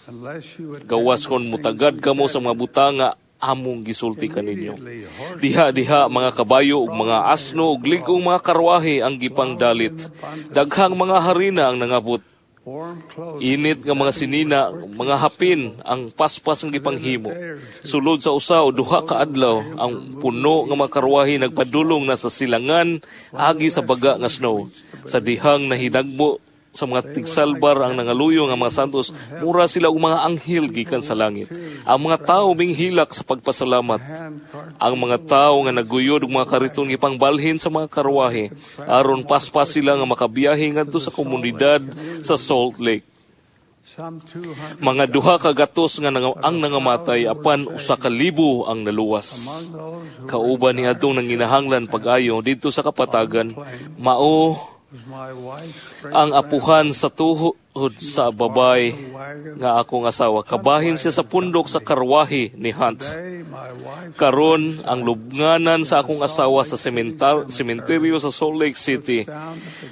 Gawas kon mutagad kamo sa mga butang nga among gisulti kaninyo. Diha-diha mga kabayo ug mga asno ug lig-ong mga karwahe ang gipangdalit. Daghang mga harina ang nangabot. Init nga mga sinina, mga hapin ang paspas ang gipanghimo. Sulod sa usa o duha ka adlaw, ang puno nga mga karwahe nagpadulong na sa silangan agi sa baga nga snow. Sa dihang nahinagbo sa mga tigsalbar ang nangaluyo nga mga santos, mura sila og mga anghel gikan sa langit. Ang mga tawo minghilak sa pagpasalamat. Ang mga tawo nga naguyod og mga kariton gipangbalhin sa mga karwahe aron paspas sila nga makabiyahe ngadto sa komunidad sa Salt Lake. Mga duha ka gatos nga nang, ang nangamatay apan usa ka libo ang naluwas. Kauban niadtong nanginahanglan pag-ayo didto sa kapatagan, mao ang apuhan sa tuhod sa babay nga akong asawa. Kabahin siya sa pundok sa karwahe ni Hunt. Karon ang lubnganan sa akong asawa sa sementar, sementeryo sa Salt Lake City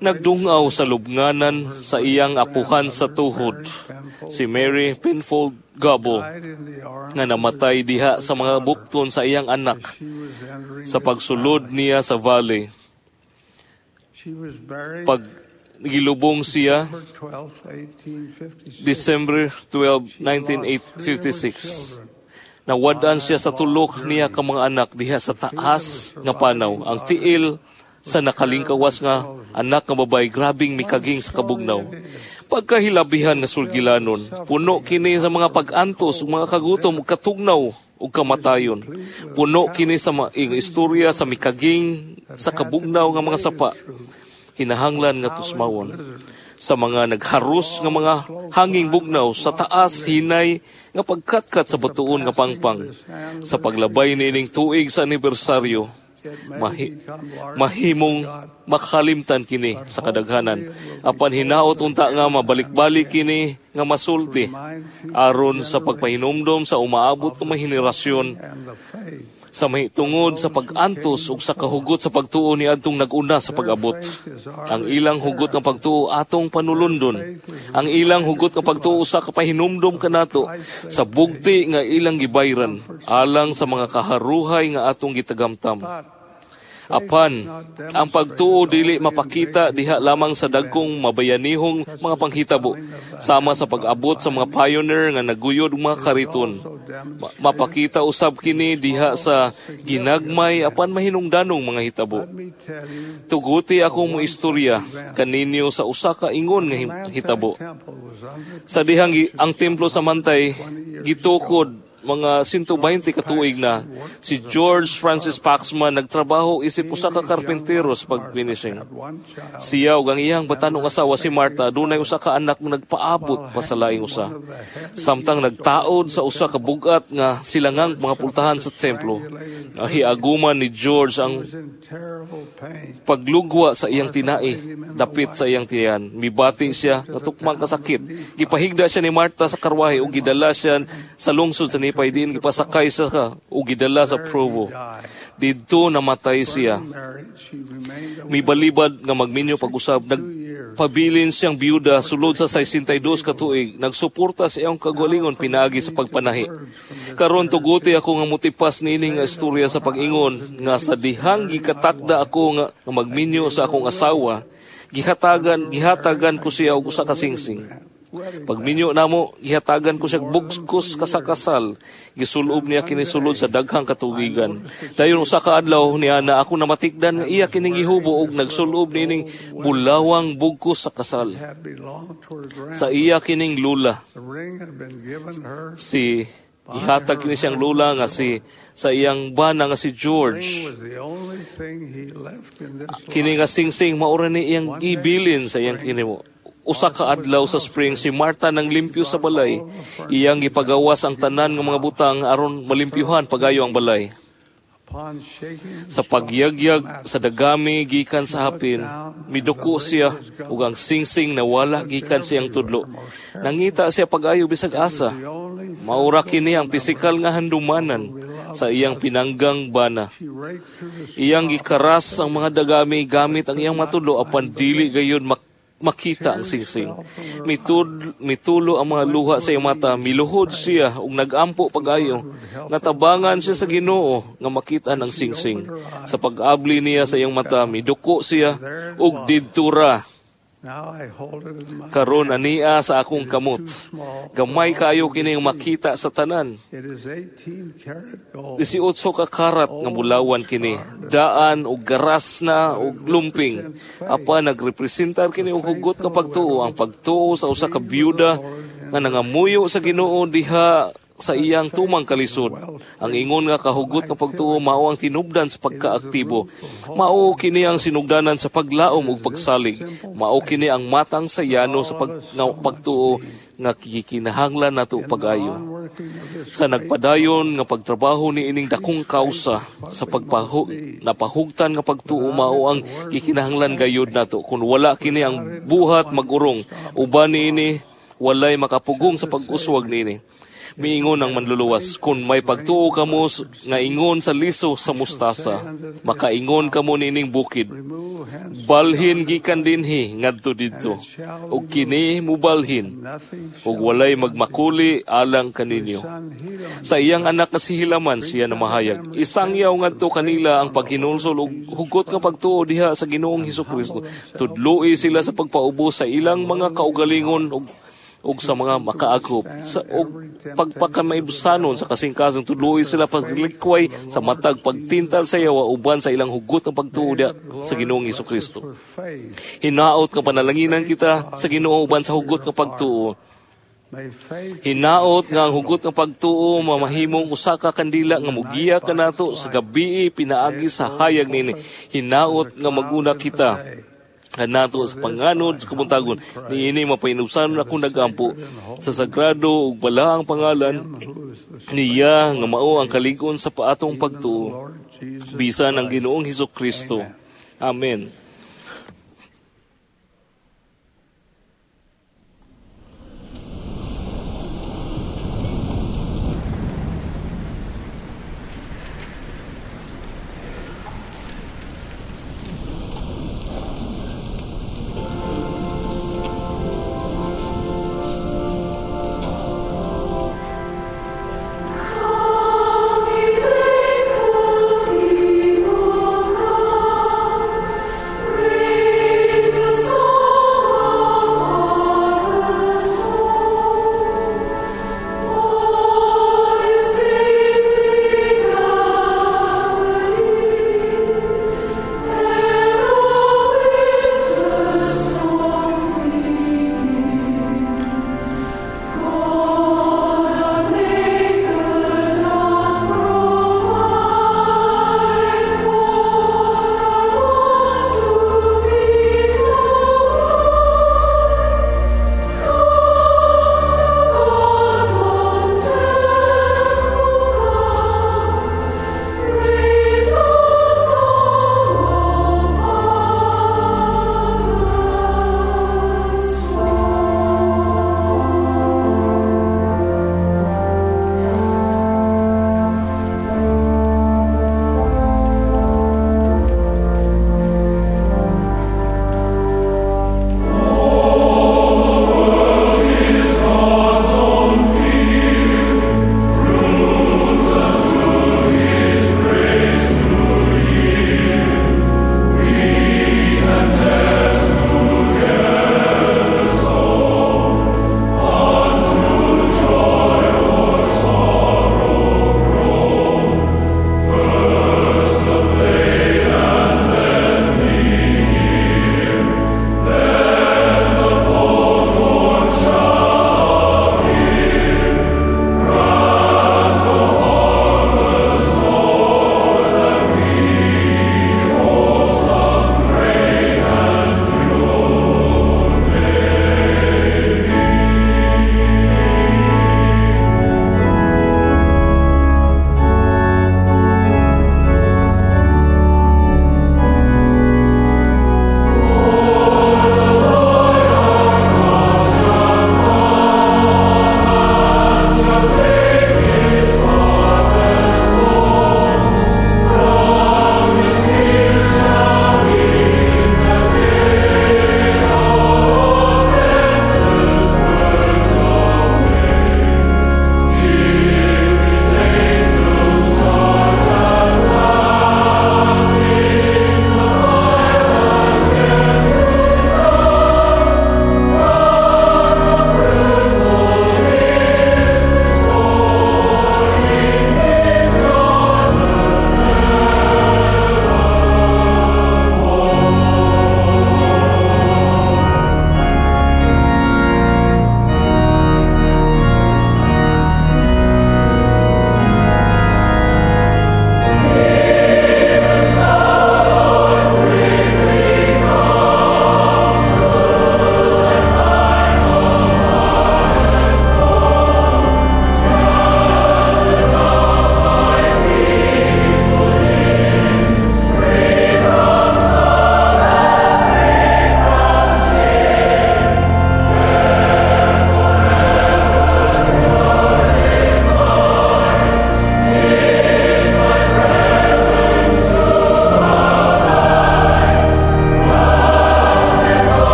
nagdungaw sa lubnganan sa iyang apuhan sa tuhod, si Mary Penfold Gabo, nga namatay diha sa mga bukton sa iyang anak sa pagsulod niya sa valley. Pag gilubong siya, December twelve, nineteen fifty-six. Nawad-an siya sa tulok niya ka mga anak diha sa taas nga panaw. Ang tiil sa nakalingkawas nga anak nga babay grabing mikaging sa kabugnaw. Pagkahilabihan nga sulgilanon, puno kini sa mga pag-antos ug mga kagutom ug katugnaw ug kamatayon. Puno kini sa mga istorya sa mikaging sa kabugnaw nga mga sapa. Kinahanglan nga tusmawon sa mga nagharus nga mga hanging bugnaw sa taas hinay nga pagkatkat sa batuon nga pangpang. Sa paglabay niining tuig sa anibersaryo, mahi, mahimong makalimtan kini sa kadaghanan. Apan hinaot unta nga mabalik-balik kini nga masulti aron sa pagpahinumdom sa umaabot nga mga henerasyon sa mahitungod sa pag-antos ug sa kahugot sa pagtuo ni adtong nag-una sa pag-abot. Ang ilang hugot nga pagtuo atong panulundon. Ang ilang hugot nga pagtuo sa kapahinumdom kanato sa bugti nga ilang gibayran alang sa mga kaharuhay nga atong gitagamtam. Apan, ang pagtuo dili mapakita diha lamang sa dagkong mabayanihong mga panghitabo, sama sa pag-abot sa mga pioneer nga naguyod og mga kariton. Ma- mapakita usab kini diha sa ginagmay apan mahinungdanong mga hitabo. Tuguti akong mo istorya kaninyo sa usa ka ingon nga hitabo. Sa dihang ang templo sa Mantay gitukod mga one hundred twenty ka tuig na, si George Francis Paxman nagtrabaho isip usa ka karpintero sa pag-finishing. Siya ug ang iyang batanong asawa, si Martha, dunay usa ka anak nga nagpaabot pa sa laing usa. Samtang nagtaod sa usa ka bugat nga silangang mga pultahan sa templo, nahiaguman ni George ang paglugwa sa iyang tinai dapit sa iyang tiyan. Mibati siya nga tukmang kasakit. Gipahigda siya ni Martha sa karwahe ug gidala siya sa lungsod sa Nephi, diin gipasakay sa ka ug gidala sa Provo. Didto namatay siya. Mibalibad nga magminyo pag-usab, nagpabilin siyang biyuda sulod sa sixty-two ka tuig. Nagsuporta sa iyang kagalingon pinaagi sa pagpanahi. Karon tuguti ako nga motipas niini nga istorya sa pag-ingon nga sa dihang gikatakda ako nga, nga magminyo sa akong asawa, gihatagan gihatagan ko siya og usa ka singsing. Pagminyo namo, gihatagan ko siya bugkos kasakasal. Gisulob niya kini sulod sa daghang katubigan. Dayon usa ka adlaw niya na ako namatikdan nga iya kining gihubo og nagsulob niining bulawang bugkos sa kasal. Sa iya kining lula. Si Ihatag kini siyang lula nga si sa iyang bana nga si George. Kini nga singsing maura ni iyang gibilin sa iyang kinimo. Usa ka adlaw sa spring si Martha nang limpyo sa balay. Iyang gipagawas ang tanan nga mga butang aron malimpyuhan pagayo ang balay. Sa pagyagyag sa dagami gikan sa hapin, miduko siya ug ang singsing nawala gikan siyang tudlo. Nangita siya pag-ayo bisag asa. Maura kini ang pisikal nga handumanan sa iyang pinanggang bana. Iyang gikaras ang mga dagami gamit ang iyang matudlo apan dili gayud mak makita ang singsing. Mitud, mitulo ang mga luha sa iyang mata, miluhod siya ug nagampo pag-ayo. Natabangan siya sa Ginoo nga makita ang singsing. Sa pag-abli niya sa iyang mata, miduko siya ug didtura. Karon ania sa akong kamot. Gamay kaayo kining makita sa tanan. eighteen ka karat nga bulawan kini. Daan og garas na og lumping. Apan nagrepresentar kini og hugot nga pagtuo, ang pagtuo sa usa ka byuda nga nangamuyo sa Ginoo diha sa iyang tumang kalisod. Ang ingon nga kahugot nga pagtuo mao ang tinubdan sa pagkaaktibo. Mao kini ang sinugdanan sa paglaom ug pagsalig. Mao kini ang matang sa yano sa pag, nga pagtuo nga gikinahanglan nato pag-ayo. Sa nagpadayon nga pagtrabaho ni ining dakong kausa sa pagpahu, napahugtan nga pagtuo mao ang gikinahanglan gayud nato. Kun wala kini ang buhat magurong, uban niini walay makapugong sa pag-uswag niini. Miingon ang manluluwas, kung may pagtuo kamo nga ingon sa liso sa mustasa, makaingon kamo nining bukid. Balhin gikan dinhi ngadto didto, ug kini mubalhin, ug walay magmakuli alang kaninyo. Sa iyang anak nga si Hilaman siya namahayag, isangyaw ngadto kanila ang paghinulsol ug hugot nga pagtuo diha sa Ginoong Hesukristo. Tudloi sila sa pagpaubos sa ilang mga kaugalingon ug og sa mga makaagop sa og pagpakamaibsanon sa kasing-kasing. Tudloi sila paglikway sa matag pagtintal sa yawa uban sa ilang hugot ng pagtuo sa Ginoong Hesukristo. Hinaot nga panalanginan kita sa Ginoo uban sa hugot nga pagtuo. Hinaot nga ang hugot nga pagtuo mamahimong usa ka kandila nga mugiya kanato sa gabii pinaagi sa hayag nini. Hinaot nga maguna kita kanato sa panganod sa kabuntagon niini mapainubsanon akong nagampo sa sagrado ug balaang pangalan niya nga mao ang kalig-on sa paatong pagtuo bisan ang Ginoong Hesukristo. Amen. Come, be thankful, people, come.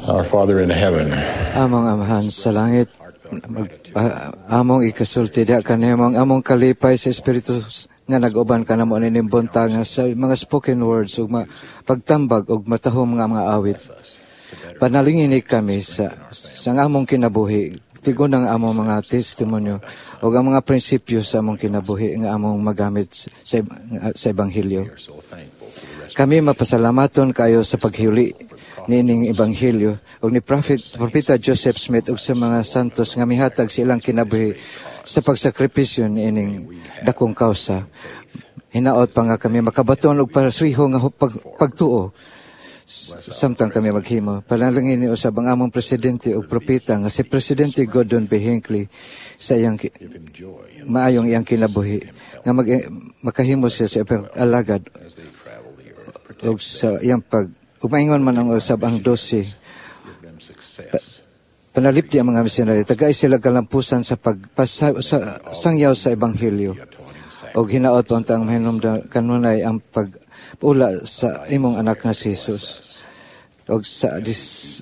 Our Father in heaven, Among Amahan sa langit, mag, ah, among ikasulti diha kanimo ang among kalipay sa Espiritu nga nag-uban kanamo nining buntag nga sa mga spoken words ug ma, pagtambag ug matahom nga mga awit. Panalangini kami sa sa among kinabuhi, tigon ang among mga testimonyo ug ang mga prinsipyo sa among kinabuhi nga among magamit sa, sa ebanghelyo. Kami mapasalamaton kayo sa paghuli niining ebanghelyo ug ni Prophet Propeta Joseph Smith ug sa mga santos nga mihatag sa ilang kinabuhi sa pagsakripisyo niining dakong kausa. Hinaot pa nga kami makabaton og paraswiho nga pag, pagtuo samtang kami maghimo. Panalangin ni usab ang among presidente ug propeta nga si Presidente Gordon B. Hinckley sa iyang maayong iyang kinabuhi nga mag, makahimo siya sa alagad ug sa iyang pag ug maingon man ang usab ang dose. Pa, panalipdi ang mga misyonaryo, tagay sila kalampusan sa pagpasa, sa, sangyaw sa ebanghelyo. Og hinaot unta ang mahinumdum kanunay ang pag-ula sa imong anak nga si Jesus. Og sa dis,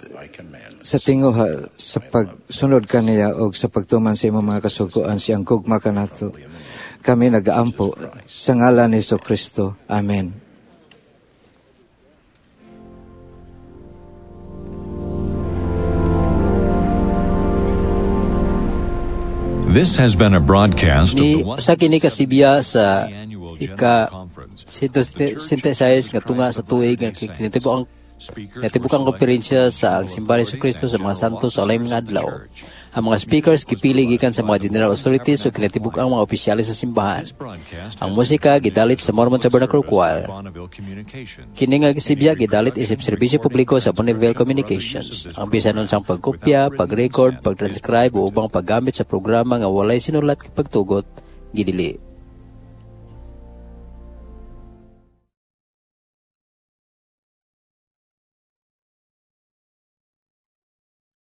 sa tinguha sa pagsunod kaniya og sa pagtuman sa imong mga kasuguan siyang gugma kanato. Kami nagaampo sa ngalan ni Kristo. Amen. This has been a broadcast Ni of the sa kini kasibya sa ika synthesize nga tunga sa tuig nga kinatibuk ang kinatibuk ang konferensya sa ang Simbahan ni Kristo sa mga santos sa ulayng mga adlaw. Ang mga speakers gipili gikan sa mga general authorities ug kinatibuk ang mga opisyales sa simbahan. Ang musika gidalit sa Mormon Tabernacle Choir. Kini nga sibya gidalit isip serbisyo publiko sa Bonneville Communications. Ang bisan unsang pagkopya, pag-record, pag-transcribe o ubang paggamit sa programa nga walay sinulat pagtugot gidili.